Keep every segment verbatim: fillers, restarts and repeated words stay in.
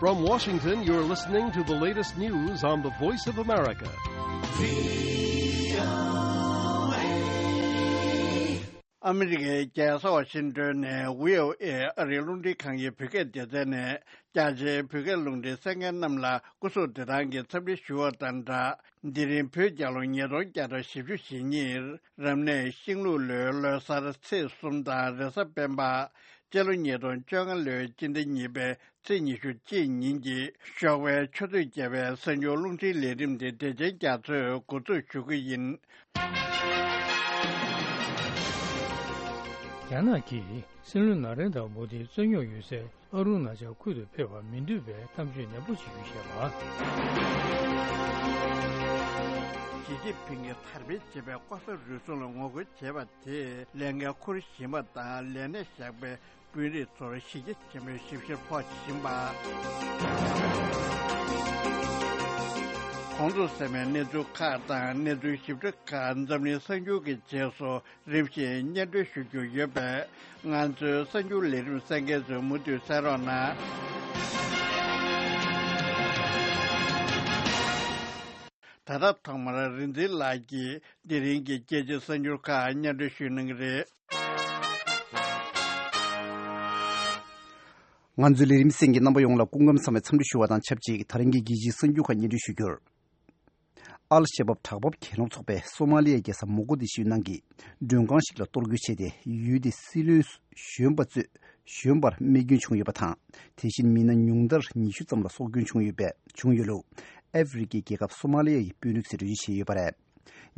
From Washington, you're listening to the latest news on the Voice of America. ཨ་མི་རི་ཀའི་རྒྱལ་ས་ཝ་ཤིང་ཏོན་ནས་བྷི་ཨོ་ཨེ་ཨ་རིའི་རླུང་འཕྲིན་ཁང་གི་བོད་སྐད་སྡེ་ཚན་ནས། རྒྱ་ཆེའི་བོད་སྐད་རླུང་འཕྲིན་གསན་མཁན་རྣམས་ལ་སྐུ་གཟུགས་བདེ་ཐང་གི་འཚམས་འདྲི་ཞུ་བ་དང་སྦྲགས། འདི་རིང་བོད་རྒྱལ་ལོ་ཉིས་སྟོང་བརྒྱ་དང་བཞི་བཅུ་ཞེ་གཉིས། རབ་གནས་ཤིང་ལུག་ལོའི་ལོ་གསར་ཚེས་གསུམ་དང་རེས་གཟའ་སྤེན་པ། སྤྱི་ལོ་ཉིས་སྟོང་བཅོ་ལྔ་ལོའི་སྤྱི་ཟླ་གཉིས་པའི་ཚེས་ཉི་ཤུ་གཅིག་ཉིན་གྱི་ཞོགས་པའི་ཆུ་ཚོད་བརྒྱད་པའི་གསར་འགྱུར་རླུང་འཕྲིན་ལས་རིམ་དེ་བདེ་ཆེན་རྒྱ་མཚོས་འགོ་འཛུགས་ཞུ་གི་ཡིན། རྒྱ་ནག་གིས་སྲིད་བློན་ན་རེན་དྲ་མོ་དིའི་རྩོད་རྙོག་ཡོད་སའི་ཨ་རུ་ན་ཅལ་ཁུལ་དུ་ཕེབས་པར་མི་འདོད་པའི་གཏམ་བརྗོད་ནན་པོ་བྱེད་རྒྱུ་བཤད་པ། ཞི་ཅིན་ཕིང་གིས་དར་སྤེལ་བྱེད་པའི་ལྐོག་ཟ་རུལ་སུངས་ལ་ངོ་རྒོལ་བྱས་པ་དེས་ལས་འགན་འཁུར་བཞིན་པ་དང་ལས་གནས་བཞག་པའི་དཔོན་རིགས་ཚོར་གཞི་རྒྱ་ཆེན་པོའི་ཞིབ་བཤེར་ཕོག་བཞིན་པ། གོང་དུ་གསན་པའི་གནས་ཚུལ་ཁག་དང་གནས་ཚུལ་ཞིབ་ཕྲ་ཁག་འཛམ་གླིང་གསར་འགྱུར་གྱི་རྗེས་སུ་རིམ་བཞིན་སྙན་སྒྲོན་ཞུ་རྒྱུ་ཡོད་པས། ང་ཚོའི་གསར་འགྱུར་ལས་རིམ་གསན་མཁན་ཚོས་མུ་མཐུད་གསན་རོགས་གནང་། ད་ལྟ་ཐོག་མར་རིག་འཛིན་ལགས་ཀྱིས་དེ་རིང་གི་རྒྱལ་སྤྱིའི་གསར་འགྱུར་ཁག་སྙན་སྒྲོན་ཞུ་གནང་གི་རེད། ང་ཚོའི་ལས་རིམ་གསན་མཁན་རྣམ་པ་ཡོངས་ལ་སྐུ་ཁམས་བཟང་བའི་འཚམས་འདྲི་ཞུ་བ་དང་ཆབས་ཅིག་དེ་རིང་གི་རྒྱལ་སྤྱིའི་གསར་འགྱུར་ཁག་སྙན་སྒྲོན་ཞུ་རྒྱུར། ཨལ་ཤ་བབ་དྲག་འབབ་གྱེན་ལོག་ཚོགས་པས་སོ་མ་ལི་ཡའི་རྒྱལ་ས་མོག་ཀོ་དི་ཤུའི་ནང་གི་མགྲོན་ཁང་ཞིག་ལ་གཏོར་རྒོལ་བྱས་ཏེ། ཡུལ་དེའི་སྲིད་བློན་གཞོན་པ་གཙོས་གཞོན་པར་རྨས་སྐྱོན་བྱུང་ཡོད་པ་དང་། དེ་བཞིན་མི་སྣ་ཉུང་མཐར་ཉི་ཤུ་ཙམ་ལ་སྲོག་སྐྱོན་བྱུང་ཡོད་པའི་བྱུང་ཡོད་ལུགས་ཨ་ཧྥེ་རི་ཁའི་རྒྱལ་ཁབ་སོ་མ་ལི་ཡའི་དཔོན་རིགས་ཚོས་འགྲེལ་བརྗོད་བྱས་ཡོད་པ་རེད།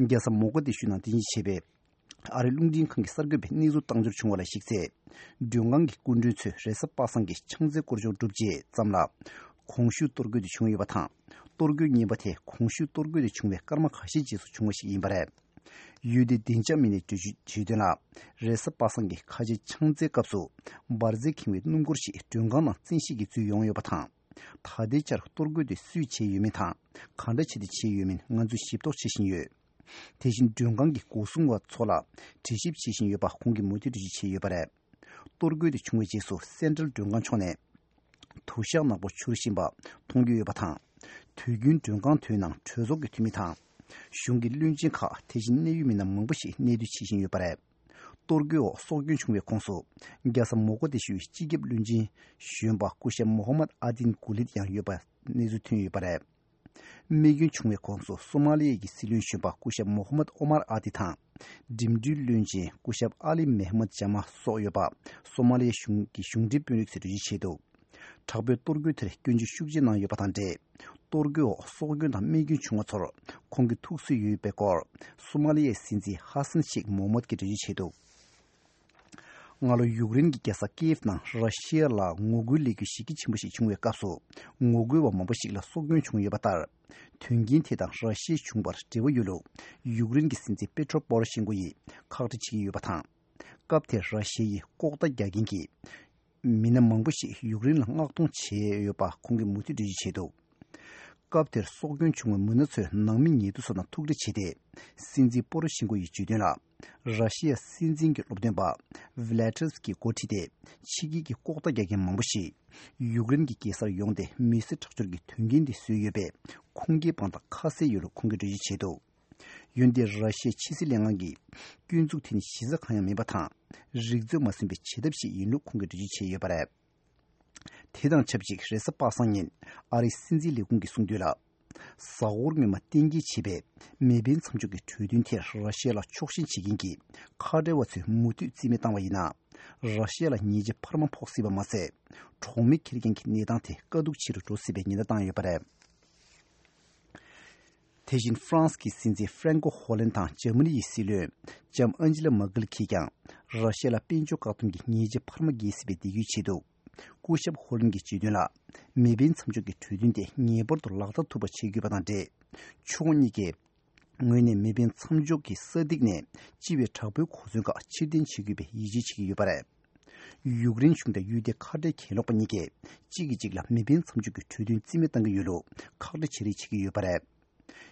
རྒྱལ་ས་མོག་ཀོ་དི་ཤུའི་ནང་རྟེན་གཞི་བྱས་པའི་ཨ་རིའི་རླུང་འཕྲིན་ཁང་གི་གསར་འགོད་པས་གནས་ཚུལ་བཏང་འབྱོར་བྱུང་བ་ལ་གཞིགས་ཚེ། མགྲོན་ཁང་གི་སྐུ་མགྲོན་ཚོས་རེས་གཟའ་པ་སངས་ཀྱི་ཕྱག་འཚལ་སྐོར་སྦྱོང་གྲུབ་རྗེས་ཙམ་ལ། གོང་ཞུས་གཏོར་རྒོལ་དེ་བྱུང་ཡོད་པ་དང་། གཏོར་རྒོལ་གཉིས་པ་དེ་གོང་ཞུས་གཏོར་རྒོལ་དེ་བྱུང་བའི་སྐར་མ་ཁ་ཤས་རྗེས་སུ་བྱུང་བ་ཞིག་ཡིན་པ་རེད། ཡུལ་དེའི་བདེ་འཇགས་མི་སྣས་འགྲེལ་བརྗོད་བྱས་དོན་ལ། རེས་གཟའ་པ་སངས་ཀྱི་ཁ་ཆེའི་ཕྱག་འཚལ་སྐབས་སུ། འབར་རྫས་ཁེངས་པའི་སྣུམ་འཁོར་ཞིག་མགྲོན་ཁང་ནང་བཙན་ཤེད་ཀྱིས་འཛུལ་ཡོང་ཡོད་པ་དང་། ད་ལྟའི་ཆར་གཏོར་རྒོལ་དེ་སུས་བྱས་ཡོད་མིན་དང་། གང་འདྲ་བྱས་ཏེ་བྱས་ཡོད་མིན་ང་ཚོས་ཞིབ་རྟོག་བྱེད་བཞིན་ཡོད། དེ་བཞིན་མགྲོན་ཁང་གི་སྒོ་སྲུང་བ་ཚོ་ལ་དྲི་ཞིབ་བྱེད་བཞིན་ཡོད་པ་ཁོང་གིས་མུ་མཐུད་འགྲེལ་བརྗོད་བྱས་ཡོད་པ་རེད། གཏོར་རྒོལ་དེ་བྱུང་བའི་རྗེས་སུ་སེན་ཊྲལ་མགྲོན་ཁང་ཕྱོགས་ནས་དུ་ཞག་ནག་པོ་འཕྱུར་བཞིན་པ་མཐོང་རྒྱུ་ཡོད་པ་དང་། དུས་རྒྱུན་མགྲོན་ཁང་དེའི་ནང་གྲོས་ཚོགས་ཀྱི་འཐུས་མི་དང་། གཞུང་གི་བློན་ཆེན་ཁག་དེ་བཞིན་གནད་ཡོད་མི་སྣ་མང་པོ་ཞིག་གནས་སྡོད་བྱེད་བཞིན་ཡོད་པ་རེད། གཏོར་རྒོལ་འོག་སྲོག་སྐྱོན་བྱུང་བའི་ཁོངས་སུ། རྒྱལ་ས་མོག་ཀོ་དི་ཤུའི་སྤྱི་ཁྱབ་བློན་ཆེན་གཞོན་པ་སྐུ་ཞབས་མོ་ཧ་མད་ཨ་དིན་གུ་ལིད་ཡང་ཡོད་པ་གནས་ཚུལ་ཐོན་ཡོད་པ་རེད། རྨས་སྐྱོན་བྱུང་བའི་ཁོངས་སུ་སོ་མ་ལི་ཡའི་གི་སྲིད་བློན་གཞོན་པ་སྐུ་ཞབས་མོ་ཧ་མད་ཨོ་མར་ཨ་ཏི་དང་། འགྲིམ་འགྲུལ་བློན་ཆེན་སྐུ་ཞབས་ཨ་ལི་མེ་ཧ་མད་ཇ་མ་སོགས་ཡོད་པ་སོ་མ་ལི་ཡའི་གཞུང་གི་གཞུང་འབྲེལ་དཔོན་རིགས་ཚོས་འགྲེལ་བརྗོད་བྱས་འདུག་དྲག་པོའི་གཏོར་རྒོལ་དེར་སྐྱོན་བརྗོད་ཤུགས་ཆེ་གནང་ཡོད་པ་དང་འབྲེལ། གཏོར་རྒོལ་འོག་སྲོག་སྐྱོན་དང་རྨས་སྐྱོན་བྱུང་བ་ཚོར་ཁོང་གིས་ཐུགས་གསོས་ཡོད་པའི་སྐོར་སོ་མ་ལི་ཡའི་སྲིད་འཛིན་ཧ་སན་ཤེག་མོ་མད་ཀྱིས་འགྲེལ་བརྗོད་བྱས་འདུག་སྔ་ལོ་ཡུཀ་རེན་གྱི་རྒྱལ་ས་ཀི་ཡེབ་ནང་ར་ཤི་ཡ་ལ་ངོ་རྒོལ་ལས་འགུལ་གཞི་རྒྱ་ཆེན་པོ་ཞིག་བྱུང་བའི་སྐབས་སུ། ངོ་རྒོལ་བ་མང་པོ་ཞིག་ལ་སྲོག་སྐྱོན་བྱུང་ཡོད་པ་ལྟར། དོན་རྐྱེན་དེ་དང་ར་ཤི་ཡའི་བྱུང་བར་འབྲེལ་བ་ཡོད་ལུགས་ཡུཀ་རེན་གྱི་སྲིད་འཛིན་པེ་ཏྲོ་པོ་རོ་ཤེན་ཀོ་ཡིས་ཁག་དཀྲི་བྱེད་ཀྱི་ཡོད་པ་དང་། སྐབས་དེར་ར་ཤི་ཡའི་ལྐོག་ལྟ་རྒྱག་མཁན་གྱི་མི་སྣ་མང་པོ་ཞིག་ཡུཀ་རེན་ལ་མངགས་གཏོང་བྱས་ཡོད་པ་ཁོང་གིས་མུ་མཐུད་འགྲེལ་བརྗོད་བྱས་འདུག་སྐབས་དེར་སྲོག་སྐྱོན་བྱུང་བའི་མི་སྣ་ཚོས་ནང་མི་ཉེ་དུ་ཚོ་དང་ཐུག་འཕྲད་བྱས་ཏེ། སྲིད་འཛིན་པོ་རོ་ཤིན་ཀོ་ཡིས་བརྗོད་དོན་ལ། ར་ཤི་ཡ་སྲིད་འཛིན་གྱི་སློབ་སྟོན་པ་ཝི་ལ་ཏྲེས་ཀྱི་འགོ་ཁྲིད་དེ། ཕྱི་རྒྱལ་གྱི་ལྐོག་ལྟ་རྒྱག་མཁན་མང་པོ་ཞིག་ཡུཀ་རེན་གྱི་རྒྱལ་སར་ཡོང་སྟེ་མི་སེར་ཁྲག་སྦྱོར་གྱི་དོན་རྐྱེན་དེ་བཟོས་ཡོད་པའི་ཁུངས་སྐྱེལ་དཔང་རྟགས་ཁ་གསལ་ཡོད་ལུགས་ཁོང་གིས་འགྲེལ་བརྗོད་བྱས་འདུག་འོན་ཏེ་ར་ཤི་ཡའི་ཕྱི་སྲིད་ལྷན་ཁང་གིས་སྐྱོན་འཛུགས་དེ་ནི་གཞི་རྩ་གང་ཡང་མིན་པ་དང་། རིག་མཛོད་མ་ཟིན་པའི་བྱེད་ཐབས་ཤིག་ཡིན་ལུགས་ཁོང་གིས་འགྲེལ་བརྗོད་བྱས་ཡོད་པ་རེད། དེ་དང་ཆབས་ཅིག་རེས་གཟའ་པ་སངས་ཉིན་ཨ་རིའི་སྲིད་འཛིན་ལས་ཁུངས་ཀྱིས་གསུངས་དོན་ལ། གཟའ་འཁོར་སྔོན་མ་གཏན་འཁེལ་བྱས་པའི་མེ་འཕེན་མཚམས་འཇོག་གི་གྲོས་མཐུན་དེར་ར་ཤི་ཡ་ལ་ཕྱོགས་ཞེན་བྱེད་མཁན་གྱི་ཁ་བྲལ་བ་ཚོས་མུ་མཐུད་རྩིས་མེད་བཏང་བ་ཡིན་ན། ར་ཤི་ཡ་ལ་ཉེས་ཆད་འཕར་མ་ཕོག་སྲིད་པ་མ་ཟད། གྲོགས་མེ་འཁྱེར་མཁན་གྱི་གནས་སྟངས་དེ་དཀའ་སྡུག་ཆེ་རུ་འགྲོ་སྲིད་པའི་ཉེན་བརྡ་བཏང་ཡོད་པ་རེད། དེ་བཞིན་ཧྥ་རན་སི་གི་སྲིད་འཛིན་ཧྥ་རན་ཀོ་ཧོ་ལན་དང་འཇར་མ་ནི་ཡི་སྲིད་བློན་ལྕམ་ཨན་ཇི་ལ་མར་ཀེལ་གྱིས་ཀྱང་ར་ཤི་ཡ་ལ་དཔལ་འབྱོར་བཀག་སྡོམ་གྱི་ཉེས་ཆད་འཕར་མ་འགེལ་སྲིད་པའི་འདོད་སྐུལ་བྱས་འདུག་སྐུ་ཞབས་ཧོ་ལན་གྱིས་བརྗོད་དོན་ལ། མེ་འཕེན་མཚམས་འཇོག་གི་གྲོས་མཐུན་དེ་ངེས་པར་དུ་ལག་བསྟར་ཐུབ་པ་བྱེད་དགོས་པ་དང་འབྲེལ། ཕྱོགས་གཉིས་ཀས་ངོས་ནས་མེ་འཕེན་མཚམས་འཇོག་གི་ས་ཐིག་ནས་སྤྱི་པའི་དྲག་པོའི་གོ་མཚོན་ཁག་ཕྱིར་འཐེན་བྱེད་དགོས་པའི་ཡིད་ཆེས་བྱེད་ཀྱི་ཡོད་པ་རེད། ཡུཀ་རེན་གཞུང་དང་ཡུལ་དེའི་ཁ་བྲལ་གྱེན་ལོག་པ་གཉིས་ཀས་གཅིག་གིས་གཅིག་ལ་མེ་འཕེན་མཚམས་འཇོག་གི་གྲོས་མཐུན་རྩིས་མེད་གཏང་གི་ཡོད་ལུགས་ཁག་དཀྲི་བྱེད་རེས་བྱེད་ཀྱི་ཡོད་པ་རེད།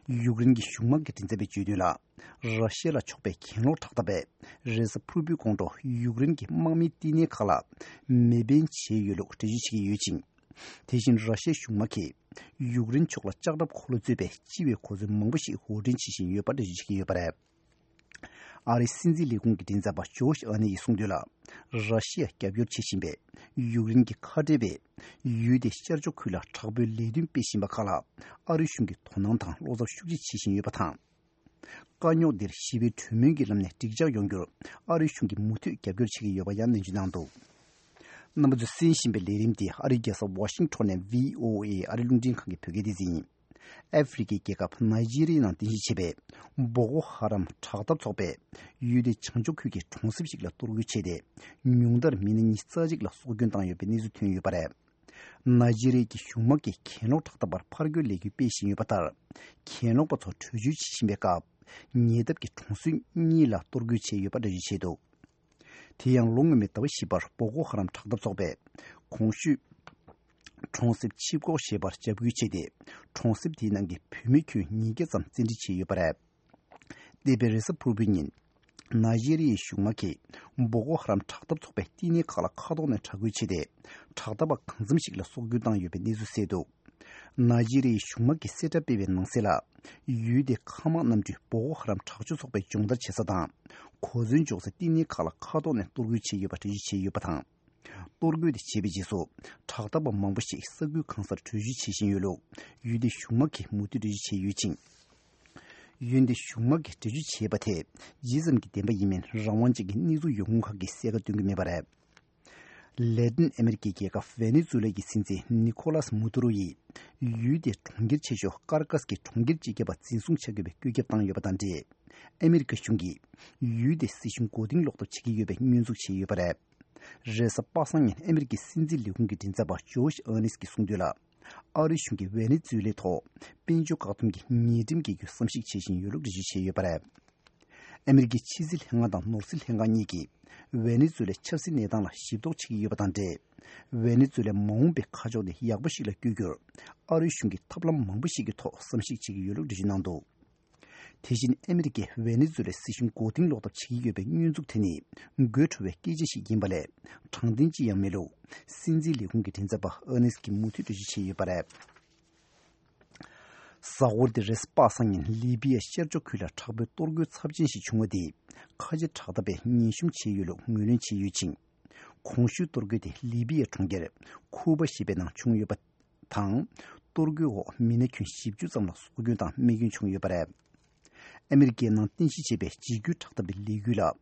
ཡུཀ་རེན་གྱི་གཞུང་དམག་གི་མགྲིན་ཚབ་པས་བརྗོད་དོན་ལ། ར་ཤི་ཡ་ལ་ཕྱོགས་པའི་གྱེན་ལོག་དྲག་འཐབ་པས་རེས་གཟའ་ཕུར་བུའི་དགོང་དྲོ་ཡུཀ་རེན་གྱི་དམག་མིའི་བསྟི་གནས་ཁག་ལ་མེ་འཕེན་བྱས་ཡོད་ལུགས་འགྲེལ་བརྗོད་བྱེད་ཀྱི་ཡོད་ཅིང་། དེ་བཞིན་ར་ཤི་ཡའི་གཞུང་དམག་གིས་ཡུཀ་རེན་ཕྱོགས་ལ་ལྕགས་ཁྲབ་འཁོར་ལོ་གཙོས་པའི་སྤྱི་བའི་གོ་མཚོན་མང་པོ་ཞིག་དབོར་འདྲེན་བྱེད་བཞིན་ཡོད་པ་འགྲེལ་བརྗོད་བྱེད་ཀྱི་ཡོད་པ་རེད། ཨ་རིའི་སྲིད་འཛིན་ལས་ཁུངས་ཀྱི་མགྲིན་ཚབ་པ་ཇོ་ཤི་ཨ་ནེ་ཡིས་གསུངས་དོན་ལ། ར་ཤི་ཡ་རྒྱབ་སྐྱོར་བྱེད་བཞིན་པའི་ཡུཀ་རེན་གྱི་ཁ་བྲལ་བས། ཡུལ་དེའི་ཤར་ཕྱོགས་ཁུལ་ལ་དྲག་པོའི་ལས་དོན་སྤེལ་བཞིན་པ་ཁག་ལ་ཨ་རིའི་གཞུང་གིས་དོ་སྣང་དང་བློ་འཚབ་ཤུགས་ཆེ་བྱེད་བཞིན་ཡོད་པ་དང་། དཀའ་རྙོག་འདིར་ཞི་བའི་གྲོས་མོལ་གྱི་ལམ་ནས་འགྲིག་འཇགས་ཡོང་རྒྱུར་ཨ་རིའི་གཞུང་གིས་མུ་མཐུད་རྒྱབ་སྐྱོར་བྱེད་ཀྱི་ཡོད་པ་ཡང་ནན་བརྗོད་གནང་འདུག་རྣམ་པ་ཚོས་གསན་བཞིན་པའི་ལས་རིམ་འདི་ཨ་རིའི་རྒྱལ་ས་ཝ་ཤིང་ཊོན་ནས་བྷི་ཨོ་ཨེ་ཨ་རིའི་རླུང་འཕྲིན་ཁང་གི་བོད་སྐད་སྡེ་ཚན་ཡིན། ཨ་ཧྥེ་རི་ཁའི་རྒྱལ་ཁབ་ནཱི་ཇི་རི་ཡའི་ནང་རྟེན་གཞི་བྱས་པའི་བོ་ཀོ་ཧ་རམ་དྲག་འཐབ་ཚོགས་པས་ཡུལ་དེའི་བྱང་ཕྱོགས་ཁུལ་གྱི་གྲོང་གསེབ་ཞིག་ལ་གཏོར་རྒོལ་བྱས་ཏེ། ཉུང་མཐར་མི་སྣ་ཉི་ཤུ་རྩ་གཅིག་ལ་སྲོག་སྐྱོན་བཏང་ཡོད་པའི་གནས་ཚུལ་ཐོན་ཡོད་པ་རེད། ནཱི་ཇི་རི་ཡའི་གཞུང་དམག་གིས་གྱེན་ལོག་དྲག་འཐབ་པར་ཕར་རྒོལ་ལས་འགུལ་སྤེལ་བཞིན་ཡོད་པ་ལྟར། གྱེན་ལོག་པ་ཚོ་བྲོས་བྱོལ་བྱེད་བཞིན་པའི་སྐབས། ཉེ་འདབས་ཀྱི་གྲོང་གསེབ་གཉིས་ལ་གཏོར་རྒོལ་བྱས་ཡོད་པ་འགྲེལ་བརྗོད་བྱས་འདུག་དེ་ཡང་ལོ་སྔོན་མའི་ཟླ་བ་བཞི་པར་བོ་ཀོ་ཧ་རམ་དྲག་འཐབ་ཚོགས་པས་གོང་ཞུས་གྲོང་གསེབ་ཆིབ་ཀོག་ཞེས་པར་འཇབ་རྒོལ་བྱས་ཏེ། གྲོང་གསེབ་དེའི་ནང་གི་བུད་མེད་ཁྱོན་ཉིས་བརྒྱ་ཙམ་བཙན་ཁྲིད་བྱས་ཡོད་པ་རེད། འདས་པའི་རེས་གཟའ་ཕུར་བུའི་ཉིན། ནཱི་ཇི་རི་ཡའི་གཞུང་དམག་གིས་བོ་ཀོ་ཧ་རམ་དྲག་འཐབ་ཚོགས་པའི་བསྟི་གནས་ཁག་ལ་མཁའ་ཐོག་ནས་དྲག་རྒོལ་བྱས་ཏེ། དྲག་འཐབ་པ་གང་འཚམ་ཞིག་ལ་སྲོག་སྐྱོན་བཏང་ཡོད་པའི་གནས་ཚུལ་གསལ་འདུག་ནཱི་ཇི་རི་ཡའི་གཞུང་དམག་གིས་གསལ་བསྒྲགས་སྤེལ་བའི་ནང་གསལ་ལ། ཡུལ་དེའི་མཁའ་དམག་གནམ་གྲུས་བོ་ཀོ་ཧ་རམ་དྲག་སྤྱོད་ཚོགས་པའི་སྦྱོང་བརྡར་བྱེད་ས་དང་། གོ་མཚོན་འཇོག་སའི་བསྟི་གནས་ཁག་ལ་མཁའ་ཐོག་ནས་གཏོར་རྒོལ་བྱས་ཡོད་པ་འགྲེལ་བརྗོད་བྱས་ཡོད་པ་དང་། གཏོར་རྒོལ་དེ་བྱས་པའི་རྗེས་སུ། དྲག་འཐབ་པ་མང་པོ་ཞིག་ས་ཁུལ་གང་སར་བྲོས་བྱོལ་བྱེད་བཞིན་ཡོད་ལུགས་ཡུལ་དེའི་གཞུང་དམག་གིས་མུ་མཐུད་འགྲེལ་བརྗོད་བྱས་ཡོད་ཅིང་། ཡུལ་དེའི་གཞུང་དམག་གིས་འགྲེལ་བརྗོད་བྱས་པ་དེ་ཇི་ཙམ་གྱི་བདེན་པ་ཡིན་མིན་རང་དབང་ཅན་གྱི་གནས་ཚུལ་ཡོང་ཁུངས་ཁག་གིས་གསལ་ཁ་སྟོན་གྱི་མེད་པ་རེད། ལེ་ཏིན་ཨ་མེ་རི་ཀའི་རྒྱལ་ཁབ་ཝེ་ནེ་ཛུ་ལ་གི་སྲིད་འཛིན་ནི་ཁོ་ལཱས་མུ་དུ་རོ་ཡིས་ཡུལ་དེའི་གྲོང་ཁྱེར་ཆེ་ཤོས་ཀར་ཀཱས་ཀྱི་གྲོང་ཁྱེར་སྤྱི་ཁྱབ་པ་འཛིན་བཟུང་བྱ་དགོས་པའི་བཀོད་ཁྱབ་བཏང་ཡོད་པ་དང་འབྲེལ། ཨ་མེ་རི་ཀ་གཞུང་གིས་ཡུལ་དེའི་སྲིད་གཞུང་མགོ་རྟིང་སློག་ཐབས་བྱེད་ཀྱི་ཡོད་པའི་སྙོན་འཛུགས་བྱས་ཡོད་པ་རེད། རེས་གཟའ་པ་སངས་ཉིན་ཨ་མེ་རི་ཀའི་སྲིད་འཛིན་ལས་ཁུངས་ཀྱི་མགྲིན་ཚབ་པ་ཇོ་ཤི་ཨར་ནེ་སི་ཀྱིས་གསུངས་དོན་ལ། ཨ་རིའི་གཞུང་གིས་ཝེ་ནེ་ཛུ་ལའི་ཐོག་དཔལ་འབྱོར་བཀག་སྡོམ་གྱི་ཉེས་ཁྲིམས་འགེལ་རྒྱུའི་བསམ་གཞིག་བྱེད་བཞིན་ཡོད་ལུགས་འགྲེལ་བརྗོད་བྱས་ཡོད་པ་རེད། ཨ་མེ་རི་ཀའི་ཕྱི་སྲིད་ལྷན་ཁང་དང་ནོར་སྲིད་ལྷན་ཁང་གཉིས་ཀྱིས་ཝེ་ནེ་ཛུ་ལའི་ཆབ་སྲིད་གནས་སྟངས་ལ་ཞིབ་རྟོག་བྱེད་ཀྱི་ཡོད་པ་དང་འབྲེལ། ཝེ་ནེ་ཛུ་ལའི་མ་འོངས་པའི་ཁ་ཕྱོགས་དེ་ཡག་པོ་ཞིག་ལ་བསྐྱོད་རྒྱུར། ཨ་རིའི་གཞུང་གིས་ཐབས་ལམ་མང་པོ་ཞིག་གི་ཐོག་བསམ་གཞིག་བྱེད་ཀྱི་ཡོད་ལུགས་འགྲེལ་བརྗོད་གནང་འདུག་དེ་བཞིན་ཨ་མེ་རི་ཀས་ཝེ་ནེ་ཛུ་ལའི་སྲིད་གཞུང་མགོ་རྟིང་སློག་ཐབས་བྱེད་ཀྱི་ཡོད་པའི་སྙོན་འཛུགས་དེ་ནི་དགོད་བྲོ་བའི་སྐད་ཆ་ཞིག་ཡིན་པ་ལས་དྲང་བདེན་ཅི་ཡང་མེད་ལུགས་སྲིད་འཛིན་ལས་ཁུངས་ཀྱི་མགྲིན་ཚབ་པ་ཨར་ནེ་སི་ཀྱིས་མུ་མཐུད་འགྲེལ་བརྗོད་བྱས་ཡོད་པ་རེད། གཟའ་འཁོར་འདིར་རེས་གཟའ་པ་སངས་ཉིན་ལི་བི་ཡའི་ཤར་ཕྱོགས་ཁུལ་ལ་དྲག་པོའི་གཏོར་རྒོལ་ཚབས་ཆེན་ཞིག་བྱུང་བ་དེས་ཁ་ཆེ་དྲག་འཐབ་པས་ངན་ཤུམ་བྱས་ཡོད་ལུགས་ངོས་ལེན་བྱས་ཡོད་ཅིང་། གོང་ཞུས་གཏོར་རྒོལ་དེ་ལི་བི་ཡའི་གྲོང་ཁྱེར་ཁུ་པ་ཞེས་པའི་ནང་བྱུང་ཡོད་པ་དང་། གཏོར་རྒོལ་འོག་མི་སྣ་ཁྱོན་བཞི་བཅུ་ཙམ་ལ་སྲོག་སྐྱོན་དང་རྨས་སྐྱོན་བྱུང་ཡོད་པ་རེད། ཨ་མེ་རི་ཀའི་ནང་རྟེན་གཞི་བྱས་པའི་འཇིགས་སྐུལ་དྲག་འཐབ་པའི་ལས་འགུལ་ལ་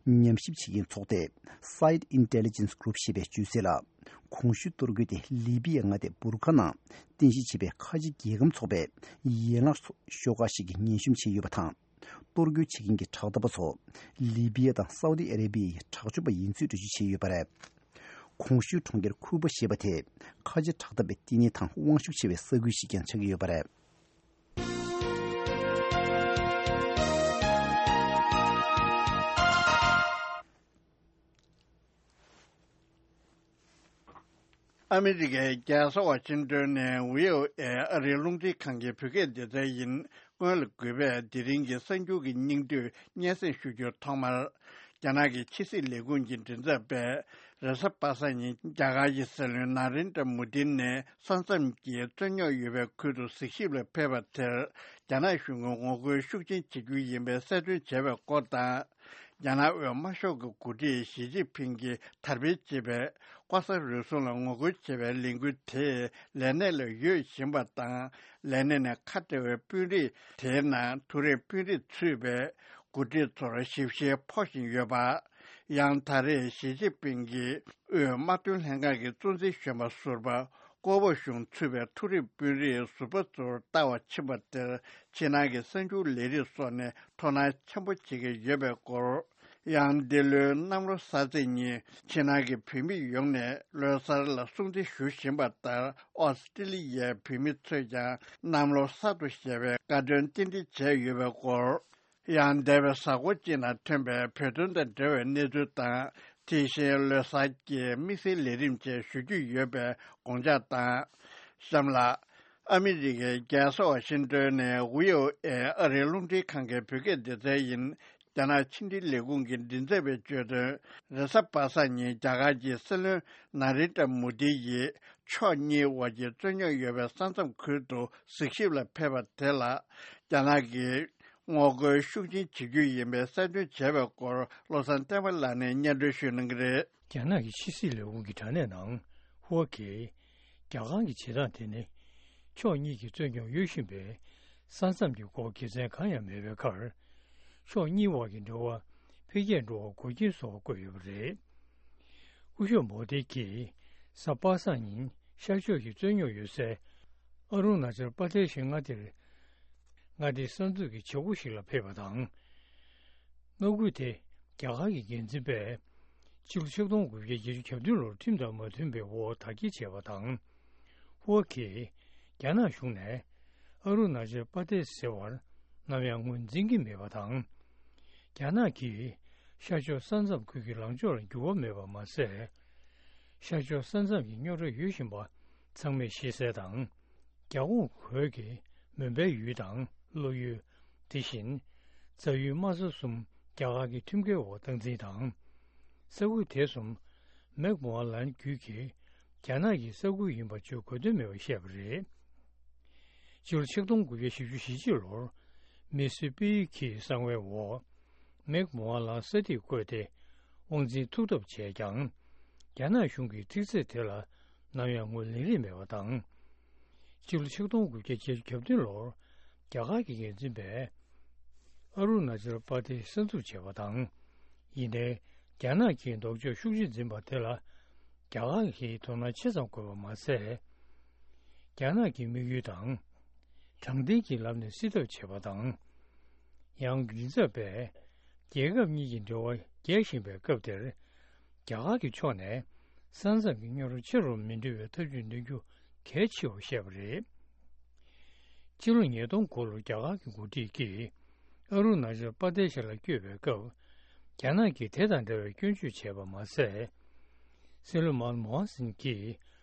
ཉམས་ཞིབ་བྱེད་མཁན་ཚོགས་སྡེ་Site Intelligence Group ཞེས་པས་བརྗོད་གསལ་ལ། གོང་ཞུས་གཏོར་རྒོལ་དེ་ལི་བི་ཡའི་མངའ་སྡེ་འབུར་ཁ་ནང་རྟེན་གཞི་བྱས་པའི་ཁ་ཆེ་རྒྱལ་ཁམས་ཚོགས་པའི་ཡན་ལག་ཤོག་ཁག་ཞིག་གིས་ངན་ཤུམ་བྱས་ཡོད་པ་དང་། གཏོར་རྒོལ་བྱེད་མཁན་གྱི་དྲག་འཐབ་པ་ཚོ་ལི་བི་ཡ་དང་སའུ་ཏི་ཨ་རེ་བི་ཡའི་དྲག་སྤྱོད་པ་ཡིན་ཚུལ་འགྲེལ་བརྗོད་བྱས་ཡོད་པ་རེད། གོང་ཞུས་གྲོང་ཁྱེར་ཁུ་པ་ཞེས་པ་དེ་ཁ་ཆེ་དྲག་འཐབ་པའི་བསྟི་གནས་དང་དབང་ཤུགས་ཆེ་བའི་ས་ཁུལ་ཞིག་ཀྱང་ཆགས་ཀྱི་ཡོད་པ་རེད། ཨ་མི་རི་ཀའི་རྒྱལ་ས་ཝ་ཤིང་ཏོན་ནས་བྷི་ཨོ་ཨེ་ཨ་རིའི་རླུང་འཕྲིན་ཁང་གི་བོད་སྐད་སྡེ་ཚན་ཡིན། སྔོན་ལ་གུས་པས་དེ་རིང་གི་གསར་འགྱུར་གྱི་སྙིང་བསྡུས་སྙན་སེང་ཞུ་རྒྱུར། ཐོག་མར། རྒྱ་ནག་གི་ཕྱི་སྲིད་ལས་ཁུངས་ཀྱི་མགྲིན་ཚབ་པས་རེས་གཟའ་པ་སངས་ཉིན་རྒྱ་གར་གྱི་སྲིད་བློན་ན་རེན་དྲ་མོ་དི་ནས་ས་མཚམས་ཀྱི་རྩོད་རྙོག་ཡོད་པའི་ཁུལ་དུ་གཟིགས་ཞིབ་ལ་ཕེབས་པ་དེར། རྒྱ་ནག་གཞུང་གིས་ངོ་རྒོལ་ཤུགས་ཆེན་བྱེད་རྒྱུ་ཡིན་པའི་གསལ་སྟོན་བྱས་པའི་སྐོར་དང་། རྒྱ་ནག་དབུས་དམར་ཤོག་གི་འགོ་ཁྲིད་ཞི་ཅིན་ཕིང་གིས་དར་སྤེལ་བྱེད་པའི་ལྐོག་ཟ་རུལ་སུངས་ལ་ངོ་རྒོལ་བྱེད་པའི་ལས་འགུལ་དེ་ལས་གནས་ལ་ཡོད་བཞིན་པ་དང་། ལས་གནས་ནས་ཁ་བྲལ་བའི་དཔོན་རིགས་དེའི་ནང་མཐོ་རིམ་དཔོན་རིགས་ཚུད་པའི་འགོ་ཁྲིད་ཚོར་ཞིབ་བཤེར་ཕོག་བཞིན་ཡོད་པ། ཡང་ད་རེས་ཞི་ཅིན་ཕིང་གིས་དབུས་དམག་དོན་ལྷན་ཁང་གི་གཙོ་འཛིན་གཞོན་པ་ཟུར་པ་ཀོ་པོ་ཞུང་ཚུད་པའི་མཐོ་རིམ་དཔོན་རིགས་ཟུར་པ་ཚོར་ལྟ་བར་ཕྱིན་པ་དེར། ཕྱི་ནང་གི་གསར་འགྱུར་ལས་རིགས་སོགས་ནས་དོ་སྣང་ཆེན་པོ་བྱེད་ཀྱི་ཡོད་པའི་སྐོར། ཡང་འདི་ལོའི་གནམ་ལོ་གསར་ཚེས་ཉིན་ཕྱི་ནང་གི་བོད་མི་ཡོངས་ནས་ལོ་གསར་ལ་སྲུང་བརྩི་ཞུ་བཞིན་པ་ལྟར། ཨོ་སི་ཀྲི་ལི་ཡའི་བོད་མི་ཚོས་ཀྱང་གནམ་ལོ་གསར་དུ་ཞེས་པའི་བཀའ་དྲིན་རྟེན་འབྲེལ་བྱས་ཡོད་པའི་སྐོར། ཡང་འདས་པའི་གཟའ་འཁོར་གཅིག་ནང་ཐོན་པའི་བོད་དོན་དང་འབྲེལ་བའི་གནས་ཚུལ་དང་། དེ་བཞིན་ལོ་གསར་གྱི་དམིགས་བསལ་ལས་རིམ་བཅས་ཞུ་རྒྱུ་ཡོད་པའི་དགོངས་འཇགས་དང་། གཤམ་ལ། ཨ་མི་རི་ཀའི་རྒྱལ་ས་ཝ་ཤིང་ཏོན་ནས་བྷི་ཨོ་ཨེ་ཨ་རིའི་རླུང་འཕྲིན་ཁང་གི་བོད་སྐད་སྡེ་ཚན་ཡིན། རྒྱ་ནག་ཕྱི་འབྲེལ་ལས་ཁུངས་ཀྱི་མགྲིན་ཚབ་པས་བརྗོད་དོན། རེས་གཟའ་པ་སངས་ཉིན་རྒྱ་གར་གྱི་སྲིད་བློན་ན་རེན་དྲ་མོ་དི་ཡིས་ཕྱོགས་གཉིས་དབར་གྱི་རྩོད་རྙོག་ཡོད་པའི་ས་མཚམས་ཁུལ་དུ་གཟིགས་ཞིབ་ལ་ཕེབས་པ་དེ་ལ། རྒྱ་ནག་གིས་ངོ་རྒོལ་ཤུགས་ཆེན་བྱེད་རྒྱུ་ཡིན་པའི་གསལ་སྟོན་བྱས་པའི་སྐོར། བློ་བཟང་བསྟན་པ་ལགས་ནས་སྙན་སྒྲོན་ཞུ་གནང་གི་རེད། རྒྱ་ནག་གི་ཕྱི་སྲིད་ལས་ཁུངས་ཀྱི་དྲ་གནས་ནང་ཧུའུ་གིས། རྒྱ་གར་གྱི་བྱེད་སྟངས་དེ་ནི། ཕྱོགས་གཉིས་ཀྱི་རྩོད་རྙོག་ཡོད་བཞིན་པའི་ས་མཚམས་ཀྱི་སྐོར་དགེ་མཚན་གང་ཡང་མེད་པའི་ཁར། ཕྱོགས་གཉིས་དབར་གྱི་འབྲེལ་བ་འཕེལ་རྒྱས་འགྲོ་བར་འགོག་རྐྱེན་བཟོ་བར་བཀོད་ཡོད་པ་རེད། སྐུ་ཞབས་མོ་དྷི་གིས་གཟའ་པ་སངས་ཉིན་ཤར་ཕྱོགས་ཀྱི་རྩོད་རྙོག་ཡོད་སའི་ཨ་རུ་ན་ཅལ་པ་ཏེ་ཞི་མངའ་སྡེར། མངའ་སྡེའི་གསར་འཛུགས་ཀྱི་བྱེད་སྒོ་ཞིག་ལ་ཕེབས་པ་དང་། མངའ་ཁུལ་དེ་རྒྱ་གར་གྱི་འགན་འཛིན་པས་ཕྱི་ལོ་ཆིག་སྟོང་དགུ་བརྒྱ་བརྒྱད་ཅུ་གྱ་བདུན་ལོར་ཁྲིམས་དང་མ་མཐུན་པའི་འོག་དར་རྒྱས་བྱས་པ་དང་། ཧུའུ་གིས་རྒྱ་ནག་གཞུང་ནས་ཨ་རུ་ན་ཅལ་པ་ཏེ་ཟེར་བར་ནམ་ཡང་ངོས་འཛིན་གྱི་མེད་པ་དང་། རྒྱ་ནག་གིས་ཤར་ཕྱོགས་ས་མཚམས་ཁུལ་གྱི་ལངས་ཕྱོགས་ལ་འགྱུར་བ་མེད་པ་མ་ཟད། ཤར་ཕྱོགས་ས་མཚམས་ཀྱི་རྙོག་དྲ་ཡོད་བཞིན་པ་ཚང་མས་ཤེས་གསལ་དང་། རྒྱ་ཁོངས་བོད་ཀྱི་མོན་པའི་ཡུལ་དང་ཀླུ་ཡུལ། དེ་བཞིན་རྫ་ཡུལ་དམའ་ས་གསུམ་རྒྱ་གར་གྱི་ཁྲིམས་འགལ་འོག་སྟངས་འཛིན་དང་། ས་ཁུལ་དེ་གསུམ་མེག་མོ་ཧན་ལན་བརྒྱུད་ཀྱིས་རྒྱ་ནག་གི་ས་ཁུལ་ཡིན་པ་བརྗོད་དགོས་དོན་མེད་པར་བཤད་པ་རེད། སྤྱི་ལོ་ཆིག་སྟོང་དགུ་བརྒྱ་བཞི་བཅུ་ཞེ་གཅིག་ལོར་མི་སི་པི་ཡི་ཁིའི་གསང་བའི་འོག་མེག་མོ་ཧན་ལན་ས་ཐིག་བཀོད་དེ་དབང་འཛིན་ཐུབ་ཐབས་བྱས་ཀྱང་། རྒྱ་ནག་གཞུང་གིས་ཐིག་ཚད་དེ་ལ་ནམ་ཡང་ངོས་ལེན་རིན་མེད་པ་དང་། སྤྱི་ལོ་ཆིག་སྟོང་དགུ་བརྒྱ་བརྒྱད་ཅུ་གྱ་བདུན་ལོར་རྒྱ་གར་གྱི་འགན་འཛིན་པས་ཨ་རུ་ན་ཅལ་པ་ཏི་གསར་འཛུགས་བྱས་པ་དང་། ཡིན་ནའི་རྒྱ་ནག་གིས་ལྡོག་ཕྱོགས་ཤུགས་ཆེ་འཛིན་པ་དེ་ལ་རྒྱ་གར་གྱིས་དོ་སྣང་ཆེ་ཙམ་དགོས་པ་མ་ཟད། རྒྱ་ནག་གི་དམིགས་ཡུལ་དང་། དྲང་བདེན་གྱི་ལམ་ནས་སེལ་ཐབས་བྱས་པ་དང་། ཡང་མགྲིན་ཚབ་པས་རྒྱལ་ཁབ་གཉིས་ཀྱི་འབྲེལ་བ་རྒྱས་བཞིན་པའི་སྐབས་དེར། རྒྱ་གར་གྱི་ཕྱོགས་ནས་ས་མཚམས་ཀྱི་རྙོག་དྲ་ཆེ་རུ་མི་འགྲོ་བའི་ཐབས་ཇུས་འདོན་རྒྱུ་གལ་ཆེ་བར་བཤད་པ་རེད། སྤྱི་ལོ་ཉིས་སྟོང་དགུ་ལོར་རྒྱ་གར་གྱི་འགོ་ཁྲིད་ཀྱིས་ཨ་རུ་ན་ཅལ་པ་ཏེ་ཤ་ལ་བསྐྱོད་པའི་སྐབས། རྒྱ་ནག་གིས་དེ་དང་འདྲ་བའི་སྐྱོན་བརྗོད་བྱས་པ་མ་ཟད། སྲིད་བློན་མན་མོ་ཧན་སིང་གིས་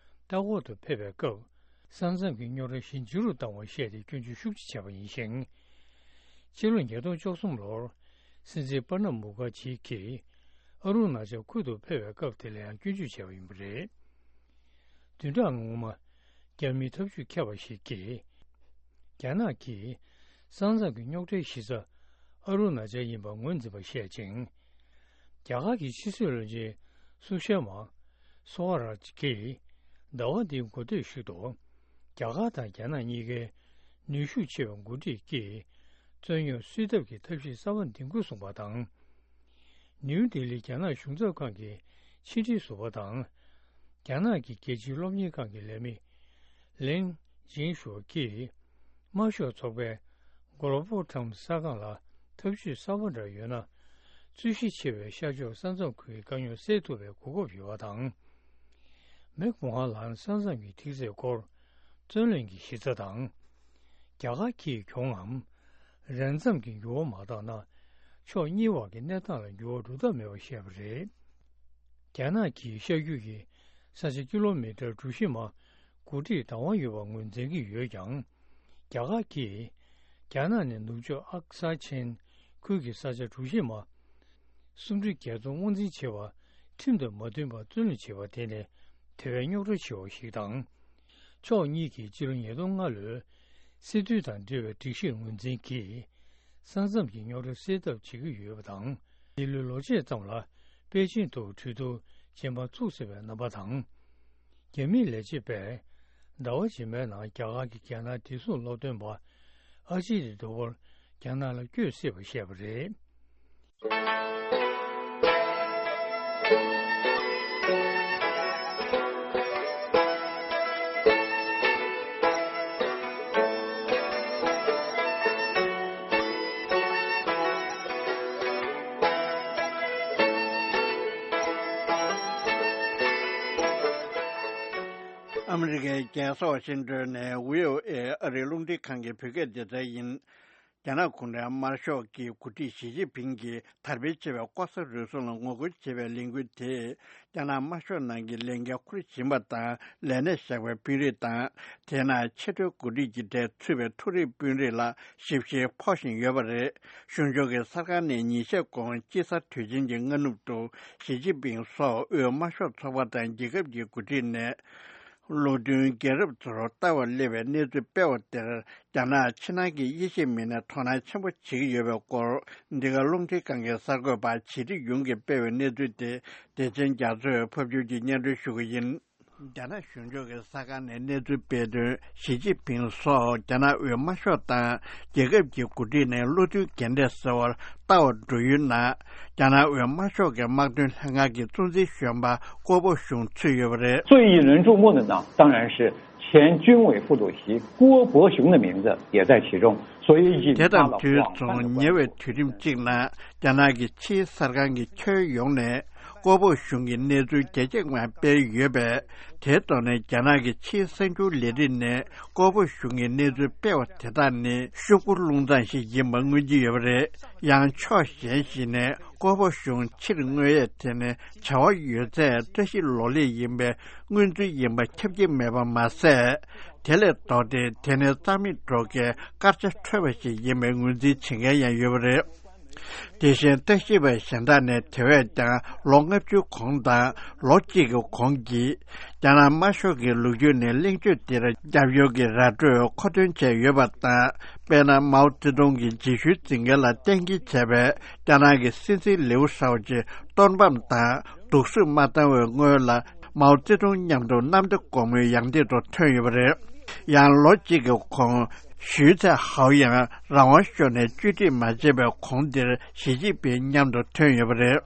ལྟ་སྐོར་དུ་ཕེབས་པའི་སྐབས། ས་མཚམས་ཀྱི་རྙོག་དྲ་ཞི་འཇུ་རུ་བཏང་བར་བཤད་དེ་སྐྱོན་བརྗོད་ཤུགས་ཆེ་བྱས་པ་ཡིན་ཞིང་། ཕྱི་ལོ་ཉིས་སྟོང་བཅུ་གསུམ་ལོར་སྲིད་འཛིན་པར་ནབ་མུ་ཁར་ཇི་གིས་ཨ་རུ་ན་ཅལ་ཁུལ་དུ་ཕེབས་པའི་སྐབས་དེ་ལ་ཡང་སྐྱོན་བརྗོད་བྱས་པ་ཡིན་པ་རེད། བདུན་ཕྲག་སྔོན་མ། རྒྱ་མིའི་ཐབས་ཇུས་མཁས་པ་ཞིག་གིས། རྒྱ་ནག་གིས་ས་མཚམས་ཀྱི་རྙོག་དྲའི་གཞི་རྩ་ཨ་རུ་ན་ཅལ་ཡིན་པ་ངོས་འཛིན་པ་བཤད་ཅིང་། རྒྱ་གར་གྱི་ཕྱི་སྲིད་བློན་ཆེན་སུ་ཤ་མ། སོ་ཧ་ར་ཇི་གིས་ཟླ་བ་འདིའི་འགོ་སྟོད་ཞིག་ཏུ། རྒྱ་གར་དང་རྒྱ་ནག་གཉིས་ཀའི་ནུས་ཤུགས་ཆེ་བའི་འགོ་ཁྲིད་ཀྱིས་རྩོད་རྙོག་སེལ་ཐབས་ཀྱི་ཐབས་ཤེས་གསར་པ་འདིང་དགོས་གསུངས་པ་དང་། ནིའུ་ལྡི་ལིའི་རྒྱ་ནག་གཞུང་ཚབ་ཁང་གི་ཕྱི་འབྲེལ་ཟུར་པ་དང་། རྒྱ་ནག་གི་རྒྱལ་སྤྱིའི་སློབ་གཉེར་ཁང་གི་ལས་མི་ལིན་ཅིན་ཧྲུའོ་གིས། དམར་ཤོག་ཚོགས་པའི་Global Times གསར་ཁང་ལ་ཐབས་ཇུས་གསར་པ་འདྲ་ཡོད་ན། རྩོད་གཞི་ཆེ་བའི་ཤར་ཕྱོགས་ས་མཚམས་ཁུལ་གྱི་དཀའ་རྙོག་སེལ་ཐུབ་པའི་གོ་སྐབས་ཡོད་པ་དང་། མེག་མོ་ཧན་ལན་ས་མཚམས་ཀྱི་ཐིག་ཚད་སྐོར་རྩོད་གླེང་གི་གཞི་རྩ་དང་། རྒྱ་གར་གྱིས་གྱོང་ངམ། རན་འཛོམས་ཀྱི་འགྱུར་བ་མ་བཏང་ན། ཕྱོགས་གཉིས་བར་གྱི་གནས་སྟངས་ལ་འགྱུར་བ་འགྲོ་ཐབས་མེད་པར་བཤད་པ་རེད། རྒྱ་ནག་གིས་ཤར་རྒྱུད་ཀྱི་ས་ཆ་ཀི་ལོ་མི་ཊར་གྲུ་བཞི་མ་འགོ་ཁྲིད་བདག་དབང་ཡོད་པར་ངོས་འཛིན་གྱི་ཡོད་ཀྱང་། རྒྱ་གར་གྱིས་རྒྱ་ནག་ནས་ནུབ་ཕྱོགས་ཨག་སཱ་ཆེན་ཁུལ་གྱི་ས་ཆ་གྲུ་བཞི་མ་སུམ་ཁྲི་བརྒྱད་སྟོང་དབང་འཛིན་བྱས་པ་ཁྲིམས་དང་མ་མཐུན་པར་བཙོན་ལེན་བྱས་པ་དེ་ནི་དེ་བས་རྙོག་དྲ་ཆེ་བ་ཞིག་དང་། ཕྱོགས་གཉིས་ཀྱིས་སྤྱི་ལོ་ཉིས་སྟོང་ལྔ་ལོའི་སྲིད་དོན་དང་འབྲེལ་བའི་སྒྲིག་གཞིར་ངོས་འཛིན་གྱིས། ས་མཚམས་ཀྱི་རྙོག་དྲ་སེལ་ཐབས་བྱེད་ཀྱི་ཡོད་པ་དང་། འདི་ལོའི་ལོ་མཇུག་ཙམ་ལ་པེ་ཅིང་དུ་གྲོས་བསྡུར་རྗེས་མ་ཚུགས་སྲིད་པའི་རྣམ་པ་དང་། རྒྱ་མིའི་ལས་བྱེད་པས་ཟླ་བ་རྗེས་མའི་ནང་རྒྱ་གར་གྱི་རྒྱལ་ནང་བདེ་སྲུང་སློབ་སྟོན་པ་ཨ་ཇི་ཏི་ཌོ་ཝལ་རྒྱ་ནག་ལ་བསྐྱོད་སྲིད་པ་བཤད་པ་རེད། ཨ་མི་རི་ཀའི་རྒྱལ་ས་ཝ་ཤིང་ཏོན་ནས་བྷི་ཨོ་ཨེ་ཨ་རིའི་རླུང་འཕྲིན་ཁང་གི་བོད་སྐད་སྡེ་ཚན་ཡིན། རྒྱ་ནག་གུང་ཁྲན་དམར་ཤོག་གི་འགོ་ཁྲིད་ཞི་ཅིན་ཕིང་གིས་དར་སྤེལ་ཆེ་བའི་ལྐོག་ཟ་རུལ་སུངས་ལ་ངོ་རྒོལ་བྱེད་པའི་ལས་འགུལ་དེས། རྒྱ་ནག་དམར་ཤོག་ནང་གི་ལས་འགན་འཁུར་བཞིན་པ་དང་ལས་གནས་བཞག་པའི་དཔོན་རིགས་དང་། དེའི་ནང་ཆེས་མཐོའི་འགོ་ཁྲིད་ཀྱི་གྲས་ཚུད་པའི་མཐོ་རིམ་དཔོན་རིགས་ལ་ཞིབ་བཤེར་ཕོག་བཞིན་ཡོད་པ་རེད། གཞུང་ཕྱོགས་ཀྱི་གསར་ཁང་ནས་ཉིན་ཤས་གོང་དཔྱིད་གསར་དུས་ཆེན་གྱི་སྔ་ནུབ་ཏུ་ཞི་ཅིན་ཕིང་སོགས་དབུས་དམར་ཤོག་ཚོགས་པ་དང་རྒྱལ་ཁབ་ཀྱི་འགོ་ཁྲིད་ནས། བློ་མཐུན་རྒྱལ་རབས་ཚོར་ལྟ་བར་སླེབས་པའི་གནས་ཚུལ་སྤེལ་བ་དེར། རྒྱ་ནག་ཕྱི་ནང་གི་དབྱེ་ཞིབ་མི་སྣས་དོ་སྣང་ཆེན་པོ་བྱེད་ཀྱི་ཡོད་པའི་སྐོར། འདི་ག་རླུང་འཕྲིན་ཁང་གི་གསར་འགོད་པ་བྱེད་སྒྲིག་ཡུང་གིས་སྤེལ་བའི་གནས་ཚུལ་དེ། བདེ་ཆེན་རྒྱ་མཚོས་ཕབ་སྒྱུར་གྱིས་སྙན་སྒྲོན་ཞུ་གི་ཡིན། རྒྱ་ནག་གཞུང་ཕྱོགས་ཀྱི་གསར་ཁང་ནས་གནས་ཚུལ་སྤེལ་དོན། ཞི་ཅིན་ཕིང་སོགས་རྒྱ་ནག་དབུས་དམར་ཤོག་དང་རྒྱལ་ཁབ་ཀྱི་འགོ་ཁྲིད་ནས་བློ་མཐུན་རྒན་གྲས་ཟེར་བར་ལྟ་བར་འགྲོ་ཡུལ་ནང་། རྒྱ་ནག་དབུས་དམར་ཤོག་གི་དམག་དོན་ལྷན་ཁང་གི་གཙོ་འཛིན་གཞོན་པ་ཀོ་པོ་ཞུང་ཚུད་ཡོད་པ་རེད། 最引人注目的呢，当然是前军委副主席郭伯雄的名字也在其中。所以引发了广泛的关注。 དེ་དང་དུས་མཚུངས། ཉེ་བའི་དུས་རིམ་གཅིག་ནང་རྒྱ་ནག་གི་ཕྱིའི་གསར་ཁང་གིས་ཁྱོན་ཡོངས་ནས་ཀོ་པོ་ཞུང་གི་གནས་ཚུལ་རྒྱ་སྐྱེད་ངང་སྤེལ་ཡོད་པས། དེའི་ཐོག་ནས་རྒྱ་ནག་གི་ཕྱིའི་གསར་འགྱུར་ལས་རིགས་ནས་ཀོ་པོ་ཞུང་གི་གནས་ཚུལ་སྤེལ་བ་དེ་དག་ནི་ཤོག་གུ་རླུང་རྩང་ཞིག་ཡིན་པ་མངོན་གྱི་ཡོད་པ་རེད། ཡང་ཕྱོགས་གཞན་ཞིག་ནས་ཀོ་པོ་ཞུང་ཕྱིར་མངོན་ཡས་དེ་ནི་བྱ་བ་ཡོད་ཚད་བཀྲ་ཤིས་ལོ་ལེགས་ཡིན་པའི་མངོན་ཚུལ་ཡིན་པ་ཁྱབ་ཀྱི་མེད་པ་མ་ཟད། དེ་ལས་ལྡོག་སྟེ་དེ་ནི་རྩ་མེད་སྒྲོག་མཁན་སྐར་ཆ་འཕྲོད་པ་ཞིག་ཡིན་པའི་ངོས་འཛིན་བྱེད་མཁན་ཡང་ཡོད་པ་རེད། དེ་བཞིན་བརྟག་ཞིབ་པ་གཞན་དག་ནས་དེ་བས་ཀྱང་ལོ་ལྔ་བཅུའི་གོང་དང་ལོ་གཅིག་གི་གོང་གི་རྒྱ་ནག་དམར་ཤོག་གི་ལོ་རྒྱུས་ནས་གླེང་བརྗོད་འདིར་རྒྱབ་སྐྱོར་གྱི་ར་སྤྲོད་མཁོ་འདོན་བྱས་ཡོད་པ་དང་། དཔེར་ན། མའོ་ཙེ་ཏུང་གི་རྗེས་ཤུལ་འཛིན་མཁན་ལ་གཏན་འཁེལ་བྱས་པའི་རྒྱ་ནག་གི་སྲིད་འཛིན་ལེའུ་ཧྲའོ་ཅི་གཏོར་ཕམ་དང་སྡུག་སྲུབས་མ་བཏང་བའི་སྔོན་ལ། མའོ་ཙེ་ཏུང་མཉམ་དུ་གནམ་བདེ་སྒོ་མོའི་ཡང་སྟེང་དུ་ཐོན་ཡོད་པ་རེད། ཡང་ལོ་གཅིག་གི་གོང་། ཞུས་ཚེ་ཧའོ་ཡང་རང་དབང་ཤོར་ནས་བཅོས་སྒྲིག་མ་བྱས་པའི་གོང་འདིར་ཞི་ཅིན་ཕིང་མཉམ་དུ་ཐོན་ཡོད་པ་རེད།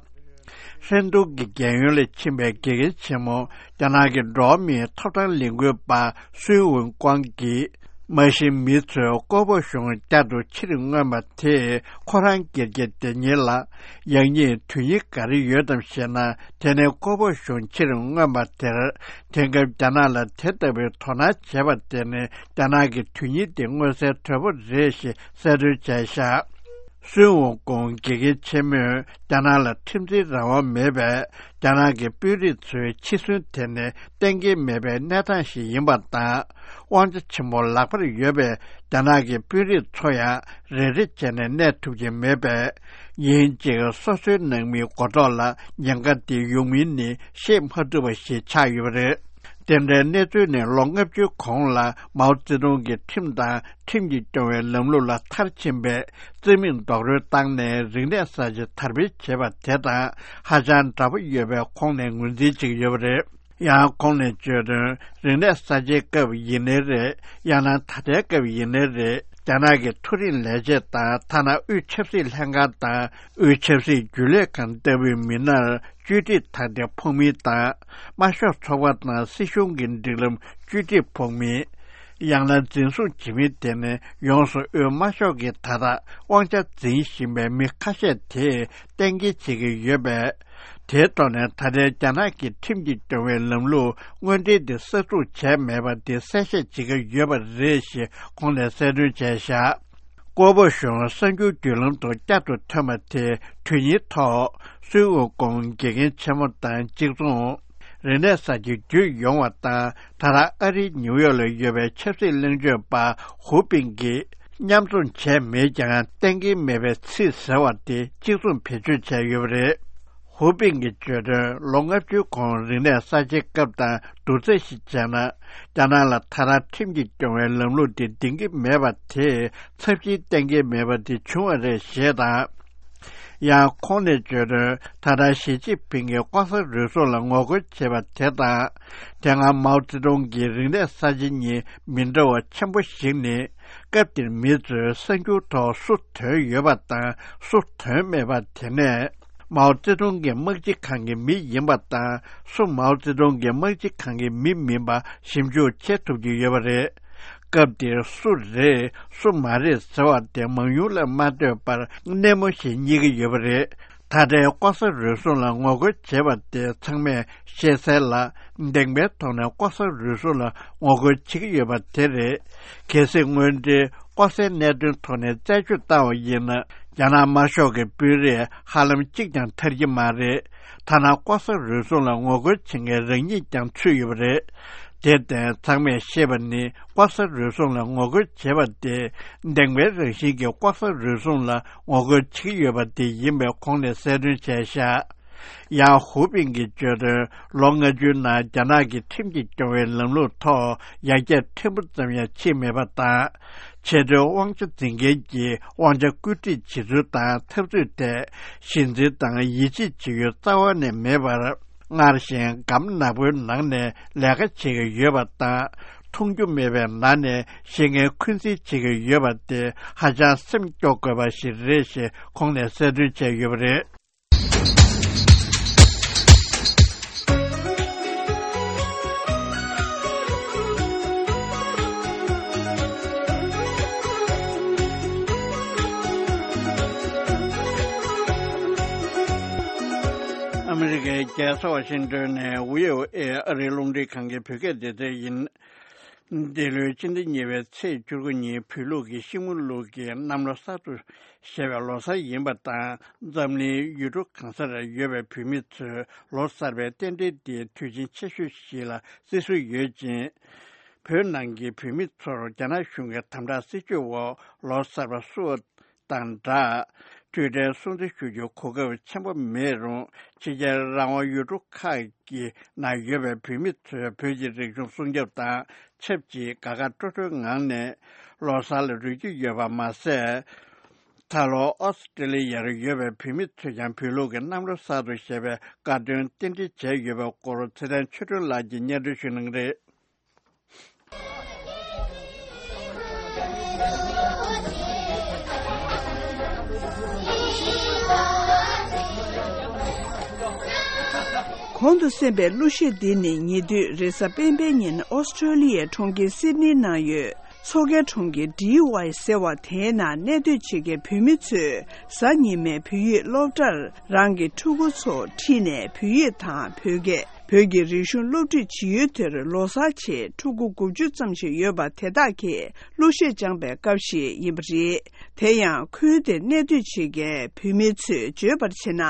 ཧྲན་ཏུང་གི་རྒན་ཡོལ་ལ་ཕྱིན་པའི་དགེ་རྒན་ཆེན་མོ། རྒྱ་ནག་གི་འགྲོ་བ་མིའི་ཐོབ་ཐང་ལས་འགུལ་པ་སུན་ཝུན་ཀོང་གིས། མ་གཞི་མི་ཚོས་ཀོ་པོ་གཞུང་བསྐྱར་དུ་ཕྱིར་མངོན་པ་དེས་ཁོ་རང་སྒེར་གྱི་བདེ་སྙིང་ལ་ཡང་སྙིང་དོན་སྙིང་ག་རེ་ཡོད་དམ་ཞེ་ན། དེ་ནི་ཀོ་པོ་གཞུང་ཕྱིར་མངོན་པ་དེར། དེང་སྐབས་རྒྱ་ནག་ལ་དེ་ལྟ་བུའི་དོ་སྣང་བྱེད་པ་དེ་ནི་རྒྱ་ནག་གི་དོན་སྙིང་དེ་མངོན་གསལ་དོད་པོ་རེད་ཞེས་གསལ་སྟོན་བྱས་བཞག་སུན་ཝུན་ཀོང་དགེ་རྒན་ཆེན་མོས་རྒྱ་ནག་ལ་ཁྲིམས་འཛིན་རང་དབང་མེད་པས། རྒྱ་ནག་གི་དཔོན་རིགས་ཚོའི་འཆི་གསོན་དེ་ནི་གཏན་འཁེལ་མེད་པའི་གནས་སྟངས་ཤིག་ཡིན་པ་དང་། དབང་ཆ་ཆེན་པོ་ལག་པར་ཡོད་པའི་རྒྱ་ནག་གི་དཔོན་རིགས་ཚོ་ཡང་རེ་རེ་བྱས་ནས་གནས་ཐུབ་ཀྱི་མེད་པས། ཉིན་གཅིག་སོ་སོའི་ནང་མིའི་མགོ་ཐོག་ལ་ཉེན་ཁ་དེ་ཡོང་མིན་ནི་ཤེས་མ་ཐུབ་པ་ཞིག་ཆགས་ཡོད་པ་རེད། དེ་འདྲའི་གནས་ཚུལ་ནི་ལོ་ལྔ་བཅུའི་གོང་ལ་མའོ་ཙེ་ཏུང་གི་ཁྲིམས་དང་ཁྲིམས་ཀྱིས་སྐྱོང་བའི་ལམ་ལུགས་ལ་མཐར་ཕྱིན་པའི་རྩིས་མེད་རྡོག་རོལ་བཏང་ནས་རིག་གནས་གསར་བརྗེ་དར་སྤེལ་བྱས་པ་དེ་དང་ཧ་ཅང་འདྲ་པོ་ཡོད་པའི་ཁོང་ནས་ངོས་འཛིན་བྱེད་ཀྱི་ཡོད་པ་རེད། ཡང་ཁོང་ནས་བརྗོད་དོན། རིག་གནས་གསར་བརྗེའི་སྐབས་ཡིན་ནའི་རེད། ཡང་ན་ད་ལྟའི་སྐབས་ཡིན་ནའི་རེད། རྒྱ་ནག་གི་མཐོ་རིམ་ལས་བྱེད་དང་། ཐ་ན་དབུས་ཆབ་སྲིད་ལྷན་ཁང་དང་། དབུས་ཆབ་སྲིད་རྒྱུན་ལས་ཁང་ལྟ་བུའི་མི་སྣར་བཅོས་སྒྲིག་དང་དེ་ཕོག་མིན་དང་། དམར་ཤོག་ཚོགས་པ་དང་སྲིད་གཞུང་གི་སྒྲིག་ལམ་བཅོས་སྒྲིག་ཕོག་མིན། ཡང་ན་འཛིན་བཟུང་བྱེད་མིན་དེ་ནི་ཡོངས་སུ་དབུས་དམར་ཤོག་གིས་ད་ལྟ་དབང་ཆ་འཛིན་བཞིན་པའི་མི་ཁ་ཤས་དེས་གཏན་འཁེལ་བྱེད་ཀྱི་ཡོད་པས། དེའི་ཐོག་ནས་ད་ལྟའི་རྒྱ་ནག་གི་ཁྲིམས་ཀྱིས་སྐྱོང་བའི་ལམ་ལུགས་དངོས་འབྲེལ་དེ་གསར་འཛུགས་བྱས་མེད་པ་དེ་གསལ་བཤད་བྱེད་ཀྱི་ཡོད་པ་རེད་ཞེས་ཁོང་ནས་གསལ་སྟོན་བྱས་བཞག་ཀོ་པོ་གཞུང་གསར་འགྱུར་བརྒྱུད་ལམ་དུ་བསྐྱར་དུ་ཐོན་པ་དེ་དུས་ཡུན་ཐོག་སུན་ཝུན་ཀོང་དགེ་རྒན་ཆེན་མོ་དང་གཅིག་མཚུངས། རིག་གནས་གསར་བརྗེ་བརྒྱུད་ཡོང་བ་དང་། ད་ལྟ་ཨ་རིའི་ནིའུ་ཡོག་ལ་ཡོད་པའི་ཆབ་སྲིད་གླེང་བརྗོད་པ་ཧུའུ་པིན་གྱིས་མཉམ་འཛོམས་བྱས་མེད་ཀྱང་གཏན་འཁེལ་མེད་པའི་ཚིག་ཟེར་བ་དེ་གཅིག་མཚུངས་བེད་སྤྱོད་བྱས་ཡོད་པ་རེད། ཧུའུ་པིན་གྱིས་བརྗོད་དོན། ལོ་ལྔ་བཅུའི་གོང་རིག་གནས་གསར་བརྗེའི་སྐབས་དང་བསྡུར་ཚད་ཞིག་བྱས་ན། རྒྱ་ནག་ལ་ད་ལྟ་ཁྲིམས་ཀྱིས་སྐྱོང་བའི་ལམ་ལུགས་དེ་འདིང་གི་མེད་པ་དེས་ཚབས་ཆེའི་གཏན་འཁེལ་མེད་པ་དེ་བྱུང་བ་རེད་ཞེས་དང་། ཡང་ཁོང་ནས་བརྗོད་དོན། ད་ལྟ་ཞི་ཅིན་ཕིང་གིས་ལྐོག་ཟ་རུལ་སུངས་ལ་ངོ་རྒོལ་བྱེད་པ་དེ་དང་། དེ་སྔ་མའོ་ཙེ་ཏུང་གི་རིག་གནས་གསར་བརྗེ་གཉིས་མི་འདྲ་བ་ཆེན་པོ་ཞིག་ནི། སྐབས་དེར་མི་ཚོས་གསར་འགྱུར་ཐོག་སུ་དོན་ཡོད་པ་དང་སུ་དོན་མེད་པ། དེ་ནས་མའོ་ཙེ་ཏུང་གི་དམག་སྤྱི་ཁང་གི་མི་ཡིན་པ་དང་སུ་མའོ་ཙེ་ཏུང་གི་དམག་སྤྱི་ཁང་གི་མི་མིན་པ་ཞིབ་འཇུག་བྱེད་ཐུབ་ཀྱི་ཡོད་པ་རེད། སྐབས་དེར་སུ་རེད་སུ་མ་རེད་ཟེར་བ་དེ་མང་ཉུང་ལ་མ་ལྟོས་པར་སྣེ་མོ་ཞིག་རྙེད་ཀྱི་ཡོད་པ་རེད། ད་ལྟའི་ལྐོག་ཟ་རུལ་སུངས་ལ་ངོ་རྒོལ་བྱེད་པ་དེ་ཚང་མས་ཤེས་གསལ་ལ། བདེན་པའི་ཐོག་ནས་ལྐོག་ཟ་རུལ་སུངས་ལ་ངོ་རྒོལ་བྱེད་ཀྱི་ཡོད་པ་དེ་རེད། གལ་སྲིད་དངོས་འབྲེལ་ ལྐོག་ཟའི་གནད་དོན་ཐོག་ནས་རྩད་གཅོད་བཏང་བ་ཡིན་ན། རྒྱ་ནག་དམར་ཤོག་གི་དཔོན་རིགས་ཧ་ལམ་གཅིག་ཀྱང་ཐར་གྱི་མ་རེད། ཐ་ན་ལྐོག་ཟ་རུལ་སུངས་ལ་ངོ་རྒོལ་བྱེད་མཁན་རང་ཉིད་ཀྱང་ཚུད་ཡོད་པ་རེད། དེར་བརྟེན་ཚང་མས་ཤེས་པ་ནི། ལྐོག་ཟ་རུལ་སུངས་ལ་ངོ་རྒོལ་བྱེད་པ་དེ། བདེན་པའི་རང་བཞིན་གྱིས་ལྐོག་ཟ་རུལ་སུངས་ལ་ངོ་རྒོལ་བྱེད་ཀྱི་ཡོད་པ་དེ་ཡིན་པའི་ཁོང་ནས་གསལ་སྟོན་བྱས་ཤག། ཡང་ཧུའུ་པིན་གྱིས་བརྗོད་དོན། ལོ་ལྔ་བཅུའི་ནང་རྒྱ་ནག་གིས་ཁྲིམས་ཀྱིས་སྐྱོང་བའི་ལམ་ལུགས་ཐོག་ཡར་རྒྱས་ཕྲན་བུ་ཙམ་ཡང་ཕྱིན་མེད་པ་དང་། ཆེས་མཐོའི་དབང་ཆ་འཛིན་མཁན་གྱིས་དབང་ཆ་བཀོད་སྒྲིག་བྱེད་ཚུལ་དང་འཐབ་རྩོད་ཐད་ཞེན་ཚུལ་དང་ཡིད་ཆེས་བྱེད་ཡུལ་རྩ་བ་ནས་མེད་པར། སྔར་བཞིན་སྒམ་ནག་པོའི་ནང་ནས་ལས་ཀ་བྱེད་ཀྱི་ཡོད་པ་དང་། མཐོང་རྒྱུ་མེད་པའི་ནང་ནས་བཤད་མཁན་འཁོན་འཛིན་བྱེད་ཀྱི་ཡོད་པ་དེ་ཧ་ཅང་སེམས་སྐྱོ་དགོས་པ་ཞིག་རེད་ཞེས་ཁོང་ནས་གསལ་སྟོན་བྱས་ཡོད་པ་རེད། ཨ་མི་རི་ཀའི་རྒྱལ་ས་ཝ་ཤིང་ཏོན་ནས་བྷི་ཨོ་ཨེ་ཨ་རིའི་རླུང་འཕྲིན་ཁང་གི་བོད་སྐད་སྡེ་ཚན་ཡིན། འདི་ལོའི་སྤྱི་ཟླ་གཉིས་པའི་ཚེས་བཅུ་དགུ་ཉིན་བོད་ལུགས་ཀྱི་ཤིང་མོ་ལུག་གི་གནམ་ལོ་གསར་དུ་བཞད་པའི་ལོ་གསར་ཡིན་པ་དང་། འཛམ་གླིང་ཡུལ་གྲུ་གང་སར་ཡོད་པའི་བོད་མི་ཚོས་ལོ་གསར་པའི་རྟེན་འབྲེལ་འདི་དུས་ཆེན་ཆེ་ཤོས་ཤིག་ལ་བརྩི་སྲོལ་ཡོད་ཅིང་། བོད་ནང་གི་བོད་མི་ཚོར་རྒྱ་ནག་གཞུང་གི་དམ་དྲག་སྲིད་བྱུས་འོག་ལོ་གསར་པ་བསུ་བ་དང་སྦྲགས། འཕྲོད་བསྟེན་སྲུང་བརྩི་ཞུ་རྒྱུའི་གོ་སྐབས་ཆེན་པོ་མེད་རུང་། ཕྱི་རྒྱལ་རང་དབང་ཡུལ་གྲུ་ཁག་གི་ནང་ཡོད་པའི་བོད་མི་ཚོས་བོད་ཀྱི་རིག་གཞུང་སྲུང་སྐྱོབ་དང་ཆབས་ཅིག་དགའ་དགའ་སྤྲོ་སྤྲོའི་ངང་ནས་ལོ་གསར་ལ་རོལ་གྱི་ཡོད་པ་མ་ཟད། ད་ལོ་ཨོ་སི་ཀྲི་ལི་ཡར་ཡོད་པའི་བོད་མི་ཚོས་ཀྱང་བོད་ལུགས་ཀྱི་གནམ་ལོ་གསར་དུ་བཞད་པའི་དགའ་སྟོན་རྟེན་འབྲེལ་བྱས་ཡོད་པའི་སྐོར་ཚེ་བརྟན་ཆོས་སྒྲོན་ལགས་ཀྱིས་སྙན་སྒྲོན་ཞུ་གནང་གི་རེད། གོང་དུ་གསན་པའི་གླུ་གཞས་འདི་ནི་ཉེ་དུས་རེས་གཟའ་སྤེན་པའི་ཉིན་ཨོ་སི་ཀྲོ་ལི་ཡའི་གྲོང་ཁྱེར་སིད་ནི་ནང་ཡོད་མཚོ་ཁའི་གྲོང་ཁྱེར་ཌི་ཝའི་ཟེར་བ་དེའི་ནང་གནས་སྡོད་བྱེད་མཁན་བོད་མི་ཚོས་གཟའ་ཉི་མའི་བོད་ཡིག་སློབ་གྲྭར་རང་གི་ཕྲུ་གུ་ཚོ་ཁྲིད་ནས་བོད་ཡིག་དང་བོད་སྐད། བོད་ཀྱི་རིག་གཞུང་སློབ་ཁྲིད་བྱེད་ཡུལ་དེར་ལོ་གསར་ཆེད་ཕྲུ་གུ་དགུ་བཅུ་ཙམ་ཞིག་ཡོད་པ་དེ་དག་གིས་གླུ་གཞས་སྦྱངས་པའི་སྐབས་ཤིག་ཡིན་པ་རེད། དེ་ཡང་ཁུལ་དེར་གནས་སྡོད་བྱེད་མཁན་བོད་མི་ཚོས་བརྗོད་པར་བྱས་ན།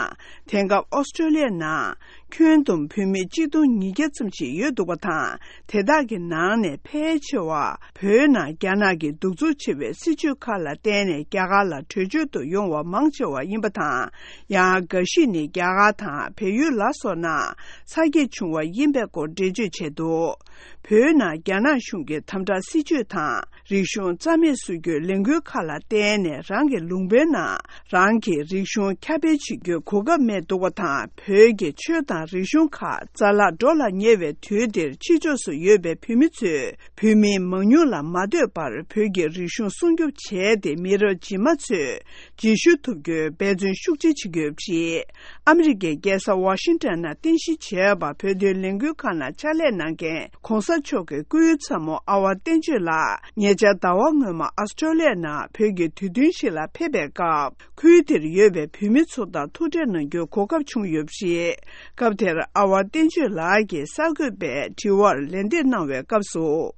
དེང་སྐབས་ཨོ་སི་ཀྲོ་ལི་ཡའི་ནང་ཁྱོན་བསྡོམས་བོད་མི་གཅིག་སྟོང་ཉིས་བརྒྱ་ཙམ་ཞིག་ཡོད་འདུག་པ་དང་། དེ་དག་གི་ནང་ནས་ཕལ་ཆེ་བ་བོད་ནང་རྒྱ་ནག་གི་གདུག་རྩུབ་ཆེ་བའི་སྲིད་བྱུས་ཁག་ལ་བརྟེན་ནས་རྒྱ་གར་ལ་བྲོས་བྱོལ་དུ་ཡོང་བ་མང་ཆེ་བ་ཡིན་པ་དང་། ཡང་འགའ་ཞིག་ནི་རྒྱ་གར་དང་བལ་ཡུལ་ལ་སོགས་ནང་ཚ་གྱེས་བྱུང་བ་ཡིན་པའི་སྐོར་འགྲེལ་བརྗོད་བྱས་འདུག་བོད་ནང་རྒྱ་ནག་གཞུང་གི་དམ་དྲག་སྲིད་བྱུས་དང་། རིག་གཞུང་རྩ་མེད་བཟོ་རྒྱུའི་ལས་འགུལ་ཁག་ལ་བརྟེན་ནས་རང་གི་ལུང་པའི་ནང་རང་གི་རིག་གཞུང་ཁྱབ་སྤེལ་བྱེད་རྒྱུའི་གོ་སྐབས་མེད་འདུག་པ་དང་། བོད་ཀྱི་ཆོས་དང་རིག་གཞུང་ཁག་རྩ་བརླག་འགྲོ་ལ་ཉེ་བའི་དུས་འདིར་ཕྱི་ཕྱོགས་སུ་ཡོད་པའི་བོད་མི་ཚོས་བོད་མིའི་མང་ཉུང་ལ་མ་ལྟོས་པར་བོད་ཀྱི་རིག་གཞུང་སྲུང་སྐྱོབ་བྱས་ཏེ། མི་རབས་རྗེས་མ་ཚོས་རྗེས་ཤུལ་ཐོབ་རྒྱུའི་འབད་བརྩོན་ཤུགས་ཆེ་བྱེད་ཀྱི་ཡོད་པ་རེད། ཨ་མི་རི་ཀའི་རྒྱལ་ས་ཝ་ཤིང་ཊོན་ནང་རྟེན་གཞི་བྱས་པ་བོད་དོན་ལས་འགུལ་ཁང་ནང་ཕྱག་ལས་གནང་མཁན་གོང་ས་མཆོག་གི་སྐུའི་ཚ་མོ་ཨ་ཝ་བསྟན་ཆོས་ལགས་ཉེ་ཆར་ཟླ་བ་སྔོན་མ་ཨ་སི་ཀྲོ་ལི་ཡ་ནང་བོད་ཀྱི་དུས་སྟོན་ཞིག་ལ་ཕེབས་པའི་སྐབས། ཁུལ་དེར་ཡོད་པའི་བོད་མི་ཚོ་དང་ཐུག་འཕྲད་གནང་རྒྱུའི་གོ་སྐབས་བྱུང་ཡོད་པ་རེད། སྐབས་དེར་ཨ་ཝ་བསྟན་ཆོས་ལགས་ཀྱིས་གསར་འགོད་པའི་དྲི་བར་ལན་འདེབས་གནང་བའི་སྐབས་སུ།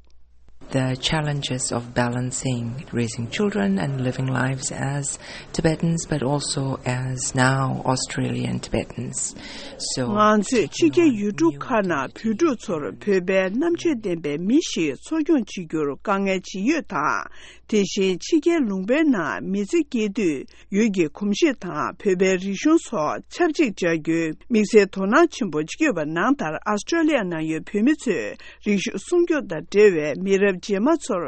The challenges of balancing raising children and living lives as Tibetans, but also as now Australian Tibetans. So, ང་ཚོས་ཕྱི་རྒྱལ་ཡུལ་གྲུ་ཁག་ནང་བོད་ཕྲུག་ཚོར་བོད་པའི་རྣམ་དཔྱོད་ལྡན་པའི་མི་ཞིག་འཚོ་སྐྱོང་བྱེད་རྒྱུར་དཀའ་ངལ་ཇི་ཡོད་དང་། དེ་བཞིན་ཕྱི་རྒྱལ་ལུང་པའི་ནང་མི་ཚེ་སྐྱེལ་དུས། ཡུལ་གྱི་གོམས་གཤིས་དང་བོད་པའི་རིག་གཞུང་སོགས་ཆབས་ཅིག་སྦྱར་རྒྱུའི་དམིགས་བསལ་དོ་སྣང་ཆེན་པོ་བྱེད་ཀྱི་ཡོད་པ་ནང་ལྟར། ཨ་སི་ཀྲོ་ལི་ཡ་ནང་ཡོད་བོད་མི་ཚོས་རིག་གཞུང་སྲུང་སྐྱོབ་དང་འབྲེལ་བའི་མི་རབས་རྗེས་མ་ཚོར་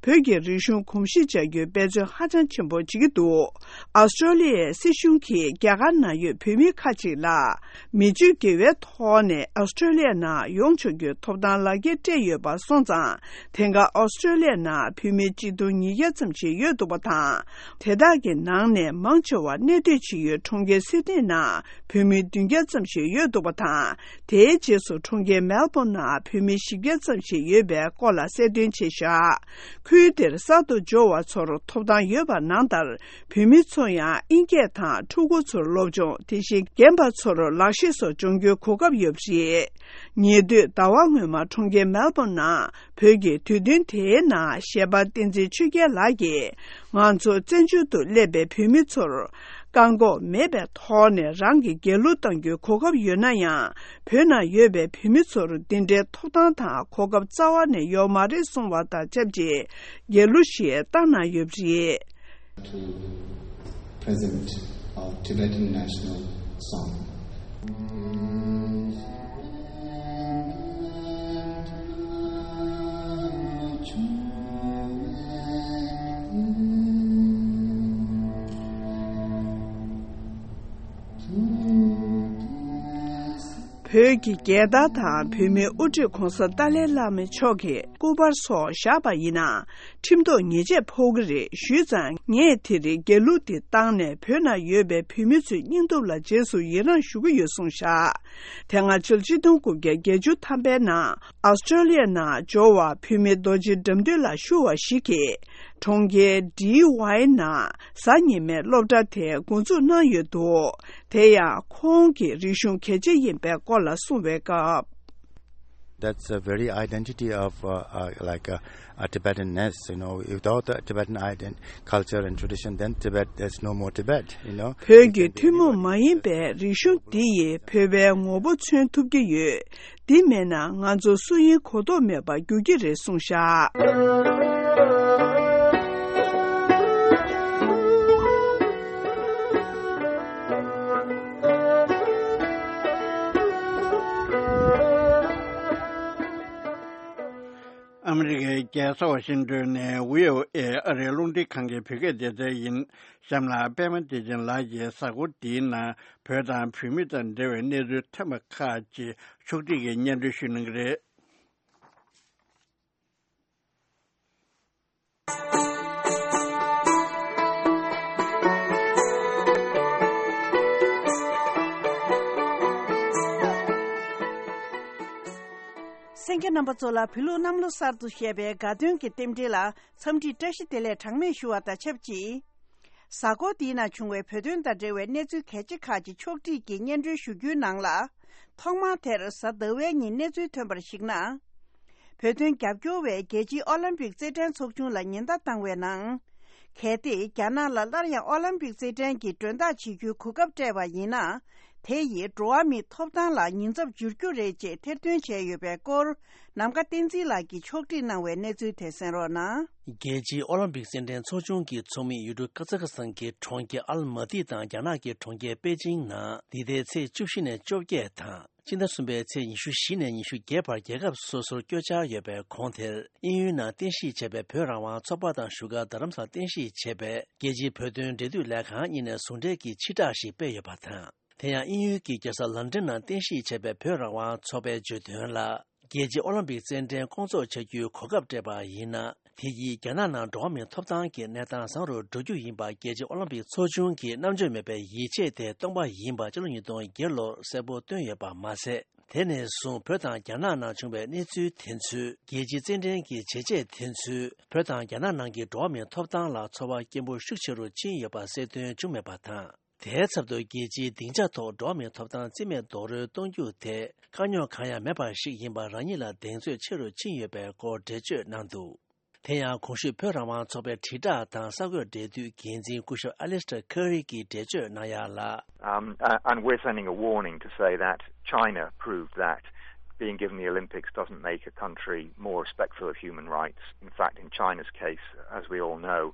བོད་ཀྱི་རིག་གཞུང་གོམས་གཤིས་སྦྱར་རྒྱུའི་འབད་བརྩོན་ཧ་ཅང་ཆེན་པོ་བྱེད་ཀྱི་འདུག་ཨ་སི་ཀྲོ་ལི་ཡའི་སྲིད་གཞུང་གིས་རྒྱ་གར་ནང་ཡོད་བོད་མི་ཁག་ཅིག་ལ། མི་སྤྱོད་དགེ་བའི་ཐོག་ནས་ཨོ་སི་ཀྲོ་ལི་ཡ་ནང་ཡོང་ཆོག་རྒྱུའི་ཐོབ་ཐང་ལག་འཁྱེར་སྤྲད་ཡོད་པ་སོང་ཙང་། དེང་སྐབས་ཨོ་སི་ཀྲོ་ལི་ཡ་ནང་བོད་མི་གཅིག་སྟོང་ཉིས་བརྒྱ་ཙམ་ཞིག་ཡོད་འདུག་པ་དང་། དེ་དག་གི་ནང་ནས་མང་ཆེ་བ་གནས་སྡོད་བྱེད་ཡུལ་གྲོང་ཁྱེར་སིད་ནི་ནང་བོད་མི་བདུན་བརྒྱ་ཙམ་ཞིག་ཡོད་འདུག་པ་དང་། དེའི་རྗེས་སུ་གྲོང་ཁྱེར་མེལ་བོན་ནང་བོད་མི་བཞི་བརྒྱ་ཙམ་ཞིག་ཡོད་པའི་སྐོར་ལ་གསལ་སྟོན་བྱས་བཞག་ཁུལ་དེར་གསར་དུ་འབྱོར་བ་ཚོར་ཐོབ་ཐང་ཡོད་པ་ནང་ལྟར། བོད་མི་ཚོ་ཡང་ཨིན་སྐད་དང་ཕྲུ་གུ་ཚོར་སློབ་སྦྱོང་། དེ་བཞིན་རྒན་པ་ཚོར་ལག་ཤེས་སོགས་སྦྱོང་རྒྱུའི་གོ་སྐབས་ཡོད་པ་རེད། ཉེ་དུས་ཟླ་བ་སྔོན་མ་གྲོང་ཁྱེར་མེལ་བོན་ནང་བོད་ཀྱི་དུས་སྟོན་དེའི་ནང་གཞས་པ་བསྟན་འཛིན་ཆོས་རྒྱལ་ལགས་ཀྱིས། ང་ཚོ་བཙན་བྱོལ་དུ་སླེབས་པའི་བོད་མི་ཚོར་བཀག་འགོག་མེད་པའི་ཐོག་ནས་རང་གི་རྒྱལ་གླུ་གཏང་རྒྱུའི་གོ་སྐབས་ཡོད་ན་ཡང་། བོད་ནང་ཡོད་པའི་བོད་མི་ཚོར་འདི་འདྲའི་ཐོབ་ཐང་དང་གོ་སྐབས་རྩ་བ་ནས་ཡོད་མ་རེད་གསུངས་པ་དང་ཆབས་ཅིག་རྒྱལ་གླུ་ཞིག་བཏང་གནང་ཡོད་པ་རེད། To present our Tibetan national song. བོད་ཀྱི་རྒྱལ་དར་དང་བོད་མིའི་དབུ་ཁྲིད་༧གོང་ས་ཏཱ་ལའི་བླ་མ་མཆོག་གི་སྐུ་པར་སོགས་བཞག་པ་ཡིན་ན། ཁྲིམས་ཐོག་ཉེས་ཆད་ཕོག་གི་རེད། ཞུས་ཙང་། ངས་དེ་རིང་རྒྱལ་གླུ་འདི་བཏང་ནས་བོད་ནང་ཡོད་པའི་བོད་མི་ཚོའི་སྙིང་སྟོབས་ལ་རྗེས་སུ་ཡི་རངས་ཞུ་གི་ཡོད་གསུངས་བཞག་དེ་སྔ་ཕྱི་ལོ་ཆིག་སྟོང་དགུ་བརྒྱ་བརྒྱད་ཅུ་ཐམ་པའི་ནང་ཨོ་སི་ཀྲོ་ལི་ཡ་ནང་འབྱོར་བ་བོད་མི་རྡོ་རྗེ་དགྲ་འདུལ་ལགས་ཞུ་བ་ཞིག་གིས། གྲོང་ཁྱེར་ཌི་ཝའི་ནང་གཟའ་ཉི་མའི་སློབ་གྲྭ་དེ་འགོ་འཛུགས་གནང་ཡོད་འདུག་དེ་ཡང་ཁོང་གི་རིག་གཞུང་གལ་ཆེ་ཡིན་པའི་སྐོར་ལ་གསུངས་པའི་སྐབས། That's a very identity of uh, uh, like uh, uh, Tibetanness. You know, without the Tibetan ident- culture and tradition, then Tibet, there's no more Tibet. You know, བོད་ཀྱི་ཐུན་མོང་མ་ཡིན་པའི་རིག་གཞུང་འདི་ཡིས་བོད་པའི་ངོ་བོ་མཚོན་ཐུབ་ཀྱི་ཡོད། འདི་མེད་ན་ང་ཚོ་སུ་ཡིན་གོ་རྟོགས་མེད་པར་འགྱུར་གྱི་རེད་གསུངས་བཞག་ཨ་མི་རི་ཀའི་རྒྱལ་ས་ཝ་ཤིང་ཏོན་ནས་བྷི་ཨོ་ཨེ་ཨ་རིའི་རླུང་འཕྲིན་ཁང་གི་བོད་སྐད་སྡེ་ཚན་ཡིན། གཤམ་ལ་པད་མ་བདེ་ཆེན་ལགས་ཀྱིས་གཟའ་འཁོར་འདིའི་ནང་བོད་དང་བོད་མི་དང་འབྲེལ་བའི་གནས་ཚུལ་ཐོན་པ་ཁག་ཅིག་ཕྱོགས་སྒྲིག་གིས་སྙན་སྒྲོན་ཞུ་གནང་གི་རེད། གསན་མཁན་རྣམ་པ་ཚོ་ལ་བོད་ལུགས་གནམ་ལོ་གསར་དུ་བཞད་པའི་དགའ་སྟོན་གྱི་རྟེན་འབྲེལ་ལ་འཚམས་འདྲི་བཀྲ་ཤིས་བདེ་ལེགས་གྲངས་མེད་ཞུ་བ་དང་ཆབས་ཅིག་གཟའ་འཁོར་འདིའི་ནང་བྱུང་བའི་བོད་དོན་དང་འབྲེལ་བའི་གནས་ཚུལ་གལ་ཆེ་ཁག་ཅིག་ཕྱོགས་སྒྲིག་གིས་སྙན་སྒྲོན་ཞུ་རྒྱུའི་ནང་ལ། ཐོག་མར་དེ་རིང་གཟའ་ཟླ་བའི་ཉིན་གནས་ཚུལ་ཐོན་པར་གཞིགས་ན། བོད་དོན་རྒྱབ་སྐྱོར་བས་རྒྱལ་སྤྱིའི་ཨོ་ལིམ་པིག་རྩེད་འགྲན་ཚོགས་ཆུང་ལ་ཉེན་བརྡ་བཏང་བའི་ནང་། གལ་ཏེ་རྒྱ་ནག་ལ་སླར་ཡང་ཨོ་ལིམ་པིག་རྩེད་འགྲན་གྱི་མགྲོན་བདག་བྱེད་རྒྱུའི་གོ་སྐབས་སྤྲད་པ་ཡིན་ན། དེ་ཡིས་འགྲོ་བ་མིའི་ཐོབ་ཐང་ལ་ཉེན་ཚབས་འགྱུར་རྒྱུ་རེད་ཅེས་ཐེར་འདོན་བྱས་ཡོད་པའི་སྐོར། ནམ་མཁའ་བསྟན་འཛིན་ལགས་ཀྱིས་ཕྱོགས་སྒྲིག་གནང་བའི་གནས་ཚུལ་དེ་གསན་རོགས་གནང་། རྒྱལ་སྤྱིའི་ཨོ་ལིམ་པིག་རྩེད་འགྲན་ཚོགས་ཆུང་གི་ཚོགས་མི་ཡུལ་གྲུ་ཀ་ཛ་ཁ་སི་ཐན་གྱི་གྲོང་ཁྱེར་ཨལ་མ་ཏི་དང་རྒྱ་ནག་གི་གྲོང་ཁྱེར་པེ་ཅིང་ནང་འདི་ཟླའི་ཚེས་བཅུ་བཞི་ནས་བཅོ་བརྒྱད་དང་། ཕྱི་ཟླ་གསུམ་པའི་ཚེས་ཉི་ཤུ་བཞི་ནས་ཉི་ཤུ་བརྒྱད་བར་རྒྱལ་ཁབ་སོ་སོར་བསྐྱོད་འཆར་ཡོད་པའི་གོང་དེར། དབྱིན་ཡུལ་ནང་རྟེན་གཞི་བྱས་པའི་བོད་རང་དབང་ཚོགས་པ་དང་བཞུགས་སྒར་རྡ་རམ་ས་ལར་རྟེན་གཞི་བྱས་པའི་རྒྱལ་སྤྱིའི་བོད་དོན་འབྲེལ་མཐུད་ལས་ཁང་གཉིས་ནས་ཟུང་འབྲེལ་གྱི་ཕྱིར་བསྒྲགས་ཤིག་སྤེལ་ཡོད་པ་དང་། དེ་ཡང་དབྱིན་ཡུལ་གྱི་རྒྱལ་ས་ལན་ཀྲན་ནང་རྟེན་གཞི་བྱས་པའི་བོད་རང་དབང་ཚོགས་པས་བརྗོད་དོན་ལ། རྒྱལ་སྤྱིའི་ཨོ་ལིམ་པིག་རྩེད་འགྲན་སྐོང་ཚོགས་བྱ་རྒྱུའི་གོ་སྐབས་སྤྲད་པ་ཡིན་ན། དེ་ཡིས་རྒྱ་ནག་ནང་འགྲོ་བ་མིའི་ཐོབ་ཐང་གི་གནས་སྟངས་བཟང་རུ་འགྲོ་རྒྱུ་ཡིན་པ་རྒྱལ་སྤྱིའི་ཨོ་ལིམ་པིག་ཚོགས་ཆུང་གིས་རྣམ་དཔྱོད་མེད་པའི་ཡིད་ཆེས་དེ་སྟོང་པ་ཡིན་པ་ཕྱི་ལོ་ཉིས་སྟོང་བརྒྱད་ལོར་གསལ་པོ་བཏོན་ཡོད་པ་མ་ཟད། དེ་ནས་བཟུང་བོད་དང་རྒྱ་ནག་ནང་བྱུང་བའི་གནས་ཚུལ་དེ་ཚོས་རྒྱལ་སྤྱིའི་རྩེད་འགྲན་གྱི་བྱས་རྗེས་དེ་ཚོས་བོད་དང་རྒྱ་ནག་ནང་གི་འགྲོ་བ་མིའི་ཐོབ་ཐང་ལ་ཚོར་བ་སྐྱེན་པོ་ཤུགས་ཆེ་རུ་ཕྱིན་ཡོད་པ་གསལ་སྟོན་བྱུང་མེད་པ་དང་། དེའི་ཚབ་ཏུ་རྒྱལ་སྤྱིའི་སྡིངས་ཆ་ཐོག་འགྲོ་བ་མིའི་ཐོབ་ཐང་རྩིས་མེད་རྡོག་རོལ་གཏོང་རྒྱུ་དེ་དཀའ་རྙོག་གང་ཡང་མེད་པ་ཞིག་ཡིན་པ་རང་ཉིད་ལ་གདེང་ཚོད་ཆེ་རུ་ཕྱིན་ཡོད་པའི་སྐོར་འགྲེལ་བརྗོད་གནང་འདུག་དེ་ཡང་གོང་ཞུས་བོད་རང་དབང་ཚོགས་པའི་དྲིལ་བསྒྲགས་དང་གསར་འགོད་འབྲེལ་མཐུད་འགན་འཛིན་སྐུ་ཞབས་ཨ་ལིས་ཊར་ཁ་རི་གིས་འགྲེལ་བརྗོད་གནང་ཡག་ལ། Um, uh, and we're sending a warning to say that China proved that being given the Olympics doesn't make a country more respectful of human rights. In fact, in China's case, as we all know,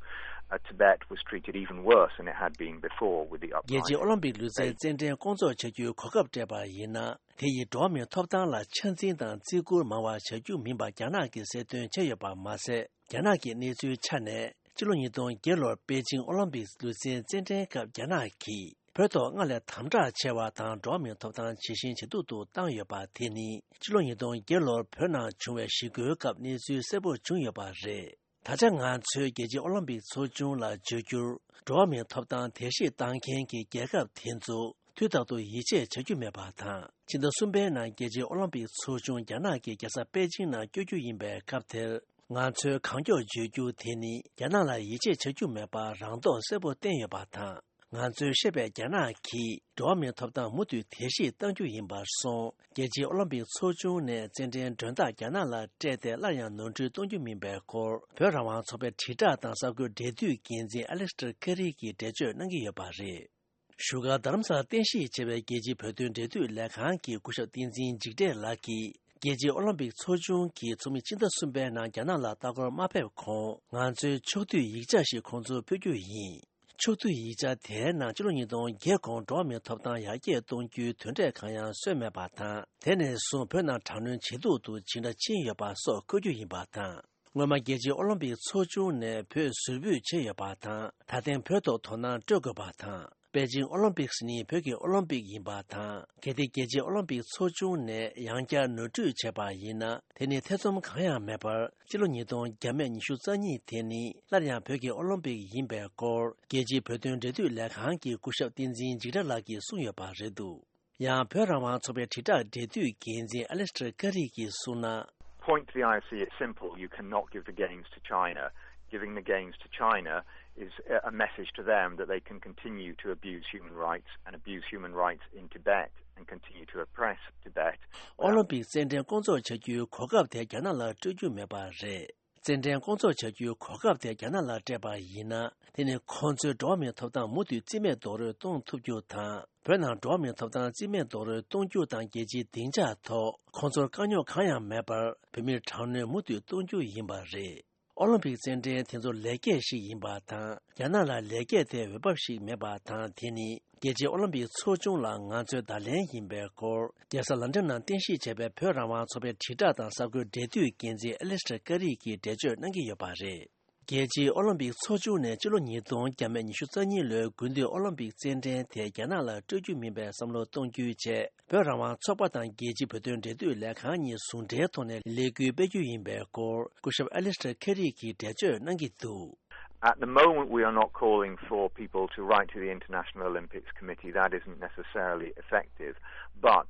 uh, Tibet was treated even worse than it had been before with the uprising. རྒྱལ་སྤྱིའི་ཨོ་ལིམ་པིག་ལུས་རྩལ་རྩེད་འགྲན་སྐོང་ཚོགས་བྱ་རྒྱུའི་གོ་སྐབས་སྤྲད་པ་ཡིན་ན། དེ་ཡིས་འགྲོ་བ་མིའི་ཐོབ་ཐང་ལ་ཆ་འཛིན་དང་བརྩི་བཀུར་མང་བ་བྱ་རྒྱུ་མིན་པ་རྒྱ་ནག་གིས་གསལ་སྟོན་བྱས་ཡོད་པ་མ་ཟད། རྒྱ་ནག་གི་གནས་ཚུལ་ཆ་ནས། ཕྱི་ལོ་ཉིས་སྟོང་བརྒྱད་ལོར་པེ་ཅིང་ཨོ་ལིམ་པིག་ལུས་རྩལ་རྩེད་འགྲན་སྐབས་རྒྱ་ནག་གིས་བོད་ཐོག་སྔར་ལས་དམ་དྲག་ཆེ་བ་དང་འགྲོ་བ་མིའི་ཐོབ་ཐང་ཇེ་ཞན་ཇེ་སྡུག་ཏུ་བཏང་ཡོད་པ་དེ་ནི། ཕྱི་ལོ་ཉིས་སྟོང་བརྒྱད་ལོར་བོད་ནང་བྱུང་བའི་ཞི་རྒོལ་སྐབས་གནས་ཚུལ་གསལ་པོ་བྱུང་ཡོད་པ་རེད། ད་ཆ་ང་ཚོས་རྒྱལ་སྤྱིའི་ཨོ་ལིམ་པིག་ཚོགས་ཆུང་ལ་བརྗོད་རྒྱུར། འགྲོ་བ་མིའི་ཐོབ་ཐང་དལ་གཤིས་བཏང་མཁན་གྱི་རྒྱལ་ཁབ་དེ་ཚོ་དུས་རྟག་ཏུ་ཡིད་ཆེས་བྱ་རྒྱུ་མེད་པ་དང་། ཕྱི་ཟླ་གསུམ་པའི་ནང་རྒྱལ་སྤྱིའི་ཨོ་ལིམ་པིག་ཚོགས་ཆུང་རྒྱ་ནག་གི་རྒྱལ་ས་པེ་ཅིང་ནང་བསྐྱོད་རྒྱུ་ཡིན་པའི་སྐབས་དེར། ང་ཚོས་གང་མགྱོགས་བརྗོད་རྒྱུ་དེ་ནི་རྒྱ་ནག་ལ་ཡིད་ཆེས་བྱ་རྒྱུ་མེད་པར་རང་མདོག་གསལ་པོ་བསྟན་ཡོད་པ་དང་། ང་ཚོས་བཤད་པའི་རྒྱ་ནག་གིས་འགྲོ་བ་མིའི་ཐོབ་ཐང་མུ་མཐུད་དལ་གཤིས་གཏང་རྒྱུ་ཡིན་པར་སོང་། རྒྱལ་སྤྱིའི་ཨོ་ལིམ་པིག་ཚོགས་ཆུང་ནས་རྩེད་འགྲན་མགྲོན་བདག་རྒྱ་ནག་ལ་སྤྲད་དེ་སླར་ཡང་ནོར་འཁྲུལ་གཏོང་རྒྱུ་མིན་པའི་སྐོར། བོད་རང་དབང་ཚོགས་པའི་དྲིལ་བསྒྲགས་དང་གསར་འགོད་འབྲེལ་མཐུད་འགན་འཛིན་ཨ་ལེག་སི་ཊར་ཀ་རི་གིས་འགྲེལ་བརྗོད་གནང་གི་ཡོད་པ་རེད། བཞུགས་སྒར་རྡ་རམ་ས་ལར་རྟེན་གཞི་བྱས་པའི་རྒྱལ་སྤྱིའི་བོད་དོན་འབྲེལ་མཐུད་ལས་ཁང་གི་སྐུ་ཞབས་བསྟན་འཛིན་འཇིགས་བྲལ་ལགས་ཀྱིས། རྒྱལ་སྤྱིའི་ཨོ་ལིམ་པིག་ཚོགས་ཆུང་གིས་ཚོགས་མི་སྤྱི་ཟླ་གསུམ་པའི་ནང་རྒྱ་ནག་ལ་ལྟ་སྐོར་མ་ཕེབས་གོང་། ང་ཚོའི་ཕྱོགས་བསྡུས་ཡིག་ཆ་ཞིག་ཁོང་ཚོར་ཕུལ་རྒྱུ་ཡིན། ཕྱོགས་བསྡུས་ཡིག་ཆ་དེའི་ནང་ཕྱི་ལོ་ཉིས་སྟོང་བརྒྱད་གོང་འགྲོ་བ་མིའི་ཐོབ་ཐང་ཡར་རྒྱས་གཏོང་རྒྱུའི་དོན་འབྲས་གང་ཡང་བཟོས་མེད་པ་དང་། དེ་ནས་བཟུང་བོད་ནང་དྲག་གནོན་ཇེ་སྡུག་ཏུ་ཇི་འདྲ་ཕྱིན་ཡོད་པ་སོགས་འཁོད་རྒྱུ་ཡིན་པ་དང་། སྔོན་མ་རྒྱལ་སྤྱིའི་ཨོ་ལིམ་པིག་ཚོགས་ཆུང་ནས་བོད་ཟུར་འབུད་བྱས་ཡོད་པ་དང་། ད་ཐེངས་བོད་ཐོག་དོ་སྣང་སྤྲོད་དགོས་པ་དང་། པེ་ཅིང་ཨོ་ལིམ་པིག་ནི་བོད་ཀྱི་ཨོ་ལིམ་པིག་ཡིན་པ་དང་། གལ་ཏེ་རྒྱལ་སྤྱིའི་ཨོ་ལིམ་པིག་ཚོགས་ཆུང་ནས་ཡང་བསྐྱར་ནོར་འཁྲུལ་བྱས་པ་ཡིན་ན། དེ་ནི་ཐེ་ཚོམ་གང་ཡང་མེད་པར། སྤྱི་ལོ་ཉིས་སྟོང་བརྒྱ་མེད་ཉི་ཤུ་རྩ་གཉིས་དེ་ནི་སླར་ཡང་བོད་ཀྱི་ཨོ་ལིམ་པིག་ཡིན་པའི་སྐོར། རྒྱལ་སྤྱིའི་བོད་དོན་འབྲེལ་མཐུད་ལས་ཁང་གི་སྐུ་ཞབས་བསྟན་འཛིན་འཇིགས་བྲལ་ལགས་ཀྱིས་གསུངས་ཡོད་པ་རེད་འདུག་ཡང་། བོད་རང་དབང་ཚོགས་པའི་དྲིལ་བསྒྲགས་འབྲེལ་མཐུད་འགན་འཛིན་ཨ་ལེག་སི་ཊར་ཀ་རི་གིས་གསུངས་ན། Point to the I O C is simple. You cannot give the games to China. Giving the games to China is a a message to them that they can continue to abuse human rights and abuse human rights in Tibet and continue to oppress Tibet. ཨོ་ལིམ་པིག་རྩེད་འགྲན་སྐོང་ཚོགས་བྱ་རྒྱུའི་གོ་སྐབས་དེ་རྒྱ་ནག་ལ་སྤྲོད་རྒྱུ་མེད་པ་རེད། རྩེད་འགྲན་སྐོང་ཚོགས་བྱ་རྒྱུའི་གོ་སྐབས་དེ་རྒྱ་ནག་ལ་སྤྲད་པ་ཡིན་ན། དེ་ནི་ཁོང་ཚོས་འགྲོ་བ་མིའི་ཐོབ་ཐང་མུ་མཐུད་རྩིས་མེད་རྡོག་རོལ་གཏོང་ཐུབ་རྒྱུ་དང་། བོད་ནང་འགྲོ་བ་མིའི་ཐོབ་ཐང་རྩིས་མེད་རྡོག་རོལ་གཏོང་རྒྱུ་དང་། རྒྱལ་སྤྱིའི་སྡིངས་ཆ་ཐོག་ཁོང་ཚོར་དཀའ་རྙོག་གང་ཡང་མེད་པར་བོད་མིར་དྲག་གནོན་མུ་མཐུད་གཏོང་རྒྱུ་ཡིན་པ་རེད། ཨོ་ལིམ་པིག་རྩེད་འགྲན་དེ་ཚོ་ལེགས་སྐྱེས་ཤིག་ཡིན་པ་དང་། རྒྱ་ནག་ལ་ལེགས་སྐྱེས་དེ་འོས་བབ་ཞིག་མེད་པ་དང་། དེ་ནི་རྒྱལ་སྤྱིའི་ཨོ་ལིམ་པིག་ཚོགས་ཆུང་ལ་ང་ཚོའི་བརྡ་ལན་ཡིན་པའི་སྐོར། རྒྱལ་ས་ལན་ཀྲན་ནང་རྟེན་གཞི་བྱས་པའི་བོད་རང་དབང་ཚོགས་པའི་དྲིལ་བསྒྲགས་དང་གསར་འགོད་འབྲེལ་མཐུད་འགན་འཛིན་ཨ་ལེག་སི་ཊར་ཀ་རི་གིས་འགྲེལ་བརྗོད་གནང་གི་ཡོད་པ་རེད། རྒྱལ་སྤྱིའི་ཨོ་ལིམ་པིག་ཚོགས་ཆུང་ནས་ཕྱི་ལོ་ཉིས་སྟོང་བརྒྱ་མེད་ཉི་ཤུ་རྩ་གཉིས་ལོའི་དགུན་དུས་ཨོ་ལིམ་པིག་རྩེད་འགྲན་དེ་རྒྱ་ནག་ལ་སྤྲོད་རྒྱུ་མིན་པའི་བསམ་བློ་གཏོང་རྒྱུའི་ཆེད། བོད་རང་དབང་ཚོགས་པ་དང་རྒྱལ་སྤྱིའི་བོད་དོན་འབྲེལ་མཐུད་ལས་ཁང་གཉིས་ཟུང་འབྲེལ་ཐོག་ནས་ལས་འགུལ་སྤེལ་རྒྱུ་ཡིན་པའི་སྐོར། སྐུ་ཞབས་ཨ་ལེག་སི་ཊར་ཁེ་རི་གིས་འགྲེལ་བརྗོད་གནང་གི་འདུག At the moment, we are not calling for people to write to the International Olympics Committee. That isn't necessarily effective. But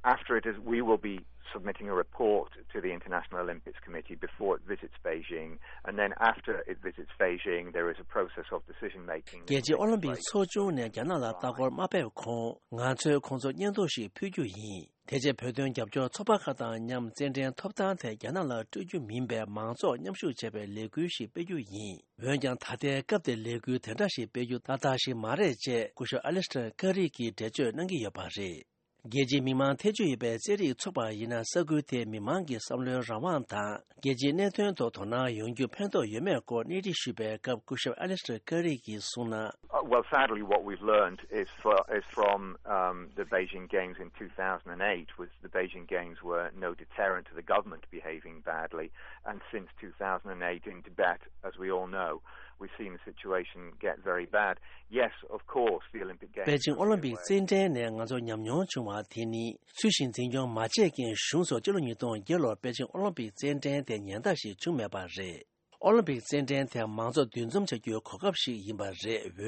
after it is, we will be submitting a report to the International Olympics Committee before it visits Beijing. And then after it visits Beijing, there is a process of decision making. རྒྱལ་སྤྱིའི་ཨོ་ལིམ་པིག་ཚོགས་ཆུང་ནས་རྒྱ་ནག་ལ་ལྟ་སྐོར་མ་ཕེབས་གོང་། ང་ཚོས་ཁོང་ཚོར་སྙན་ཐོ་ཞིག་ཕུལ་རྒྱུ་ཡིན། དེ་རྗེས་བོད་དོན་རྒྱབ་སྐྱོར་ཚོགས་པ་ཁག་དང་མཉམ་རྩེད་འགྲན་ཐོབ་ཐང་དེ་རྒྱ་ནག་ལ་སྤྲོད་རྒྱུ་མིན་པའི་མང་ཚོགས་མཉམ་ཞུགས་བྱས་པའི་ལས་འགུལ་ཞིག་སྤེལ་རྒྱུ་ཡིན། འོན་ཀྱང་། ད་ལྟའི་སྐབས་དེར་ལས་འགུལ་དེ་འདྲ་ཞིག་སྤེལ་རྒྱུ་ཏག་ཏག་ཞིག་མ་རེད་ཅེས་སྐུ་ཞབས་ཨ་ལེག་སི་ཊར་ཀ་རི་གིས་འགྲེལ་བརྗོད་གནང་གི་ཡོད་པ་རེད། རྒྱལ་སྤྱིའི་མི་མང་ཐེ་བྱུས་ཡོད་པའི་རྩེད་རིགས་ཚོགས་པ་ཡིན་ན། ས་ཁུལ་དེའི་མི་མང་གི་བསམ་བློའི་རང་དབང་དང་། རྒྱལ་སྤྱིའི་གནད་དོན་ཐོག་དོ་སྣང་ཡོང་རྒྱུ་ཕན་ཐོགས་ཡོད་མེད་སྐོར་གནས་འདྲི་ཞུས་པའི་སྐབས། སྐུ་ཞབས་ཨ་ལེག་སི་ཊར་ཀ་རི་གིས་གསུངས་ན། Uh, well, sadly, what we've learned is, for, is from um, the Beijing Games in two thousand eight, was the Beijing Games were no deterrent to the government behaving badly. And since two thousand eight in Tibet, as we all know, we've seen the situation get very bad. Yes, of course, the Olympic Games. པེ་ཅིང་ཨོ་ལིམ་པིག་རྩེད་འགྲན་ནས་ང་ཚོར་ཉམས་མྱོང་བྱུང་བ་དེ་ནི། ཚུལ་བཞིན་འཛིན་སྐྱོང་མ་བྱས་རྐྱེན། གཞུང་སོགས་སྤྱི་ལོ་ཉིས་སྟོང་བརྒྱད་ལོར་པེ་ཅིང་ཨོ་ལིམ་པིག་རྩེད་འགྲན་དེ་ཉན་བརྡ་ཞིག་བྱུང་མེད་པ་རེད། ཨོ་ལིམ་པིག་རྩེད་འགྲན་དེ་མང་ཚོགས་འདུ་འཛོམས་བྱ་རྒྱུའི་གོ་སྐབས་ཤིག་ཡིན་པ་རེད།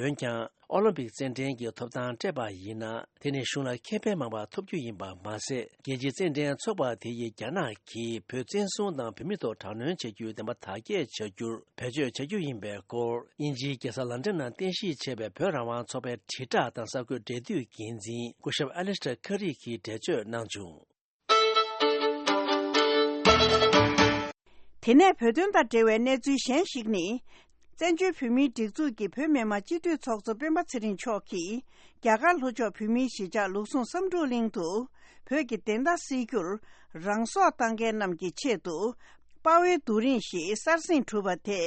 འོན་ཀྱང་། ཨོ་ལིམ་པིག་རྩེད་འགྲན་གྱི་ཐོབ་ཐང་སྤྲད་པ་ཡིན་ན། དེ་ནི་གཞུང་ལ་ཁེ་ཕན་མང་བ་ཐོབ་རྒྱུ་ཡིན་པ་མ་ཟད། རྒྱལ་སྤྱིའི་རྩེད་འགྲན་ཚོགས་པ་དེ་ཡིས་རྒྱ་ནག་གིས་བོད་བཙན་བཟུང་དང་བོད་མི་ཐོག་དྲག་གནོན་བྱེད་རྒྱུའི་བདེན་པ་དག་སྐྱེལ་བྱ་རྒྱུར་བེད་སྤྱོད་བྱ་རྒྱུ་ཡིན་པའི་སྐོར། དབྱིན་ཇིའི་རྒྱལ་ས་ལན་ཀྲན་ནང་རྟེན་གཞི་བྱས་པའི་བོད་རང་དབང་ཚོགས་པའི་དྲིལ་བསྒྲགས་དང་གསར་འགོད་འབྲེལ་མཐུད་འགན་འཛིན་སྐུ་ཞབས་ཨ་ལེག་སི་ཊར་ཁ་རི་གིས་འགྲེལ་བརྗོད་གནང་བྱུང་། དེ་ནས་བོད་དོན་དང་འབྲེལ་བའི་གནས་ཚུལ་གཞན་ཞིག་ནི། བཙན་བྱོལ་བོད་མིའི་སྒྲིག་འཛུགས་ཀྱི་བོད་མི་མང་སྤྱི་འཐུས་ཚོགས་གཙོ་སྤེན་པ་ཚེ་རིང་མཆོག་གིས། རྒྱ་གར་ལྷོ་ཕྱོགས་བོད་མིའི་གཞིས་ཆགས་ལུགས་ཟུང་བསམ་གྲུབ་གླིང་དུ། བོད་ཀྱི་བདེན་མཐའ་སེལ་རྒྱུར་རང་སྲོག་བཏང་མཁན་རྣམས་ཀྱི་ཆེད་དུ། དཔའ་བོའི་རྡོ་རིང་ཞིག་གསར་བཞེངས་གྲུབ་པ་དེ།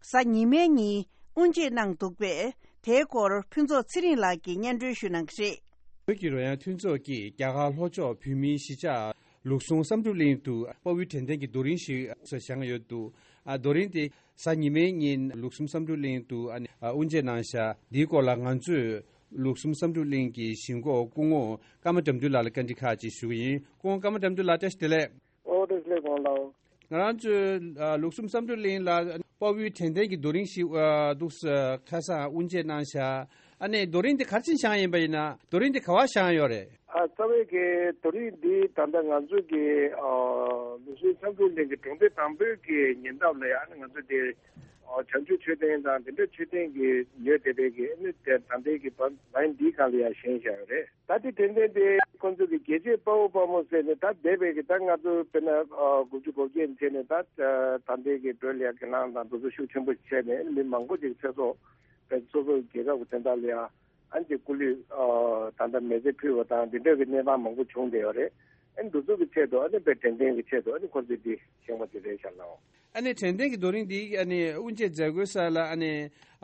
གཟའ་ཉི་མའི་ཉིན་དབུ་འབྱེད་གནང་འདུག་པས། དེའི་སྐོར་ཕུན་ཚོགས་ཚེ་རིང་ལགས་ཀྱིས་སྙན་སྒྲོན་ཞུ་གནང་གི་རེད། བོད་ཀྱི་རོལ་དབྱངས་མཐུན་ཚོགས་ཀྱིས་རྒྱ་གར་ལྷོ་ཕྱོགས་བོད་མིའི་གཞིས་ཆགས་ལུགས་ཟུང་བསམ་གྲུབ་གླིང་དུ་དཔའ་བོའི་དྲན་རྟེན་གྱི་རྡོ་རིང་ཞིག་བཞེངས་ཡོད་འདུག་ཨ། རྡོ་རིང་དེ་གཟའ་ཉི་མའི་ཉིན་ལུགས་ཟུང་བསམ་གྲུབ་གླིང་དུ། ཨ་ནི། ཨ། དབུ་འབྱེད་གནང་ཤག་འདིའི་སྐོར་ལ་ང་ཚོས་ལུགས་ཟུང་བསམ་གྲུབ་གླིང་གི་གཞིས་འགོ་སྐུ་ངོ་ཀརྨ་དགྲ་འདུལ་ལགས་ལ་བཀའ་འདྲི་ཁག་ཅིག་ཞུ་གི་ཡིན། སྐུ་ངོ་ཀརྨ་དགྲ་འདུལ་ལགས། བཀྲ་ཤིས་བདེ་ལེགས། ཨོ། བཀྲ་ཤིས་བདེ་ལེགས། གོང་ལ། ང་རང་ཚོའི། ཨ། ལུགས་ཟུང་བསམ་གྲུབ་གླིང་ལ་དཔའ་བོའི་དྲན་རྟེན་གྱི་རྡོ་རིང་ཞིག་ཨ། འདུག་སེ་ཁ་སང་དབུ་འབྱེད་གནང་ཤག་ཨ་ནི་རྡོ་རིང་འདི་ག་རེ་བྱས་བཞེངས་ཡིན་པ་ཡིན་ན། རྡོ་རིང་འདི་ག་པར་བཞེངས་ཡོད་རེད། ཨ་རྩ་བའི་གི་རྡོ་རིང་འདི་ད་ལྟ་ང་ཚོའི་གི་ཨ་ལུགས་སྲོལ་འཆམ་མཐུན་གླིང་གི་གྲོང་སྡེ་དང་པོའི་གི་ཉེ་འདབས་ལ་ཡང་ང་ཚོ་དེ་ཨ་བྱང་ཆུབ་མཆོད་རྟེན་དང་དེ་འདྲ་མཆོད་རྟེན་གི་ཡོད་བསྡད་པའི་གི་ཨ་ནི་དེ་ད་ལྟའི་གི་བ་ལན་འདིའི་སྒང་ལ་ཡང་བཞེངས་བཞག་ཡོད་རེད། ད་ལྟའི་དྲན་རྟེན་དེ་ཁོང་ཚོ་གི་རྒྱལ་གཅེས་དཔའ་བོ་དཔའ་མོ་ཟེར་ནས་ད་འདས་པའི་གི་ད་ང་ཚོ་དཔེར་ན་ཨ་དགུ་བཅུ་གོ་བརྒྱད་བྱས་ནས་ད་ད་ལྟའི་གི་བོད་ལ་ཡང་གི་ལངས་དང་དེ་ཚོ་ཤུགས་ཆེན་པོ་བྱས་ནས་མི་མང་པོ་ཅིག་ཚེ་སྲོག་དཔེ་སོ་སོའི་རྒྱལ་ཁབ་ཀྱི་དོན་དག་ལ་ཡང་ཨ་ནི་སྐུ་ལུས་ཨ་ད་ལྟ་མེ་བཙའ་ཕུལ་བ་དང་འདི་འདྲ་གི་གནས་སྟངས་མང་པོ་བྱུང་བསྡད་ཡོད་རེད། ཨ་ནི་འདི་ཚོ་གི་ཆེད་དུ་ཨ་ནི་དཔེ་དྲན་རྟེན་གྱི་ཆེད་དུ་ཨ་ནི་ཁོ་ཚོས་འདི་བཞེངས་པ་དེ་རེད་ཤག་ལགས། ཨ་ནི་དྲན་རྟེན་གྱི་རྡོ་རིང་འདི་ཨ་ནི་དབུ་འབྱེད་མཛད་སྒོའི་ས་ལ་ཨ་ནི་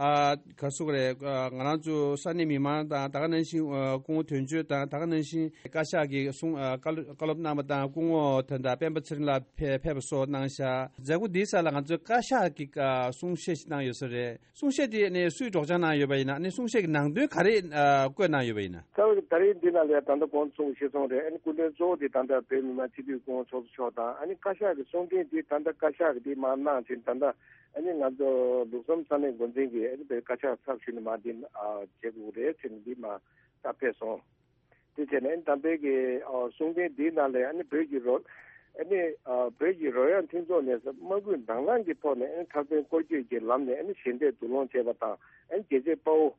ཨ་ག་རེ་ཟེར་དགོས་རེད། ཨ་ང་རང་ཚོ་ས་གནས་མི་མང་དང་ད་ག་ནང་བཞིན་ཨ་སྐུ་ངོ་དོན་གཅོད་དང་ད་ག་ནང་བཞིན་བཀའ་ཤག་གི་གསུང་ཨ་བཀའ་སློབ་བཀའ་སློབ་གནང་བ་དང་སྐུ་ངོ་དོན་དག་སྤེན་པ་ཚེ་རིང་ལགས་ཕེབས་ཕེབས་པ་སོགས་གནང་ཤག་མཛད་སྒོ་འདིའི་ས་ལ་ང་ཚོའི་བཀའ་ཤག་གི་ཨ་གསུང་བཤད་ཞིག་གནང་ཡོད་ས་རེད། གསུང་བཤད་དེ་ནི་སུས་སྒྲོག་སྦྱང་གནང་ཡོད་པ་ཡིན་ན། ནི་གསུང་བཤད་ཀྱི་ནང་དོན་ག་རེ་ཨ་བཀོད་གནང་ཡོད་པ་ཡིན་ན། རྩ་བའི་ད་རེས་འདི་ནང་ལ་ད་ལྟ་གོང་གསུངས་ཤེས་སོང་རེད། ཨ་ནི་སྐུ་མགྲོན་གཙོ་བོ་དེ་ད་ལྟ་བོད་མི་མང་སྤྱི་འཐུས་སྐུ་ངོ་ཚོགས་གཙོ་མཆོག་དང་། ཨ་ནི་བཀའ་ཤག་གི་གསུང་འཕྲིན་དེ་ད་ལྟ་བཀའ་ཤག་གི་དེ་མར་གནང་ཕྱིན། ད་ལྟ་ཨ་ནི་ང་ཚོ་ལུགས་གསུམ་ས་གནས་འགོ་འཛིན་གྱིས་ཨ་ནི་བོད་བཀའ་ཤག་ཚབ་ཞུས་ནས་མར་འདི་ཨ་བྱེད་དགོས་རེད་ཟེར་ནས་འདི་མར་ད་ཕེབས་སོང་། དེ་བྱས་ནས་ཨ་ནི་ད་ལྟའི་གི་ཨ་གསུང་འཕྲིན་འདིའི་ནང་ལ་ཨ་ནི་བོད་ཀྱི་རོ་ཨ་ནི་ཨ་བོད་ཀྱི་རོལ་དབྱངས་མཐུན་ཚོགས་ནས་དམག་འཁྲུག་དང་བླངས་ཀྱི་ཐོག་ནས་ཨ་ནི་འཁྲབ་སྟོན་སྐོར་སྐྱོད་ཀྱི་ལམ་ནས་ཨ་ནི་ཞལ་འདེབས་བསྡུ་སློང་བྱས་པ་དང་། ཨ་ནི་རྒྱལ་གཅེས་དཔའ་བོ་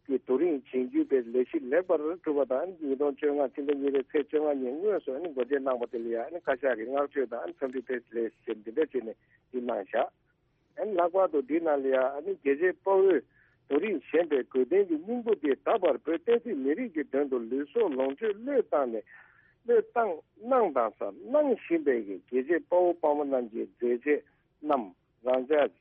གི་རྡོ་རིང་བཞེངས་རྒྱུའི་ལས་གཞི་ལེགས་པར་གྲུབ་པ་དང་། ཉིས་སྟོང་བཅོ་ལྔ་ཕྱི་ཟླ་གཉིས་པའི་ཚེས་བཅོ་ལྔ་ཉིན་དངོས་སུ་ཨ་ནི་འགོ་འབྱེད་གནང་བ་དེ་ལ་ཡང་ཨ་ནི་བཀའ་ཤག་གིས་བསྔགས་བརྗོད་དང་ཨ་ནི་འཚམས་འདྲི་ཕེབས་ལེགས་ཞེས་འདི་འདྲ་བྱས་ནས་འདི་གནང་བཞག་ཨ་ནི་ལྷག་པར་དུ་འདི་ནང་ལ་ཡང་ཨ་ནི་རྒྱལ་གཅེས་དཔའ་བོས་རྡོ་རིང་བཞེངས་པའི་དགོས་དོན་གྱི་སྙིང་པོ་དེ་ད་བར་བོད་བསྟན་སྲིད་མི་རིགས་ཀྱི་དོན་དུ་ལུས་སྲོག་ལོངས་སྤྱོད་བློས་བཏང་ནས་བློས་བཏང་གནང་དང་ས་གནང་བཞིན་པའི་རྒྱལ་གཅེས་དཔའ་བོ་དཔའ་མོ་རྣམས་ཀྱི་མཛད་རྗེས་རྣམས་རང་ཅག་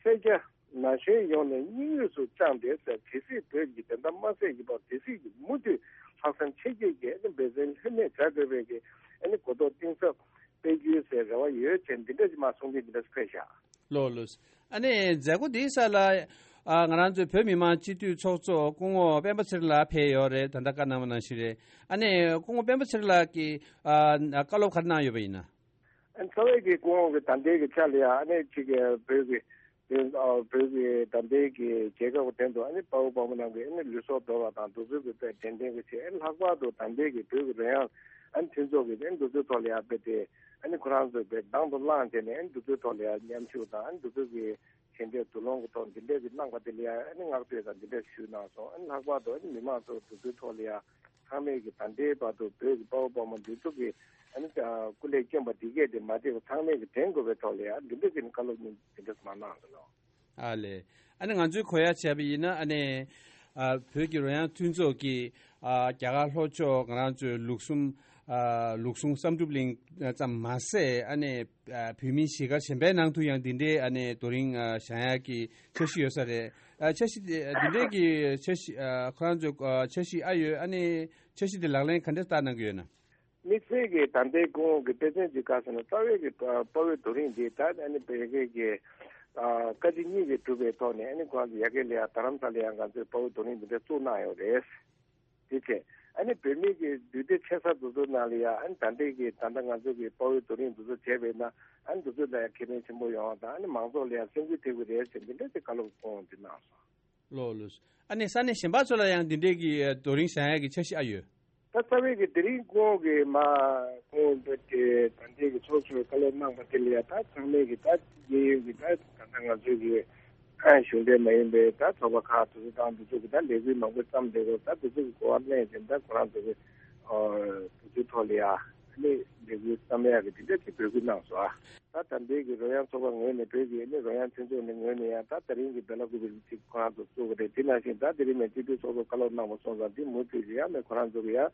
སེར་སྐྱ་ན་གཞོན་ཡོངས་ནས་སྙིང་དབུས་སུ་བཅངས་ཏེ་ཟེར། གལ་སྲིད་བོད་ཀྱི་བདེན་མཐའ་མ་གསལ་གྱི་བར་དེ་སྲིད་ཀྱི་མུ་མཐུད་ལྷག་བསམ་ཆེ་བསྐྱེད་ཀྱིས་ཨ་ནི་འབད་བརྩོན་ལྷོད་མེད་བྱ་དགོས་པའི་གི་ཨ་ནི་གོ་རྟོགས་གཏིང་ཟབ་སྤེལ་རྒྱུའི་ཟེར་རེ་བ་ཡོད་ཅེས་འདི་འདྲ་ཞིག་མར་གསུང་འཕྲིན་འདི་འདྲ་ཞིག་ཕེབས་ཤག་ལགས་ལགས། ཨ་ནི་མཛད་སྒོ་འདིའི་ས་ལ་ཨ་ང་རང་ཚོའི་བོད་མི་མང་སྤྱི་འཐུས་ཚོགས་གཙོ་སྐུ་ངོ་སྤེན་པ་ཚེ་རིང་ལགས་ཕེབས་ཡོད་རེད། ད་ལྟ་བཀའ་གནང་བ་ནང་བཞིན་རེད། ཨ་ནི་སྐུ་ངོ་སྤེན་པ་ཚེ་རིང་ལགས་ཀྱིས་ཨ་བཀའ་སློབ་ག་རེ་གནང་ཡོད་པ་ཡིན་ན། ཨ་ནི་རྩ་བའི་གི་སྐུ་ངོ་གི་ད་ལྟའི་གི་ཆ་ལ་ཡང་ཨ་ནི་གཅིག་གི་བོད་ཀྱི་བོད་ཨ་བོད་ཀྱི་ད་ལྟའི་གི་རྒྱལ་ཁབ་ཀྱི་དོན་དུ་ཨ་ནི་དཔའ་བོ་དཔའ་མོ་རྣམས་ཀྱིས་ཨ་ནི་ལུས་སྲོག་དོར་བ་དང་འདི་ཚོའི་གི་དཔེ་དྲན་རྟེན་གྱི་ཆེད། ཨ་ནི་ལྷག་པར་དུ་ད་ལྟའི་གི་བོད་ཀྱི་རོལ་དབྱངས་ཨ་ནི་མཐུན་ཚོགས་ཀྱི་ཨ་ནི་འདི་ཚོའི་ཐོག་ལ་ཡང་དཔེ་དེ་ཨ་ནི་ཁོ་རང་ཚོའི་དཔེ་དང་དུ་བླངས་བྱས་ནས་ཨ་ནི་འདི་ཚོའི་ཐོག་ལ་ཡང་མཉམ་ཞུགས་དང་ཨ་ནི་འདི་ཚོའི་གི་ཞལ་འདེབས་བསྡུ་སློང་གི་ཐོག་འདི་འདྲའི་གི་གནང་བ་དེ་ལ་ཡང་ཨ་ནི་བསྔགས་བརྗོད་དང་འདི་འདྲ་ཞུས་གནང་སོང་། ཨ་ནི་ལྷག་པར་དུ་ཨ་ནི་མི་མང་ཚོ་འདི་ཚོའི་ཐོག་ལ་ཡང་ཚང་མས་ཀྱི་ད་ལྟའི་བར་དུ་བོད་ཀྱི་དཔའ་བོ་དཔའ་མོ་འདི་ཚོ་གི་ཨ་ནི་སྐུ་ལས་བསྐྱོན་པ་འདི་གས་དེ་མ་བརྗེད་པ་ཚང་མས་ཀྱི་དྲན་དགོས་པའི་ཐོག་ལ་ཡང་འདི་འདྲ་གི་བཀའ་སློབ་གཉིས་འདི་འདྲ་མ་གནང་སོང་ལོ། ཨ་ལས། ཨ་ནི་ང་ཚོས་གོ་ཡ་བྱས་པ་ཡིན་ན་ཨ་ནི་ཨ་བོད་ཀྱི་རོལ་དབྱངས་མཐུན་ཚོགས་ཀྱིས་ཨ་རྒྱ་གར་ལྷོ་ཕྱོགས་ང་རང་ཚོའི་ལུགས་གསུམ་ཨ་ལུགས་གསུམ་བསམ་གྲུབ་གླིང་ཙམ་མ་ཟད་ཨ་ནི་ཨ་བོད་མིའི་གཞིས་སྒར་གཞན་པའི་ནང་དུ་ཡང་འདི་འདྲའི་ཨ་ནི་རྡོ་རིང་ཨ་བཞེངས་ཡག་གི་འཆར་གཞི་ཡོད་ས་རེད། ཨ་འཆར་གཞི་དེ་འདི་འདྲའི་གི་འཆར་གཞི་ཨ་ཁོ་རང་ཚོའི་ཨ་འཆར་གཞི་ཨ་ཡོད། ཨ་ནི་འཆར་གཞི་དེ་ལག་ལེན་ག་འདྲ་བསྟར་གནང་གི་ཡོད་ན། དམིགས་བསལ་གྱི་ད་ལྟའི་སྐུ་ངོ་གི་དཔེ་མཚོན་ཅིག་བཀའ་ཟེར་ན་རྩ་བའི་གི་དཔའ་བོའི་རྡོ་རིང་འདི་ད་ཨ་ནི་བོད་སྐད་ཀྱི་ཨ་བཀའ་སྤྱི་གཉིས་ཀྱིས་གྲུབ་པའི་ཐོག་ནས་ཨ་ནི་ཁོ་རང་ཚོ་ཡ་གི་ལ་ཡ་རྡ་རམ་ས་ལ་ཡང་ང་ཚོས་དཔའ་བོའི་རྡོ་རིང་འདི་འདྲ་བཙུགས་གནང་ཡོད་རེད། དེ་བྱས་ཨ་ནི་བོད་མི་གི་འདུས་སྡེ་ཆེ་ས་དེ་ཚོ་ནང་ལ་ཡ་ཨ་ནི་ད་ལྟའི་གི་ད་ལྟ་ང་ཚོ་གི་དཔའ་བོའི་རྡོ་རིང་འདི་ཚོ་བྱས་པས་ན་ཨ་ནི་འདི་ཚོ་ལ་ཡ་ཁེ་ཕན་ཆེན་པོ་ཡོང་བ་དང་ཨ་ནི་མང་ཚོགས་ལ་ཡ་སེམས་འགུལ་ཐེབས་ཀྱི་རེད་ཟེར་འདི་འདྲ་དེ་བཀའ་སློབ་སྐུ་ངོ་འདི་གནང་སོང་། ལགས་ལགས། ཨ་ནི་ས་གནས་གཞན་པ་ཚོ་ལ་ཡང་འདི་འདྲའི་གི་རྡོ་རིང་བཞེངས་ཡག་གི་འཆར་གཞི་ཨ་ཡོད། ད་རྩ་བའི་གི་དེ་རིང་སྐུ་ངོ་གི་མ་སྐུ་ངོ་འབོད་དེ་ད་ལྟའི་གི་ཚོགས་གཙོས་བཀའ་སློབ་གནང་པ་དེ་ལ་ཡ་ད་ཚང་མས་གི་ད་རྒས་ཡོལ་གི་ད་ད་ལྟ་ང་ཚོའི་གི་གཞུང་འབྲེལ་མ་ཡིན་པའི་ད་ཚོགས་པ་ཁག་དེ་ཚོ་དང་དེ་ཚོ་གི་ད་ལས་འགུལ་མང་པོ་བརྩམས་བསྡད་ཡོད། ད་དེ་ཚོ་གི་གོ་བ་ལེན་བཞིན་ད་ཁོ་རང་ཚོ་གི་དེ་ཚོའི་ཐོག་ལ་ཡ་ཨ་ནི་ལས་འགུལ་བརྩམ་ཡག་གི་དེ་འདྲ་གི་འབོད་སྐུལ་གནང་སོང་ཨ། ད་ད་ལྟའི་གི་རོལ་དབྱངས་ཚོགས་པ་ངོས་ནས་བོད་ཀྱི་ཨ་ནི་རོལ་དབྱངས་མཐུན་ཚོགས་ནས་ངོས་ནས་ཡང་ད་ད་རིང་གི་བེ་ལ་ཀུ་པེ་ཅིག་ཁོ་རང་ཚོ་བཙུགས་པ་རེད། དེ་ནང་བཞིན་ད་དེ་རིང་ནས་སྤྱི་འཐུས་ཚོགས་གཙོ་བཀའ་སློབ་གནང་བ་སོང་ཙང་དེ་མུ་མཐུད་ཀྱི་ཡང་ནས་ཁོ་རང་ཚོ་གི་ཡང་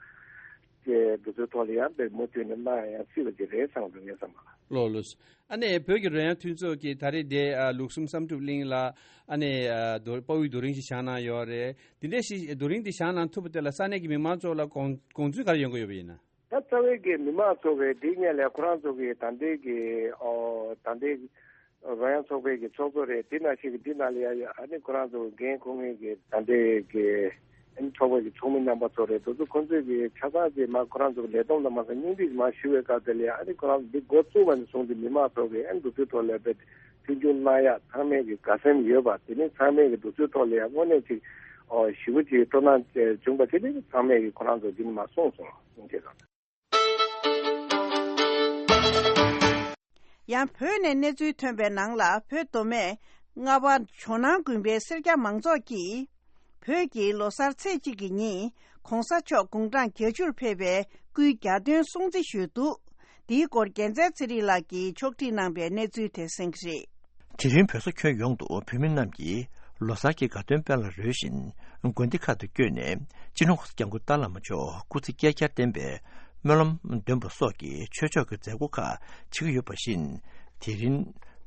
ཀྱི་འདུ་ཚོགས་ཐོག་ལ་ཡང་དཔེ་མུ་མཐུད་ནས་གནང་ཡང་སྲིད་པ་ཅིག་རེད་བསམ་འདུག་ངས་བསམ་པ། ལགས་ལགས། ཨ་ནི་བོད་ཀྱི་རོལ་དབྱངས་མཐུན་ཚོགས་ཀྱིས་ད་རེས་དེ་ཨ་ལུགས་གསུམ་བསམ་གྲུབ་གླིང་ལ་ཨ་ནི་ཨ་རྡོ་དཔའ་བོའི་རྡོ་རིང་ཞིག་བཞེངས་གནང་ཡོད་རེད། དེ་འདྲ་ཞིག་རྡོ་རིང་འདི་བཞེངས་གནང་ཐུབ་པ་དེ་ལ་ས་གནས་ཀྱི་མི་མང་ཚོ་ལ་དགོངས་དགོངས་ཚུལ་ག་རེ་ཡོང་གི་ཡོད་པ་ཡིན་ན། ད་རྩ་བའི་གི་མི་མང་ཚོ་གི་འདི་སྔོན་ལ་ཁོ་རང་ཚོ་གི་ད་ལྟའི་གི་ཨོ་ད་ལྟའི་རོལ་དབྱངས་ཚོགས་པའི་གི་ཚོགས་གཙོ་རེད། དེ་ནང་བཞིན་གི་འདི་ནང་ལ་ཡ་ཡ་ཨ་ནི་ཁོ་རང་ཚོ་གི་འགན་འཁུར་མཁན་གི་ད་ལྟའི་གི་ཨ་ནི་ཚོགས་པ་གི་ཚོགས་མི་རྣམ་པ་ཚོ་རེད། དེ་ཚོ་ཁོ་ཚོས་གི་ཆ་ཚང་གི་མ་ཁོ་རང་ཚོ་གི་ལས་བསྡོམས་ལ་མ་ཟད་སྙིང་བསྡུས་མ་ཞུ་བའི་སྐབས་དེ་ལ་ཡ་ཨ་ནི་ཁོ་རང་ཚོ་འདི་འགོ་བཙུགས་པ་ནས་བཟུང་སྟེ་མི་མང་ཚོ་གི་ཨ་ནི་འདུ་འཛོམས་ཐོག་ལ་དཔེ་མཐུན་འགྱུར་གནང་ཡ་ཚང་མས་གི་དགའ་སེམས་ཡོད་པ་དེ་ནི་ཚང་མས་གི་འདུ་འཛོམས་ཐོག་ལ་ཡ་དངོས་གནས་ཅིག་ ཞེ་པོ་ཅིག་སྤྲོ་སྣང་བྱུང་བ་དེ་ནི་ཚང་མས་ཀྱི་ཁོ་རང་ཚོ་འདི་ནི་མ་གསུངས་སོང་ཟེར་དང་། ཡང་བོད་ནས་གནས་ཚུལ་ཐོན་པའི་ནང་ལ། བོད་མདོ་སྨད་རྔ་བ་ཇོ་ནང་དགོན་པའི་སེར་སྐྱ་མང་ཚོགས་ཀྱིས། བོད་ཀྱི་ལོ་གསར་ཚེས་གཅིག་གི་ཉིན་༸གོང་ས་མཆོག་དགུང་གྲངས་བརྒྱད་ཅུར་ཕེབས་པའི་སྐུའི་གྱ་སྟོན་སྲུང་བརྩི་ཞུས་འདུག་འདིའི་སྐོར་རྒྱལ་མཚན་ཚེ་རིང་ལགས་ཀྱིས་ཕྱོགས་སྒྲིག་གནང་པའི་གནས་ཚུལ་དེ་གསན་གྱི་རེད། དེ་རིང་བོད་ས་ཁྱོན་ཡོངས་དུ་བོད་མི་རྣམས་ཀྱིས་ལོ་གསར་གྱི་དགའ་སྟོན་དཔལ་ལ་རོལ་བཞིན། དགོན་སྡེ་ཁག་ཏུ་བསྐྱོད་ནས་སྤྱི་ནོར་༸གོང་ས་༸སྐྱབས་མགོན་ཏཱ་བླ་མ་མཆོག་སྐུ་ཚེ་བསྐལ་བརྒྱར་བརྟན་པའི་སྨོན་ལམ་འདོན་པ་སོགས་ཀྱི་ཆོས་ཕྱོགས་ཀྱི་མཛད་སྒོ་ཁག་བྱེད་ཀྱི་ཡོད་པ་བཞིན། དེ་རིང་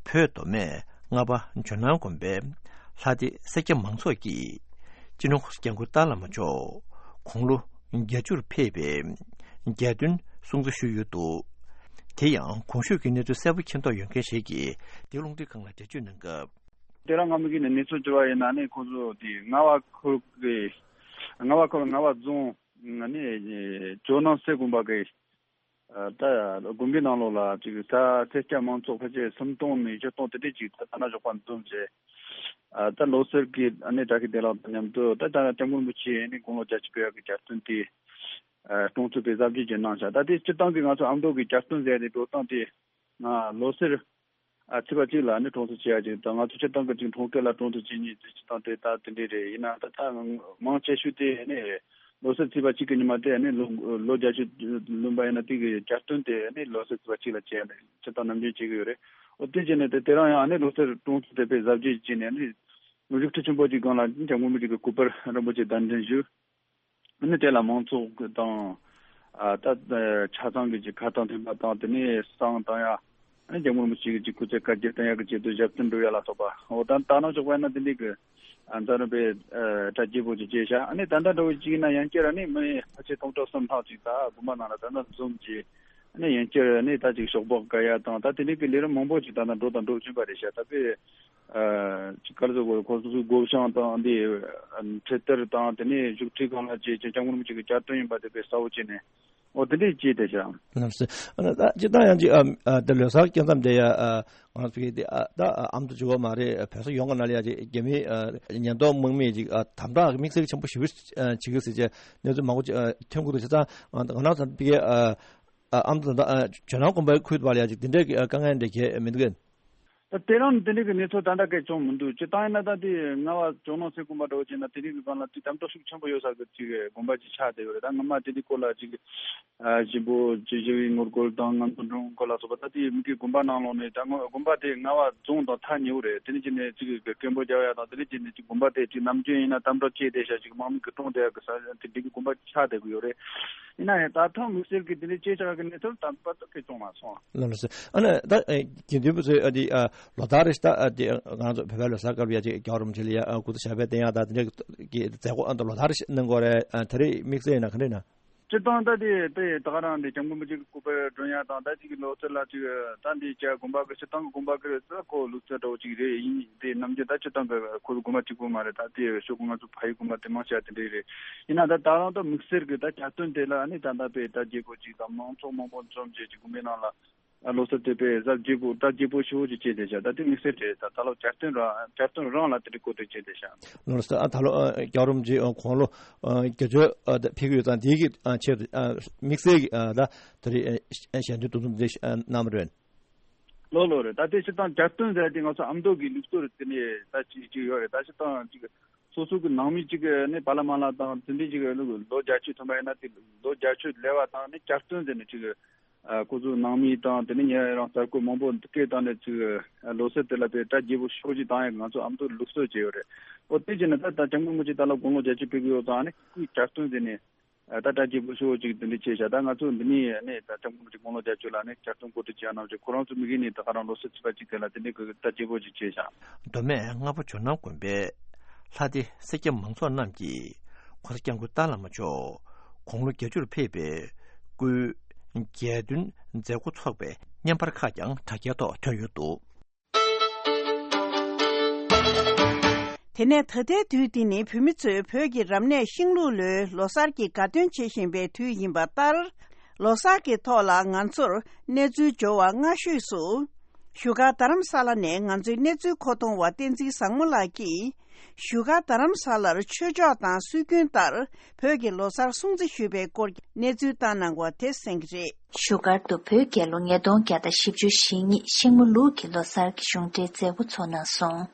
བོད་མདོ་སྨད་རྔ་བ་ཇོ་ནང་དགོན་པའི་ལྷ་སྡེ་སེར་སྐྱ་མང་ཚོགས་ཀྱིས་སྤྱི་ནོར་༸གོང་ས་༸སྐྱབས་མགོན་ཏཱ་བླ་མ་མཆོག་དགུང་ལོ་བརྒྱད་ཅུར་ཕེབས་པའི་གྱ་སྟོན་སྲུང་བརྩི་ཞུས་ཡོད་འདུག་དེ་ཡང་གོང་ཞུས་ཀྱི་གནས་ཚུལ་གསལ་པོ་མཁྱེན་རྟོགས་ཡོད་མཁན་ཞིག་གིས་འདི་རླུང་འཕྲིན་ཁང་ལ་འགྲེལ་བརྗོད་གནང་སྐབས། དེ་རིང་སྔ་མོ་གི་ནས་གནས་ཚུལ་བྱུང་བ་ཡིན་ན་ནི། ཁོང་ཚོ་དེ་རྔ་བ་ཁུལ་གི་རྔ་བ་ཁུལ་རྔ་བ་རྫོང་ནི་ཇོ་ནང་སེ་དགོན་པ་གི་ད་དགོན་པའི་ནང་ལོགས་ལ་ཅིག་ས་སེར་སྐྱ་མང་ཚོགས་ཕལ་ཆེར་སུམ་སྟོང་ནས་བཞི་སྟོང་དེ་འདྲས་ཅིག་ད་ལྟ་ན་ཞོགས་པ་འཛོམས་བྱས། ད་ལོ་གསར་གྱི་ཨ་ནི་བཀྲ་ཤིས་བདེ་ལེགས་དང་མཉམ་དུ་ད་ད་སྐྱབས་མགོན་རིན་པོ་ཆེ་ནི་དགུང་ལོ་བརྒྱད་ཅུ་ཕེབས་ཡག་གི་གྱ་སྟོན་དེ་སྲུང་བརྩི་དཔེ་གཟབ་རྒྱས་ཀྱིས་གནང་ཤག་ད་དེ་སྤྱིར་བཏང་གི་ང་ཚོ་ཨ་མདོ་གི་གྱ་སྟོན་ཟེར་ཏེ་འགྲོ་སྟངས་དེ་ང་ལོ་གསར་ཨ་ཚེས་པ་གཅིག་ལ་ནི་སྲུང་བརྩི་བྱེད་ཡ་ཅིག་དང་། ང་ཚོ་སྤྱིར་བཏང་གི་ཅིག་འཁྲུངས་སྐར་ལ་སྲུང་བརྩི་བྱེད་མཁན་དེ་སྤྱིར་བཏང་དེ་ད་དེ་འདྲས་རེད། ཡིན་ན་ད་ད་མང་ཆེ་ཤོས་དེ་ནི་ལོ་གསར་ཚེས་པ་གཅིག་གི་ཉི་མ་དེ་ནི་ལོ་ལོ་བརྒྱད་ཅུ་ལོན་པ་ཡིན་ན་དེ་གི་གྱ་སྟོན་དེ་ནི་ལོ་གསར་ཚེས་པ་གཅིག་ལ་བྱས་ནས་སྤྱིར་བཏང་ནམ་རྒྱུན་བྱེད་ཀྱི་ཡོད་རེད། འོ་དེ་བྱས་ནས་དེ་དེ་རིང་ཡང་ནི་ལོ་གསར་སྲུང་བརྩི་དེ་དཔེ་གཟབ་རྒྱས་བྱས་ནས་ནི་བཞུགས་ཁྲི་ཆེན་པོ་གཅིག་སྒང་ལ་སྐྱབས་མགོན་རིན་པོ་ཆེ་གི་སྐུ་པར་རིན་པོ་ཆེ་གདན་འདྲེན་ཞུས། ནི་དེ་ལ་མང་ཚོགས་དང་། ཨ་ད་ཆ་ཚང་གི་ཅིག་ཁ་བཏང་འཐེན་པ་དང་། དེ་ནས་བསང་བཏང་ཡ། ཨ་སྐྱབས་མགོན་རིན་པོ་ཆེ་གི་ཅིག་སྐུ་ཚེ་བསྐལ་བརྒྱར་བརྟན་ཡག་གི་ཆེད་དུ་ཞབས་བརྟན་སྒྲུབ་ཡ་ལ་སོགས་པ། འོ་ད་ད་ནང་ཞོགས་པ་ཡིན་ན་དེ་འདྲའི་གི་ཨ་འཛམ་གླིང་པའི་ཨ་གྲ་རྒྱས་པོ་ཅིག་བྱས་ཤག་ཨ་ནི་ད་ལྟ་འདྲ་བོ་ཅིག་ཡིན་ན་ཡང་བསྐྱར་ཨ་ནི་མི་ཕལ་ཆེར་སྟོང་ཕྲག་གསུམ་ལྷག་ཅིག་ད་དགོན་པ་ནང་ལ་ད་ལྟ་འཛོམས་ཀྱི། ཨ་ནི་ཡང་བསྐྱར་ཨ་ནི་ད་ཅིག་ཞོགས་པ་དགའ་ཡ་དང་། ད་དེ་འདྲའི་གི་ལས་རིམ་མང་པོ་ཅིག་ད་ལྟ་འགྲོ་དང་འགྲོ་བཞིན་པ་རེད་ཤག་ད་དཔེ། ཨ་ཅིག་ག་རེ་ཟེར་དགོས། ཁོ་ཚོ་སྒོ་བྱང་དང་འདི་ཁྲི་གཏེར་དང་། དེ་ནས་བཞུགས་ཁྲི་སྒང་ལ་བཅས་ཀྱི་སྐྱབས་མགོན་རིན་པོ་ཆེ་གི་གྱ་སྟོན་ཡིན་པ་དེ་དཔེ་གསལ་པོ་བྱས་ནས། འོ་དེ་འདྲས་བྱས་བསྡད་ཤག་ལགས་སོ། ཨ་ནི་ད་སྤྱིར་བཏང་ཡང་ཅིག་ཨ་ཨ་ད་ལོ་གསར་སྐབས་མཚམས་དེ་ཡ། ཨ་ང་ཚོ་གི་དེ་ཨ་ད་ཨ་ཨ་མདོ་གཅིག་པོ་མ་རེད། བོད་ས་ཡོངས་ཀྱི་ནང་ལ་ཡ་ཅིག་རྒྱ་མིའི་ཨ་ཉེན་རྟོག་དམག་མིས་ཅིག་ཨ་དམ་དྲག་དམིགས་བསལ་ཆེན་པོ་ཞེ་པོ་ཅིག་བྱེད་ཀྱི་ཟེར་བྱས་གནས་ཚུལ་མང་པོ་ཅིག་ཨ་ཐོན་གྱི་འདུག་བྱས་ཙང་ང་རང་ཚོ་ཕ་གིའི་ཨ་ཨ་ཨ་མདོ་དང་ཨ་ཇོ་ནང་དགོན་པའི་ཁུལ་དུ་བ་ལ་ཡ་ཅིག་དེ་འདྲའི་གི་ཨ་དཀའ་ངལ་འདྲ་གས་མི་འདུག་གས། ད་དེ་རིང་དེ་འདྲའི་གི་གནས་ཚུལ་ད་ལྟ་སྐད་བྱུང་མི་འདུག་སྤྱིར་བཏང་ཡིན་ན་ད་དེ་རྔ་བ་ཇོ་ནང་སེ་དགོན་པ་འདྲ་བོ་བྱས་ན་དེ་འདྲའི་གི་སྒང་ལ་དེ་དམ་དྲག་ཤུགས་ཆེན་པོ་ཡོད་ས་གི་ཅིག་དགོན་པ་ཅིག་ཆགས་བསྡད་ཡོད་རེད། ད་སྔོན་མ་དེ་འདྲའི་སྐོར་ལ་ཅིག་ཨ་ཞིག་པོ་ཅིག་ཞི་བའི་ངོ་རྒོལ་དང་ང་ཚོ་འགྲོ་འགོ་ལ་སོགས་པ། ད་དེ་མི་གི་དགོན་པ་ནང་ལོགས་ནས་ད་དགོན་པ་དེ་རྔ་བ་རྫོང་དང་ཐག་ཉེ་བོ་རེད། དེ་ནས་ཅིག་ནས་ཅིག་གི་སྐད་འབོད་རྒྱག་ཡ་དང་། དེ་ནས་ཅིག་ནས་ཅིག་དགོན་པ་དེ་ཅིག་ནམ་རྒྱུན་ཡིན་ན་དམ་དྲག་བྱས་བསྡད་ཤག་ཅིག་དམག་མི་གི་བཀྲོངས་བསྡད་ཡ་གི་ས་དེ་འདྲའི་གི་དགོན་པ་ཆགས་བསྡད་གི་ཡོད་རེད། ཡིན་ན་ཡང་ད་ཐེངས་དམིགས་བསལ་གྱི་དེ་འདྲའི་ཅེ་ཆགས་ཀྱི་གནས་ཚུལ་དམ་པ་ད་སྐད་བྱུང་མ་སོང་། ལགས་ལགས་སོ། ཨ་ནི་ད་ཨེ་དགེ་འདུན་པ་ཚོས་ཨ་དེ་ཨ་ལོ་ལྟར་རེ་ད་ཨ་དེ་ང་ཚོ་བོད་པའི་ལོ་གསར་སྐབས་ཡ་ཅིག་རྒྱལ་བ་རིན་པོ་ཆེ་ལ་ཡ་ཨ་སྐུ་ཚེ་ཞབས་པད་བརྟན་ཡག་ད་དེ་འདྲའི་གི་མཛད་སྒོ་ཨ་ད་ལོ་ལྟར་རེ་གནང་གི་ཡོད་རེད། ཨ་ད་རེས་དམིགས་བསལ་ཡིན་ན་ག་འདྲ་ཡིན་ན། སྤྱིར་བཏང་ད་དེ་དེ་ད་ག་རང་དེ་སྐྱབས་མགོན་རིན་པོ་ཆེ་གི་སྐུ་པར་སྒྲོན་ཡ་དང་། ད་ཅིག་གི་ལོ་གསར་ལ་ཅིག་ད་འདི་ཅག་དགོན་པ་གི་སྤྱིར་བཏང་གི་དགོན་པ་གི་ད་ཁོ་ལུགས་སྲོལ་འདྲ་བོ་ཅིག་རེད། ཡིན་དེ་ནམ་རྒྱུན་ད་སྤྱིར་བཏང་གི་ཁོ་ཚོ་དགོན་པ་གཅིག་པོ་མ་རེད། ད་དེ་ཤོག་གུ་ང་ཚོ་ཕ་ཡུལ་དགོན་པ་དེ་མང་ཆེ་བ་དེ་འདྲ་རེད། ཡིན་ན་ད་ད་རང་ད་དམིགས་བསལ་གི་ད་གྱ་སྟོན་དེ་ལ་ནི་ད་ལྟ་དཔེ་གྲ་རྒྱས་པོ་ཅིག་དང་མང་ཚོགས་མང་པོ་འཛོམས་བྱས་ཀྱི་དགོན་པའི་ནང་ལ་ལོ་གསར་དེ་དཔེ་གཟབ་རྒྱས་པོ་གྲ་རྒྱས་པོ་ཞེ་པོ་ཅིག་བྱས་བསྡད་ཤག་ད་དེ་དམིགས་བསལ་རེད། ད་ད་ལོ་གྱ་སྟོན་རང་གྱ་སྟོན་རང་ལ་དེ་འདྲ་གོ་སྒྲིག་བྱས་བསྡད་ཤག་ལགས་སོ། ཨ་ད་ལོ་ཨ་རྒྱལ་བ་རིན་པོ་ཆེ་ཨ་དགུང་ལོ་ཨ་བརྒྱད་ཅུ་ཨ་ད་ཕེབས་ཀྱི་ཡོད་ཙང་དེའི་གི་ཨ་ཆེད་དུ་ཨ་དམིགས་བསལ་གྱི་ཨ་ད་ད་རེས་ཨ་ཞལ་འདོན་འདུ་འཛོམས་འདི་ཨ་གནང་བ་རེད། ལོ་ལོ་རེད། ད་དེ་སྤྱིར་བཏང་གྱ་སྟོན་ཟེར་དེ་ང་ཚོ་ཨ་མདོ་གི་ལུགས་སྲོལ་རེད། དེ་ནས་ད་ཅིག་ཅིག་ཡོད་རེད། ད་སྤྱིར་བཏང་ཅིག་སོ་སོ་གི་ནང་མི་ཅིག་གི་ནི་བ་ལ་མ་ལ་དང་དེ་འདྲའི་ཅིག་ལོ་བརྒྱད་ཅུ་ཐོན་པ་ཡིན་ན་དེ་ལོ་བརྒྱད་ཅུ་སླེབས་པ་དང་ནི་གྱ་སྟོན་ཟེར་ནས་ཅིག་ཨ་ཁོ་ཚོ་ནང་མི་དང་དེ་ནས་ཉེ་རང་གསར་འགོད་མང་པོ་སྐད་བཏང་ནས་ཅིག་ལོ་གསར་དེ་ལ་དཔེ་གྲ་རྒྱས་པོ་ཤོག་ཅིག་བཏང་ཡ་ང་ཚོ་ཨ་མདོ་ལུགས་སྲོལ་ཅིག་ཡོད་རེད། ཨོ་དེ་བྱས་ན་ད་ད་སྐྱབས་མགོན་རིན་པོ་ཆེ་ད་ལོ་དགུང་ལོ་བརྒྱད་ཅུ་ཕེབས་ཀྱི་ཡོད་ཙང་ནི་སྐུའི་གྱ་སྟོན་ཟེར་ནས། ཨ་ད་གྲ་རྒྱས་པོ་ཤོག་ཅིག་དེ་འདྲ་བྱས་ཤག་ད་ང་ཚོ་འདི་ནས་ནས་ད་སྐྱབས་མགོན་རིན་པོ་ཆེ་དགུང་ལོ་བརྒྱད་ཅུ་ལ་ནས་གྱ་སྟོན་གོ་སྒྲིག་བྱས་གནང་བྱས། ཁོ་རང་ཚོ་མི་གི་ནས་ད་ག་རང་ལོ་གསར་ཚེས་པ་གཅིག་དེ་ལ་དེ་འདྲ་གི་ད་རྒྱས་པོ་ཅིག་བྱས་ཤག་མདོ་སྨད་རྔ་བ་ཇོ་ནང་དགོན་པའི་ལྷ་སྡེ་སེར་སྐྱ་མང་ཚོགས་རྣམས་ཀྱིས་༸གོང་ས་༸སྐྱབས་མགོན་ཏཱ་བླ་མ་མཆོག་དགུང་ལོ་བརྒྱད་ཅུར་ཕེབས་པའི་སྐུའི་གྱ་སྟོན་མཛད་སྒོ་འཚོགས་པའི་བརྙན་པར་ཁག་ཀྱང་དྲ་རྒྱའི་ཐོག་ཐོན་ཡོད་འདུག་དེ་ནས་ད་ལྟའི་དུས་འདི་ནི་བོད་མི་ཚོས་བོད་ཀྱི་རབ་གནས་ཤིང་ལུག་ལོའི་ལོ་གསར་གྱི་དགའ་སྟོན་བྱེད་བཞིན་པའི་དུས་ཡིན་པ་ལྟར། ལོ་གསར་གྱི་ཐོག་ལ་ང་ཚོར་གནས་ཚུལ་འབྱོར་བ་སྔ་ཤོས་སུ། བཞུགས་སྒར་རྡ་རམ་ས་ལ་ནས་ང་ཚོའི་གནས་ཚུལ་མཁོ་གཏོང་བ་བསྟན་འཛིན་བཟང་མོ་ལགས་ཀྱིས། བཞུགས་སྒར་རྡ་རམ་ས་ལར་ཆོས་ཕྱོགས་དང་སྲོལ་རྒྱུན་ལྟར་བོད་ཀྱི་ལོ་གསར་སྲུང་བརྩི་ཞུས་པའི་སྐོར་གྱི་གནས་ཚུལ་བཏང་གནང་བ་དེ་གསན་གྱི་རེད། བཞུགས་སྒར་དུ་བོད་རྒྱལ་ལོ་ཉིས་སྟོང་བརྒྱ་དང་བཞི་བཅུ་ཞེ་གཉིས་ཤིང་མོ་ལུག་གི་ལོ་གསར་གྱི་གཞུང་འབྲེལ་མཛད་སྒོ་ཚོགས་གནང་སོང་།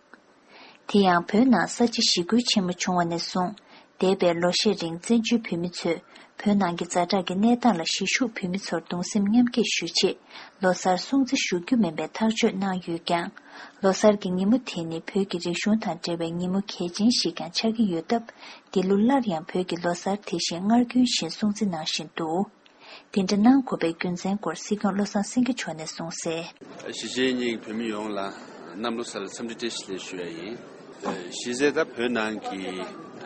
དེ་ཡང་བོད་ནང་ས་བྱི་ཞི་རྒོལ་ཆེན་མོ་བྱུང་བ་ནས་བཟུང་། འདས་པའི་ལོ་ཤས་རིང་བཙན་བྱོལ་བོད་མི་ཚོས་བོད་ནང་གི་ཛ་དྲག་གི་གནས་སྟངས་ལ་གཞིས་བཞུགས་བོད་མི་ཚོར་གདུང་སེམས་མཉམ་སྐྱེད་ཞུ་ཆེད་ལོ་གསར་སྲུང་བརྩི་ཞུ་རྒྱུ་མིན་པའི་ཐག་གཅོད་གནང་ཡོད་ཀྱང་། ལོ་གསར་གྱི་ཉིན་མོ་དེ་ནི་བོད་ཀྱི་རིག་གཞུང་དང་འབྲེལ་བའི་ཉིན་མོ་གལ་ཆེན་ཞིག་ཀྱང་ཆགས་ཀྱི་ཡོད་སྟབས། འདི་ལོ་སླར་ཡང་བོད་ཀྱི་ལོ་གསར་དེ་བཞིན་སྔར་རྒྱུན་བཞིན་སྲུང་བརྩི་གནང་བཞིན་འདུག། དེ་འདྲ་གནང་དགོས་པའི་རྒྱུ་མཚན་སྐོར་སྲིད་སྐྱོང་བློ་བཟང་སེང་གེ་མཆོག་ནས་གསུངས་གསལ། གཞིས་བྱེས་གཉིས་ཀྱི་བོད་མི་ཡོངས་ལ་གནམ་ལོ་གསར་ལ་འཚམས་འདྲི་བཀྲ་ཤིས་བདེ་ལེགས་ཞུ་ཡ་ཡིན། གཞིས་བྱེས་དང་བོད་ནང་གི་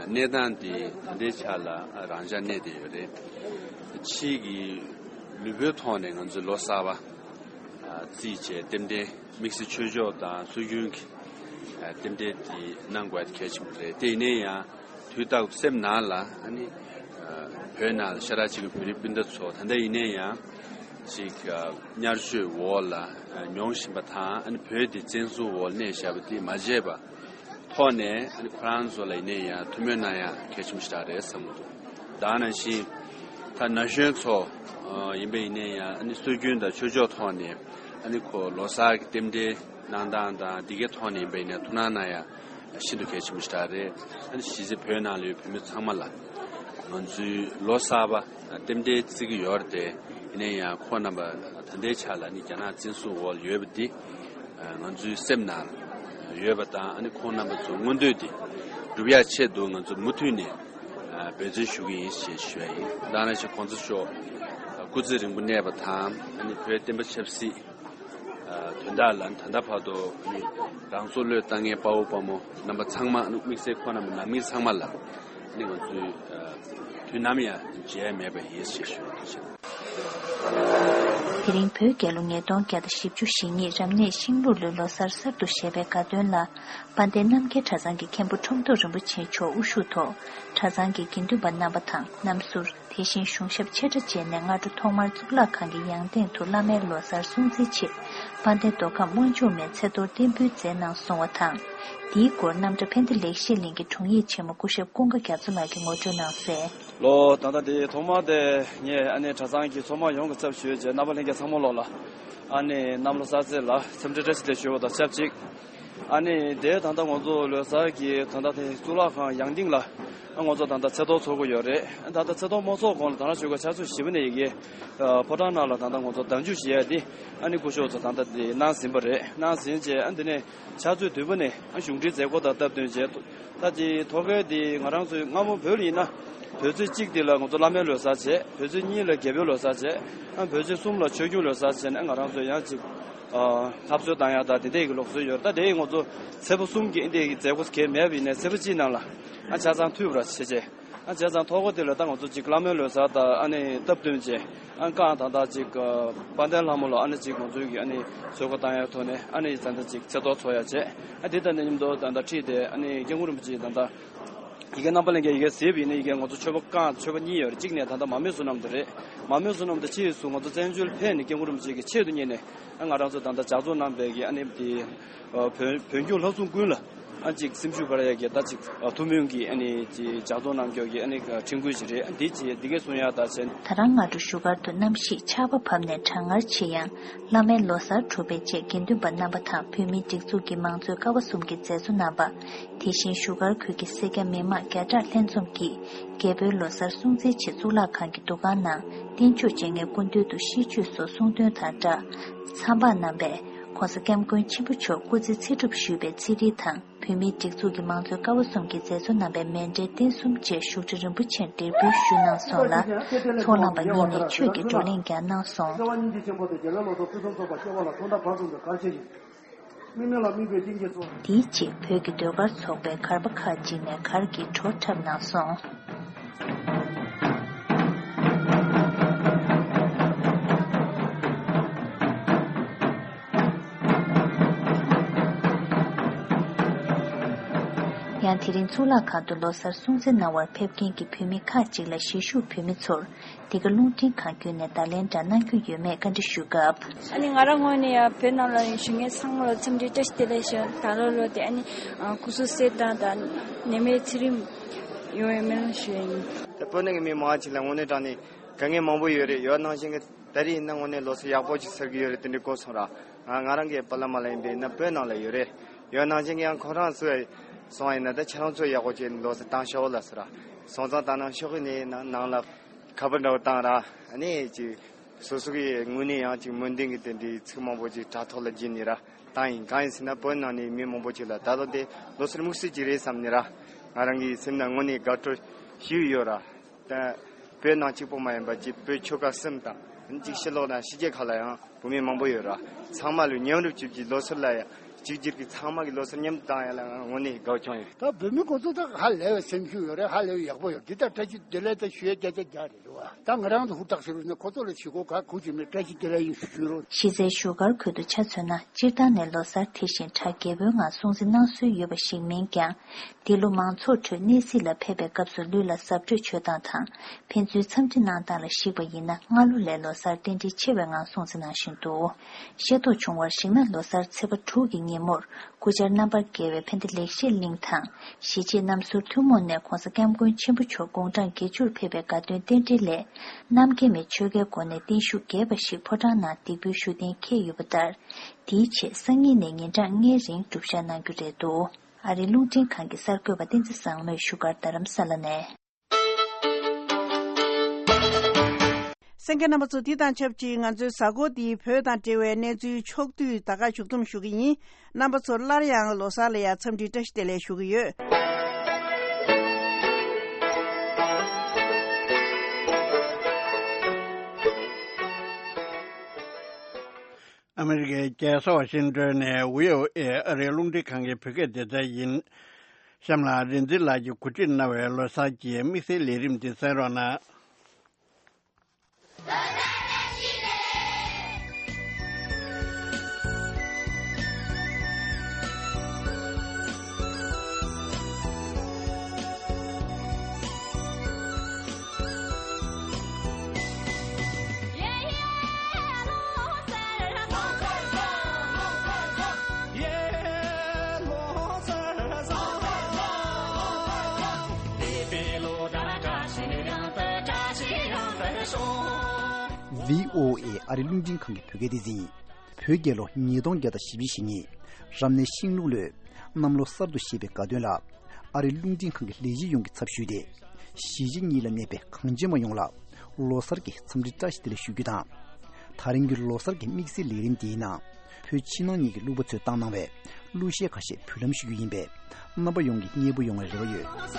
གནས་སྟངས་འདི་ད་ལྟའི་ཆ་ལ་རང་འཇགས་གནས་བསྡད་ཡོད་རེད། ཕྱིའི་གི་ལུས་པོའི་ཐོག་ནས་ང་ཚོས་ལོ་གསར་པ་བརྩིས་བྱས་རྟེན་འབྲེལ་དམིགས་བསལ་ཆོས་ཕྱོགས་དང་སྲོལ་རྒྱུན་གྱི་རྟེན་འབྲེལ་འདི་གནང་དགོས་ཡ་གལ་ཆེན་པོ་རེད། དེ་ཡིན་ན་ཡང་། དུས་རྟག་ཏུ་སེམས་ནང་ལ་ཨ་ནི་བོད་ནང་ལ་ཤ་ཁྲག་གཅིག་པའི་བོད་རིགས་སྤུན་ཟླ་ཚོ་ད་ལྟ་ཡིན་ན་ཡང་ཅིག་དམྱལ་བཅོས་འོག་ལ་མྱོང་བཞིན་པ་དང་། ཨ་ནི་བོད་འདི་བཙན་བཟུང་འོག་ལ་གནས་བཞག་པ་འདི་མ་བརྗེད་པ་ཐོག་ནས། ཨ་ནི་ཁོ་རང་ཚོ་ལ་ཡིན་ན་ཡང་ཐུགས་སྨོན་གནང་ཡ་གལ་ཆེན་པོ་ཞིག་རེད་བསམ་གྱི་འདུག། ད་ག་ནང་བཞིན་ད་ན་གཞོན་ཚོ་ཡིན་པ་ཡིན་ན་ཡང་། ཨ་ནི་སྲོལ་རྒྱུན་དང་ཆོས་ཕྱོགས་ཐོག་ནས་ཨ་ནི་ཁོ་ལོ་གསར་གྱི་རྟེན་འབྲེལ་གནང་སྟངས་དང་འདི་གའི་ཐོག་ནས་ཡིན་པ་ཡིན་ན་ཐུགས་སྣང་གནང་ཡ་ཤིན་ཏུ་གལ་ཆེན་པོ་ཞིག་རེད། ཨ་ནི་གཞིས་བྱེས་བོད་ནང་ལ་ཡོད་བོད་མི་ཚང་མ་ལ་ང་ཚོའི་ལོ་གསར་པ་རྟེན་འབྲེལ་བརྩི་གི་ཡོད་རེད་དེ། ཡིན་ན་ཡང་ཁོང་རྣམ་པ་ད་ལྟའི་ཆ་ལ་ནི་རྒྱ་ནག་བཙན་བཟུང་འོག་ལ་ཡོད་པ་འདི་ང་ཚོའི་སེམས་ནང་ཡོད་པ་དང་། ཨ་ནི་ཁོང་རྣམ་པ་ཚོ་མངོན་འདོད་འདི་སྒྲུབ་ཡ་ཆེད་དུ་ང་ཚོ་མུ་མཐུད་ནས་འབད་བརྩོན་ཞུ་གི་ཡིན་ཞེས་ཞུ་ཡ་ཡིན། ད་ག་ནང་བཞིན་གོང་ས་མཆོག་སྐུ་ཚེ་རིང་པོ་གནས་པ་དང་། ཨ་ནི་བོད་བསྟན་པ་ཆབ་སྲིད་དོན་དག་ལ་ད་ལྟ་བར་དུ་རང་སྲོག་བློས་བཏང་མཁན་དཔའ་བོ་དཔའ་མོ་རྣམ་པ་ཚང་མ། དམིགས་བསལ་ཁོང་རྣམ་པ་ནང་མི་ཚང་མ་ལ་ནི་ང་ཚོས་དུས་ནམ་ཡང་བརྗེད་མེད་པ་ཡིན་ཞེས་ཞུ་རྒྱུ་ཡིན། དེ་རིང་བོད་རྒྱལ་ལོ་ཉིས་སྟོང་བརྒྱ་དང་བཞི་བཅུ་ཞེ་གཉིས་རབ་གནས་ཤིང་ལུག་ལོའི་ལོ་གསར་གསར་དུ་བཞད་པའི་དགའ་སྟོན་ལ། དཔལ་ལྡན་རྣམ་རྒྱལ་གྲྭ་ཚང་གི་མཁན་པོ་ཁྲོམ་ཐོག་རིན་པོ་ཆེ་མཆོག་དབུ་བཞུགས་ཐོག་གྲྭ་ཚང་གི་དགེ་འདུན་པ་རྣམ་པ་དང་། གནམ་ཟུར། དེ་བཞིན་གཞུང་ཞབས་ཆེ་ཕྲ་བཅས་ནས་སྔ་དྲོ་ཐོག་མར་གཙུག་ལག་ཁང་གི་ཡང་སྟེང་དུ་བླ་མའི་ལོ་གསར་སྲུང་བརྩིའི་ཆེད་དཔལ་ལྡན་མདོ་ཁམས་དབང་ཕྱུག་མའི་ཚེ་གཏོར་རྟེན་འབུལ་མཛད་གནང་སོང་བ་དང་། འདིའི་སྐོར་རྣམ་གྲྭ་ཕན་བདེ་ལེགས་བཤད་གླིང་གི་དྲུང་ཡིག་ཆེན་མོ་སྐུ་ཞབས་ཀུན་དགའ་རྒྱ་མཚོ་ལགས་ཀྱིས་ངོ་སྤྲོད་གནང་གསལ། ལོ་ད་ལྟ་འདི་ཐོག་མར་དེ་ངས་ཨ་ནི་གྲྭ་ཚང་གི་ཚོགས་མི་ཡོངས་ཀྱི་ཚབ་ཞུས་བྱས་རྣམ་པ་ལྷན་རྒྱས་ཚང་མ་ལོག་ལ་ཨ་ནི་གནམ་ལོ་གསར་ཚེས་ལ་འཚམས་འདྲི་བཀྲ་ཤིས་བདེ་ལེགས་ཞུ་བ་དང་ཆབས་ཅིག། ཨ་ནི་དེ་ད་ལྟ་ང་ཚོ་ལོ་གསར་གྱི་ད་ལྟ་དེ་གཙུག་ལག་ཁང་ཡང་སྟེང་ལ་ཨ་ང་ཚོ་ད་ལྟ་ཚེས་གཏོར་ཚོགས་ཀྱི་ཡོད་རེད། ད་ལྟ་ཚེས་གཏོར་མ་ཚོགས་གོང་ལ་ད་ལྟ་ཆོལ་ཁ་ཆུ་ཚོད་བཞི་པ་ནས་ཡི་གེ་ཕོ་བྲང་ནང་ལ་ད་ལྟ་ང་ཚོ་བདག་འཇུག་བྱེད་ཡ་དེ་ཨ་ནི་སྐུ་ཞབས་ཚོ་ད་ལྟ་དེ་གནང་ཟིན་པ་རེད། གནང་ཟིན་རྗེས་ཨ་འདི་ནས་ཕྱག་ཚོད་བདུན་པ་ནས་ཨ་གཞུང་འབྲེལ་མཛད་སྒོ་དང་སྟབས་བསྟུན་བྱས། ད་དེ་ཐོག་ཁའི་དེ་ང་རང་ཚོའི་སྔ་མོ་བོད་ལ་ཡིན་ན་བོད་ཚེས་གཅིག་དེ་ལ་ང་ཚོ་བླ་མའི་ལོ་གསར་བྱས། བོད་ཚེས་གཉིས་ལ་རྒྱལ་པོའི་ལོ་གསར་བྱས། ཨ་བོད་ཚེས་གསུམ་ལ་ཆོས་སྐྱོང་ལོ་གསར་བྱས་ནས་ང་རང་ཚོ་ཡང་ཅིག་ཨ་ལྷ་གསོལ་བཏང་ཡག་དང་དེ་འདྲའི་གི་ལུགས་སྲོལ་ཡོད་རེད། ད་དེ་ང་ཚོ་ཚེས་པ་གསུམ་གྱི་འདི་གི་མཛད་སྒོ་གལ་མེད་པ་ཡིན་ནའི་ཚེས་པ་གཅིག་ནང་ལ་ཨ་ཆ་ཚང་མཐུད་པ་ར་བྱས་བྱས། ཨ་བྱས་ཙང་ཐོག་ཁ་དེ་ལ་ད་ང་ཚོ་ཅིག་བླ་མའི་ལོ་གསར་དང་ཨ་ནི་སྟབས་བསྟུན་བྱས། ཨ་བཀའ་ད་ལྟ་ཅིག་ཨ་དཔལ་ལྡན་ལྷ་མོ་ལ་ཨ་ནི་ཅིག་ང་ཚོའི་གི་ཨ་ནི་གསོལ་ཁ་བཏང་ཡག་ཐོག་ནས་ཨ་ནི་ད་ལྟ་ཅིག་ཚེས་གཏོར་ཚོགས་ཡག་བྱས། ཨ་དེ་དང་མཉམ་དུ་ད་ལྟ་ཁྲིད་དེ་ཨ་ནི་སྐྱབས་མགོན་རིན་པོ་ཆེ་ད་ལྟ་ཡི་གེ་རྣམ་པ་ལྷན་རྒྱས་ཡི་གེ་གཟིགས་པ་ཡིན་ན་ཡི་གེ་ང་ཚོ་མཆོད་པ་བཀང་མཆོད་པ་གཉིས་ཡོད་རེད། གཅིག་ནས་ད་ལྟ་མ་རྨོས་བསོད་ནམས་དེ་རེད། མ་རྨོས་བསོད་ནམས་དེ་ཕྱིས་སུ་ང་ཚོ་བཙན་བྱོལ་ཕེབས་ནས་སྐྱབས་མགོན་རིན་པོ་ཆེ་གི་ཆེད་དུ་གཉེར་ནས་ཨ་ང་རང་ཚོ་ད་ལྟ་ལྗགས་རྩོམ་གནང་བའི་གི་ཨ་ནི་དེ་བོད་བོད་ལྗོངས་ལྷ་སྲུང་ཀུན་ལ་ཨ་ཅིག་སེམས་ཤུགས་སྤར་ཡག་གི་ད་ཅིག་ཨ་ཐུགས་སྨོན་གྱི་ཨ་ནི་ཅིག་ལྗགས་རྩོམ་གནང་རྒྱུ་གི་ཨ་ནི་ཁྲིམས་འགལ་ཞིག་རེད། ཨ་འདི་ཅིག་འདི་གས་གསུང་ཡག་ད་བྱས། ད་རང་སྔ་དྲོ་བཞུགས་སྒར་དུ་གནམ་གཤིས་ཆར་པ་བབས་ནས་གྲང་ངར་ཆེ་ཡང་། བླ་མའི་ལོ་གསར་གྲུབ་པའི་རྗེས་དགེ་འདུན་པ་རྣམ་པ་དང་བོད་མིའི་སྒྲིག་འཛུགས་ཀྱི་མང་གཙོའི་ཀ་བ་གསུམ་གྱི་མཛད་གཙོ་རྣམ་པ། དེ་བཞིན་བཞུགས་སྒར་ཁུལ་གྱི་སེར་སྐྱ་མི་མང་བརྒྱ་ཕྲག་ལྷན་འཛོམས་ཀྱིས་རྒྱལ་པོའི་ལོ་གསར་སྲུང་བརྩིའི་ཆེད་གཙུག་ལག་ཁང་གི་འདུ་ཁང་ནང་རྟེན་མཆོག་སྤྱན་སྔའི་སྐུ་མདུན་དུ་ཤིས་བརྗོད་སོགས་གསུང་འདོན་དང་སྦྲགས། མཚམས་པ་རྣམ་པས་༸གོང་ས་༸སྐྱབས་མགོན་ཆེན་པོ་མཆོག་སྐུ་ཚེ་ཚེ་སྒྲུབ་ཞུས་པའི་ཚེ་རིལ་དང་། བོད་མིའི་སྒྲིག་འཛུགས་ཀྱི་མང་གཙོའི་ཀ་བ་གསུམ་གྱི་མཛད་གཙོ་རྣམ་པས་མཎྜལ་རྟེན་གསུམ་བཅས་བཞུགས་ཁྲི་རིན་པོ་ཆེར་འབྲེལ་འབུལ་ཞུས་གནང་སོང་ལ། ཚོགས་བླངས་པ་གཉིས་ནས་ཆོས་ཀྱི་བགྲོ་གླེང་ཀྱང་གནང་སོང་། དེའི་རྗེས་བོད་ཀྱི་ཟློས་གར་ཚོགས་པས་གར་པ་ཁག་ཅིག་ནས་གར་གྱི་བྲོ་འཁྲབ་གནང་སོང་། ཡང་དེ་རིང་གཙུག་ལག་ཁང་དུ་ལོ་གསར་སྲུང་བརྩི་གནང་བར་ཕེབས་མཁན་གྱི་བོད་མི་ཁག་ཅིག་ལ་གཞིས་བཞུགས་བོད་མི་ཚོར་འདི་ག་རླུང་འཕྲིན་ཁང་བརྒྱུད་ནས་བརྡ་ལན་འདྲ་གནང་རྒྱུ་ཡོད་མེད་བཀའ་འདྲི་ཞུས་སྐབས། ཨ་ནི་ང་རང་ངོས་ནས་ཡང་བོད་ནང་ལ་ཡོད་བཞུགས་མཁན་ཚང་མ་ལ་འཚམས་འདྲི་བཀྲ་ཤིས་བདེ་ལེགས་ཞུ། ད་ལོ་ལོ་དེ་ཨ་ནི་སྐུ་གཟུགས་གསལ་ཐང་དང་ནད་མེད་ཚེ་རིང་ཡོང་བའི་སྨོན་ལམ་ཞུ་ཡ་ཡིན། ད་བོད་ནང་གི་མི་མང་ཆེ་ལ་དངོས་གནས་དྲང་གནས་དཀའ་ངལ་མང་པོ་ཡོད་རེད། ཡོད་ནང་བཞིན་གྱི་ད་རེས་ཡིན་ན་དངོས་གནས་ལོ་གསར་ཡག་པོ་ཅིག་ཟེར་གྱི་ཡོད་རེད། དེ་འདྲའི་གོ་སོང་ར། ང་ང་རང་གི་པཱ་ལགས་མ་ལགས་ཡིན་པས་ན་བོད་ནང་ལ་ཡོད་རེད། ཡོད་ནང་བཞིན་གྱི་ཡང་ཁོ་རང་ཚོས་སོང་ཡིན་ན་ད་ཁྱེད་རང་ཚོ་ཡག་པོ་ཅིག་ལོ་གསར་བཏང་ཤོག་ལ་ཟེར་ར། སོང་ཙང་ད་ནང་ཤོག་གི་ནས་ནང་ནང་ལ་ཁ་པར་འདྲ་བོ་བཏང་ར། ཨ་ནི་ཅིག་སོ་སོ་གི་ངོས་ནས་ཡང་ཅིག་སྨོན་འདུན་གྱི་དེ་འདྲའི་ཚིག་མང་པོ་ཅིག་དྲ་ཐོག་ལ་བརྒྱུད་ནས་ར་བཏང་ཡིན། གང་ཡིན་ཟེར་ན་བོད་ནང་ནས་མི་མང་པོ་ཅིག་ལ་ད་ལོ་དེ་ལོ་གསར་དམིགས་བསལ་ཅིག་རེད་བསམ་ནས་ར། ང་རང་གི་སེམས་ནང་དངོས་གནས་དགའ་སྤྲོ་ཞེ་པོ་ཡོད་ར། ད་བོད་ནང་གཅིག་པོ་མ་ཡིན་པ་ཅིག་བོད་ཆོལ་ཁ་གསུམ་དང་ཅིག་ཕྱི་ལོགས་དང་ཕྱི་རྒྱལ་ཁག་ལ་ཡང་བོད་མི་མང་པོ་ཡོད་ར། ཚང་མ་ལ་མཉམ་རུབ་ཅིག་གི་ལོ་གསར་ལ་ཡང་གཅིག་གྱུར་གྱི་ཚང་མ་གི་ལོ་གསར་མཉམ་དུ་བཏང་ཡ་ལ་ང་དངོས་གནས་དགའ་པོ་བྱུང་ཡོད། ད་བོད་མི་ཁོ་ཚོ་ད་ཧ་ལས་པའི་སེམས་ཤུགས་ཡོད་རེད། ཧ་ལས་པའི་ཡག་པོ་ཡོད། འདི་ལྟར་བཀྲ་ཤིས་བདེ་ལེགས་ད་ཞུ་ཡ་བརྒྱ་ཆ་བརྒྱ་རེད། རེད་བ། ད་ང་རང་ཚོ་ཧུར་ཐག་ཞུ་རོགས་ནས་ཁོ་ཚོ་ལ་ཞུ་སྒོ་ག་གུ་ཅིག་མེད། བཀྲ་ཤིས་བདེ་ལེགས་ཡིན་ཞུ་རོགས། གཞིས་རྩེའི་བཞུགས་སྒར་ཁུལ་དུ་ཆ་མཚོན་ན་སྤྱིར་བཏང་ནས་ལོ་གསར་དེ་བཞིན་གྲ་རྒྱས་པོའི་ངང་སྲུང་བརྩི་གནང་སྲོལ་ཡོད་པ་ཞིག་མིན་ཀྱང་། འདི་ལོ་མང་ཚོགས་ཁྲོད་གནས་གཟིགས་ལ་ཕེབས་པའི་སྐབས་སུ་ལུས་ལ་གཟབ་སྤྲོས་བྱོས་སྟངས་དང་། ཕན་ཚུན་འཚམས་འདྲི་གནང་སྟངས་ལ་གཞིགས་པ་ཡིན་ན་སྔ་ལོ་ལས་ལོ་གསར་རྟེན་འབྲེལ་ཆེ་བའི་ངང་སྲུང་བརྩི་གནང་བཞིན་འདུག་ཤེས་རྟོགས་བྱུང་བར་གཞིགས་ན་ལོ་གསར་ཚེས་པ་དྲུག་གི་ཉིན་མོར་སྐུ་བཅར་རྣམ་པར་རྒྱལ་བའི་ཕན་བདེ་ལེགས་བཤད་གླིང་དང་། གཞིས་བྱེས་རྣམ་ཟུར་ཐུན་མོང་ནས་༸གོང་ས་༸སྐྱབས་མགོན་ཆེན་པོ་མཆོག་དགུང་གྲངས་བརྒྱད་ཅུར་ཕེབས་པའི་དགའ་སྟོན་རྟེན་འབྲེལ་སླད། གནམ་སྐྱེ་མའི་ཆོས་འགལ་སྒོ་ནས་བརྟན་བཞུགས་རྒྱས་པ་ཞིག་ཕོ་བྲང་ནང་འདེགས་འབུལ་ཞུ་གཏན་འཁེལ་ཡོད་པ་ལྟར། དེའི་ཆེད་སང་ཉིན་ནས་ཉིན་གྲངས་ལྔའི་རིང་སྒྲུབ་བཞག་གནང་རྒྱུ་རེད་འདུག་ཨ་རིའི་རླུང་འཕྲིན་ཁང་གི་གསར་འགོད་པ་བསྟན་འཛིན་བཟང་མོས་བཞུགས་སྒར་རྡ་རམ་ས་ལ་ནས། གསན་མཁན་རྣམ་པ་ཚོ། འདི་དང་ཆབས་ཅིག་ང་ཚོའི་གཟའ་འཁོར་འདིའི་བོད་དང་འབྲེལ་བའི་གནས་ཚུལ་ཕྱོགས་བསྡུས་ད་ག་ཞུ་གཏུམ་ཞུ་གི་ཡིན། རྣམ་པ་ཚོར་སླར་ཡང་ལོ་གསར་ལ་ཡང་འཚམས་འདྲི་བཀྲ་ཤིས་བདེ་ལེགས་ཞུ་གི་ཡོད། ཨ་མེ་རི་ཀའི་རྒྱལ་ས་ཝ་ཤིང་ཏོན་ནས་བྷི་ཨོ་ཨེ་ཨ་རིའི་རླུང་འཕྲིན་ཁང་གི་བོད་སྐད་སྡེ་ཚན་ཡིན། གཤམ་ལ་རིག་འཛིན་ལགས་ཀྱིས་གོ་སྒྲིག་གནང་བའི་ལོ་གསར་གྱི་དམིགས་བསལ་ལས་རིམ་འདི་གསན་རོགས་གནང་། བྷི་ཨོ་ཨེ་ཨ་རིའི་རླུང་འཕྲིན་ཁང་གི་བོད་སྐད་སྡེ་ཚན་ཡིན། བོད་རྒྱལ་ལོ་ཉིས་སྟོང་བརྒྱ་དང་བཞི་བཅུ་ཞེ་གཉིས། རབ་གནས་ཤིང་ལུག་ལོའི་གནམ་ལོ་གསར་དུ་བཞད་པའི་དགའ་སྟོན་ལ་ཨ་རིའི་རླུང་འཕྲིན་ཁང་གི་ལས་བྱེད་ཡོངས་ཀྱིས་ཚབ་ཞུས་ཏེ། གཞིས་བྱེས་གཉིས་ལ་གནས་པའི་གངས་ཅན་པ་ཡོངས་ལ་ལོ་གསར་གྱི་འཚམས་འདྲི་བཀྲ་ཤིས་བདེ་ལེགས་ཞུ་རྒྱུ་དང་། ད་རིང་གི་ལོ་གསར་གྱི་དམིགས་བསལ་ལས་རིམ་འདིའི་ནང་། བོད་ཕྱི་ནང་གཉིས་ཀྱི་གླུ་བ་ཚོས་བཏང་གནང་བའི་གླུ་གཞས་ཁ་ཤས་འབུལ་ལམ་ཞུ་རྒྱུ་ཡིན་པས། རྣམ་པ་ཡོངས་ཀྱིས་མཉེས་པོ་ཡོང་བའི་རེ་བ་ཡོད།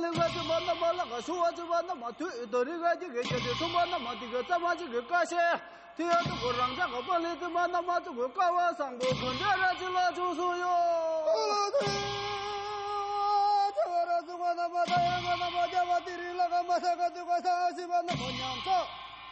ལེགས་ལ་བརྩོན་པ་རྣམ་པ་ལ་ག་ཞུ་བ་བརྩོན་པ་རྣམ་པ་དུས་དོ་རི་ར་གི་གེ་གེ་དེ་མཚུངས་པ་རྣམ་པ་དེ་གེ་རྩ་མ་གཅིག་གི་ཀ་ཤེ། དེ་ཡང་དུ་གོ་རང་ཅག་ག་པ་ལི་དུ་མ་རྣམ་པ་དུ་གོ་ཀ་བ་སང་པོ་གོན་འདྲ་ར་ཅི་ལ་བྱུང་སོང་ཡོད། ཚ་བ་ར་ཚུགས་པ་རྣམ་པ་ད་ཡང་ག་རྣམ་པ་རྒྱ་བ་དེ་རི་ལ་ག་མ་ས་ག་དུ་ག་ས་ཨ་སི་བ་རྣམ་པ་ཉམས་ཚོ།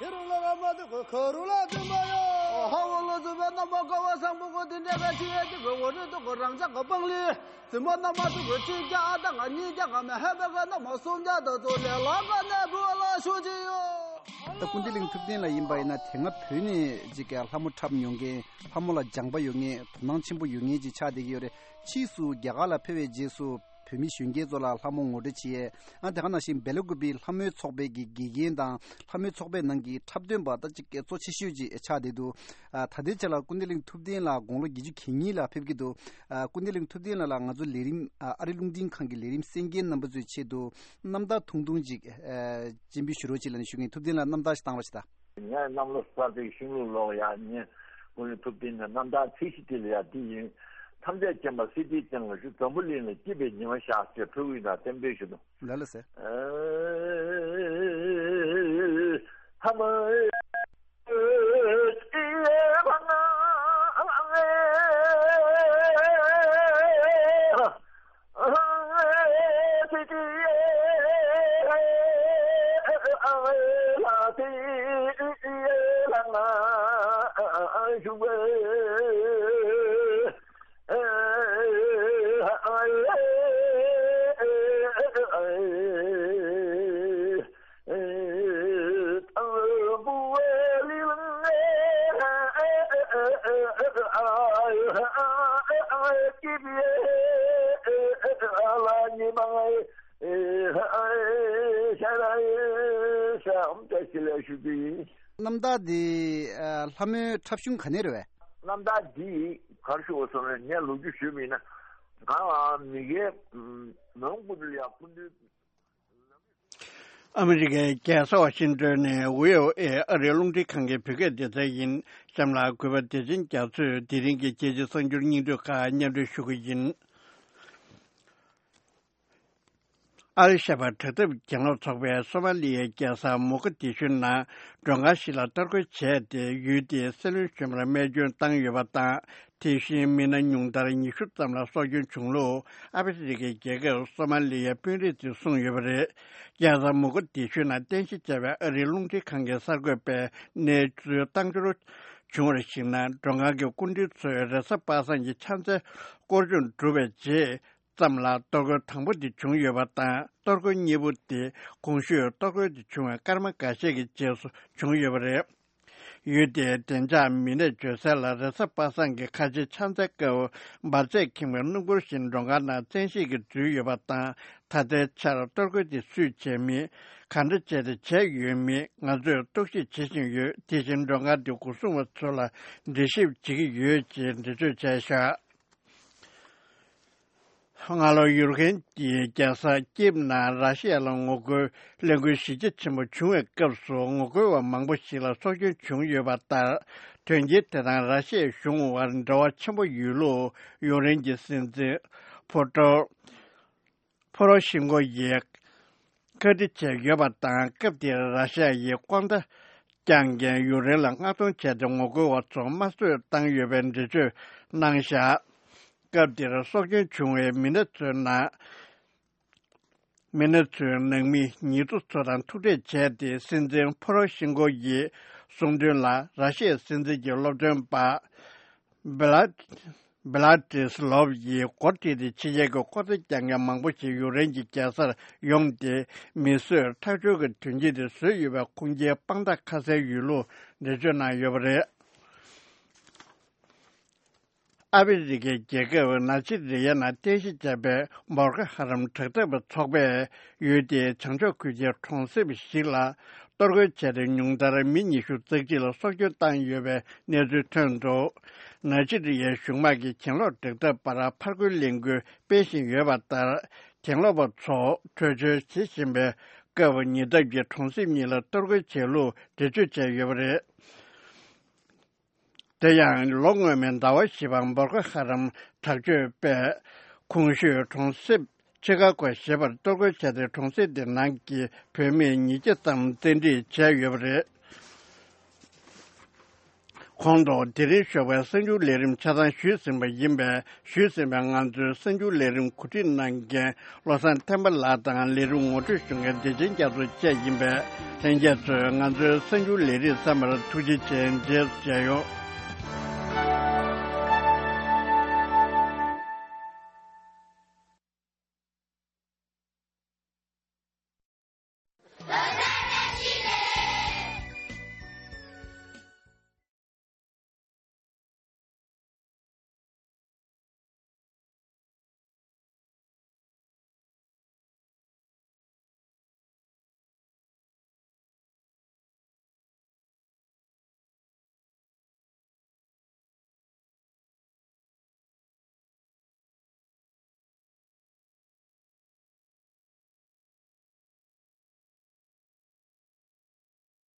དེ་རུ་ལ་ག་མ་དུ་གོ་ཁ་རུ་ལ་དུ་མ་ཡོད། ཧ་བོ་ལོ་ཚུགས་པ་རྣམ་པ་ཀ་བ་སང་པོ་གོ་དེ་འདྲ་ག་ཅི་ཡ་དུ་གོ་འོ་རི་དུ་གོ་རང་ཅག་ག་པང་ལི། བཙུན་མ་རྣམ་པ་ཚོ་གི་གཅིག་བརྒྱ་ཨ་ད་ང་གཉིས་བརྒྱ་ག་མེད་ཧེ་བེ་ག་རྣམ་པ་སུམ་བརྒྱ་དང་ཚོ་ལས་ལ་ག་ནས་བུ་ལ་ཤུ་ཅི་ཡོད། ད་ཀུན་བདེ་གླིང་ཐུབ་བསྟན་ལགས་ཡིན་པ་ཡིན་ན་དེ་སྔ་བོད་ནས་ཅིག་གི་ལྷ་མོ་འཁྲབ་མྱོང་མཁན། ལྷ་མོ་ལ་སྦྱངས་པ་ཡོད་མཁན། དོ་སྣང་ཆེན་པོ་ཡོད་མཁན་ཅིག་ཆགས་བསྡད་ཀྱི་ཡོད་རེད། ཕྱིས་སུ་རྒྱ་གར་ལ་ཕེབས་པའི་རྗེས་སུ་བོད་མི་གཞོན་སྐྱེས་ཚོ་ལ་ལྷ་མོ་ངོ་སྤྲོད་བྱས། ཨ་དེ་ག་ནང་བཞིན་སྦེ་ལ་ཀུ་པི་ལྷ་མོའི་ཚོགས་པའི་གི་དགེ་རྒན་དང་ལྷ་མོའི་ཚོགས་པའི་ནང་གི་འཁྲབ་སྟོན་པ་ད་ཅིག་གི་གཙོ་ཆེ་ཤོས་ཅིག་ཆགས་བསྡད་འདུག་ཨ་ད་ལྟའི་ཆ་ལ་ཀུན་བདེ་གླིང་ཐུབ་བསྟན་ལགས་དགུང་ལོ་བརྒྱད་ཅུ་གྱ་གཉིས་ལ་ཕེབས་ཀྱི་འདུག་ཨ་ཀུན་བདེ་གླིང་ཐུབ་བསྟན་ལགས་ལ་ང་ཚོ་ལས་རིམ་ཨ་ཨ་རི་རླུང་འཕྲིན་ཁང་གི་ལས་རིམ་གསན་མཁན་རྣམ་པ་ཚོའི་ཆེད་དུ་རྣམ་ཐར་ཐུང་ཐུང་ཅིག་ཨ་སྤྱན་འབུལ་ཞུ་རོགས་ཅིག་ལབ་ནས་ཞུ་མཁན། ཐུབ་བསྟན་ལགས་རྣམ་ཐར་ཞིག་བཏང་རོགས་ཞུ་དང་། ངས་གནམ་ལོ་གསར་པའི་ཤིང་ལུག་ལོག་ཡ་ཉེ་ཀུན་གླིང་ཐུབ་བསྟན་ནས་རྣམ་ཐར་ཚིག་བཞི་དེ་ལ་ཡ་འདི་ཡིན། ཐམས་ཅད་མཁྱེན་པ་སྲིད་པའི་སྤྱན་སྔར་བཞུགས། འཛམ་བུ་གླིང་ལ་སྐྱིད་པའི་ཉི་མ་ཤར་ཞེས་ཕྲུ་གུ་ཡིན་ན་རྟེན་འབྲེལ་ཞུ་དང་། ལ་ལ་ཟེར། ཨ་ཧ་མ། རྣམ་ཐར་འདི་ལྷ་མོའི་འཁྲབ་གཞུང་ག་ནས་རེད་བས། རྣམ་ཐར་འདི་གར་ཞུ་བ་སོང་ནས་ངས་ལོ་རྒྱུས་ཞུས་པ་ཡིན་ན། ང་ལ་མི་སྒེར་མོན་གྷོ་ལ་ཡ་སྐུ་མདུན། ཨ་མི་རི་ཀའི་རྒྱལ་ས་ཝ་ཤིང་ཏོན་ནས་ཝི་ཨོ་ཨེ་ཨ་རིའི་རླུང་འཕྲིན་ཁང་གི་བོད་སྐད་སྡེ་ཚན་ཡིན། གཤམ་ལ་གུས་པ་བདེ་ཆེན་རྒྱ་མཚོས་དེ་རིང་གི་རྒྱལ་སྤྱིའི་གསར་འགྱུར་སྙིང་བསྡུས་ཁག་སྙན་སྒྲོན་ཞུ་གི་ཡིན། ཨལ་ཤ་བ་དྲག་འཐབ་གྱེན་ལོག་ཚོགས་པས་སོ་མ་ལི་ཡའི་རྒྱལ་ས་མོ་ག་དི་ཤུ་ནང་མགྲོན་ཁང་ཞིག་ལ་གཏོར་རྒོལ་བྱས་ཏེ། ཡུལ་དེའི་སྲིད་བློན་གཞོན་པར་རྨས་སྐྱོན་བཏང་ཡོད་པ་དང་། དེ་བཞིན་མི་སྣ་ཉུང་མཐར་ཉི་ཤུ་ཙམ་ལ་སྲོག་སྐྱོན་བྱུང་ལུགས་ཨ་ཕི་རི་ཀའི་རྒྱལ་ཁབ་སོ་མ་ལི་ཡའི་དཔོན་རིགས་ཚོས་གསུངས་ཡོད་པ་རེད། རྒྱལ་ས་མོ་ག་དི་ཤུ་ནང་རྟེན་གཞི་བྱས་པའི་ཨ་རིའི་རླུང་འཕྲིན་ཁང་གི་གསར་འགོད་པས་གནས་ཚུལ་བཏང་འབྱོར་བྱུང་བར་གཞིགས་ན། མགྲོན་ཁང་གི་སྐུ་མགྲོན་ཚོས་རེས་གཟའ་པ་སངས་ཀྱི་ཕྱག་འཚལ་སྐོར་སྦྱོང་གྲུབ་པའི་རྗེས། ཙམ་ལ་གཏོར་རྒོལ་དང་པོ་དེ་བྱུང་ཡོད་པ་དང་། གཏོར་རྒོལ་གཉིས་པོ་དེ་གོང་ཞུས་གཏོར་རྒོལ་དེ་བྱུང་བའི་སྐར་མ་འགའ་ཤས་ཀྱི་རྗེས་སུ་བྱུང་ཡོད་པ་རེད། ཡུལ་དེའི་བདེ་འཇགས་མི་སྣས་བརྗོད་གསལ་ལ། རེས་གཟའ་པ་སངས་ཀྱི་ཁ་ཆེའི་ཕྱག་འཚལ་སྐབས་འབར་རྫས་ཁེངས་པའི་སྣུམ་འཁོར་ཞིག་མགྲོན་ཁང་ནང་བཙན་ཤེད་ཀྱིས་འཛུལ་ཡོད་པ་དང་། ད་ལྟའི་ཆར་གཏོར་རྒོལ་དེ་སུས་བྱས་མིན། ག་འདྲ་བྱས་ཏེ་བྱས་ཡོད་མིན་ང་ཚོས་རྟོག་ཞིབ་བྱེད་བཞིན་ཡོད། དེ་བཞིན་མགྲོན་ཁང་དེའི་སྒོ་སྲུང་བ་ཚོ་ལ་འདྲི་ཞིབ་བྱེད་ཀྱི་ཡོད་ཅེས་འགྲེལ་བརྗོད་བྱས་བཞག་སྔ་ལོ་ཡུ་རོབ་ཀྱི་རྒྱལ་ས་ཀིབ་ནང་ར་ཤི་ཡ་ལ་ངོ་རྒོལ་གླེང་རྒྱུའི་གཞི་རྒྱ་ཆེན་པོ་བྱུང་བའི་སྐབས་སུ། ངོ་རྒོལ་བ་མང་པོ་ཞིག་ལ་སྲོག་སྐྱོན་བྱུང་ཡོད་པ་ལྟར། དོན་རྐྱེན་དེ་དང་ར་ཤི་ཡའི་གཞུང་དབར་འབྲེལ་བ་ཆེན་པོ་ཡོད་ལུགས་ཡུཀ་རེན་གྱི་སྲིད་འཛིན་ཕོ་ཏྲོ་ཕོ་རོ་ཤིན་ཀོ་ཡིས་བཀའ་འདྲི་བྱས་ཡོད་པ་དང་། སྐབས་དེར་ར་ཤི་ཡ་ཡི་ལྐོག་ཟ་བསྐྱངས་མཁན་ཡུཀ་རེན་ལ་མངགས་གཏོང་བྱས་ཏེ། ངོ་རྒོལ་བ་ཚོ་དམར་གསོད་བཏང་ཡོད་པའི་འགྲེལ་བརྗོད་གནང་བཞག་སྐབས་དེར་སྲོག་སྐྱོན་བྱུང་བའི་མི་སྣ་ཚོའི་ནང་མི་སྣ་ཚོའི་ནང་མི་ཉེ་དུ་ཚོ་དང་ཐུག་འཕྲད་བྱས་ཏེ། སྲིད་འཛིན་ཕོ་རོ་ཤིན་ཀོ་ཡིས་གསུངས་དོན་ལ། ར་ཤི་ཡའི་སྲིད་འཛིན་གྱི་སློབ་སྟོན་པ་བྷི་ལ་བྷི་ལ་ཏི་སི་ལོབ་ཡིས་འགོ་ཁྲིད་དེ། ཕྱི་རྒྱལ་གྱི་ལྐོག་ཟ་རྒྱག་མཁན་མང་པོ་ཞིག་ཡུཀ་རེན་གྱི་རྒྱལ་སར་ཡོང་སྟེ། མི་གསོད་ཁྲག་སྦྱོར་གྱི་དོན་རྐྱེན་དེ་བཟོས་ཡོད་པའི་ཁུངས་སྐྱེལ་དཔང་རྟགས་ཁ་གསལ་ཡོད་ལུགས་འགྲེལ་བརྗོད་གནང་ཡོད་པ་རེད། ཨ་ཕི་རི་ཀའི་རྒྱལ་ཁབ་ནཱི་ཇི་རི་ཡ་ནང་རྟེན་གཞི་བྱས་པའི་བོ་ཀོ་ཧ་རམ་དྲག་འཐབ་པའི་ཚོགས་པས་ཡུལ་དེའི་བྱང་ཕྱོགས་ཁུལ་གྱི་གྲོང་གསེབ་ཞིག་ལ་གཏོར་རྒོལ་བྱས་ཏེ། ཉུང་མཐར་མི་ཉི་ཤུ་རྩ་གཅིག་ལ་སྲོག་སྐྱོན་བཏང་ཡོད་པའི་གནས་ཚུལ་ཐོན་འདུག་ནཱི་ཇི་རི་ཡའི་གཞུང་དམག་གིས་གྱེན་ལོག་དྲག་འཐབ་པར་ཕར་རྒོལ་ལས་འགུལ་སྤེལ་བཞིན་ཡོད་པ་ལྟར། གྱེན་ལོག་པ་ཚོ་བྲོས་བྱོལ་བྱེད་བཞིན་པའི་སྐབས། ཉེ་འདབས་ཀྱི་གྲོང་གསེབ་གཉིས་ལ་གཏོར་རྒོལ་བྱས་ལུགས་འགྲེལ་བརྗོད་བྱས་ཡོད་པ་རེད། དེ་ཡང་ལོ་སྔོན་མའི་ཟླ་བ་བཞི་པར་བོ་ཀོ་ཧ་རམ་དྲག་སྤྱོད་པས་གོང་ཞུས་གྲོང་གསེབ་ ཆི་ཀ་གོ་ཞེས་པར་གཏོར་རྒོལ་བྱས་ཏེ། གྲོང་གསེབ་དེ་ནང་གི་བོད་མི་ཉིས་བརྒྱ་ཙམ་བཙན་ཁྲིད་བྱས་ཡོད་པ་རེད། ཁོང་ཐོག་དེ་རིང་ཞོགས་པའི་གསར་འགྱུར་ལས་རིམ་ཆ་ཚང་ཞུས་ཟིན་པ་ཡིན་པས། ཞུས་ཟིན་པའི་ང་ཚོའི་གསར་འགྱུར་ལས་རིམ་གོ་སྒྲིག་གནང་མཁན་བློ་བཟང་ཐེམ་པ་ལགས་དང་། ལས་རིམ་ངོ་སྤྲོད་ཞུ་མཁན་བདེ་ཆེན་རྒྱ་མཚོ་བཅས་ཡིན་པས། ལྷན་རྒྱས་ཚོས་ང་ཚོའི་གསར་འགྱུར་ལས་རིམ་ཚང་མར་ཐུགས་རྗེ་ཆེ། རྗེས་སུ་མཇལ་ཡོང་།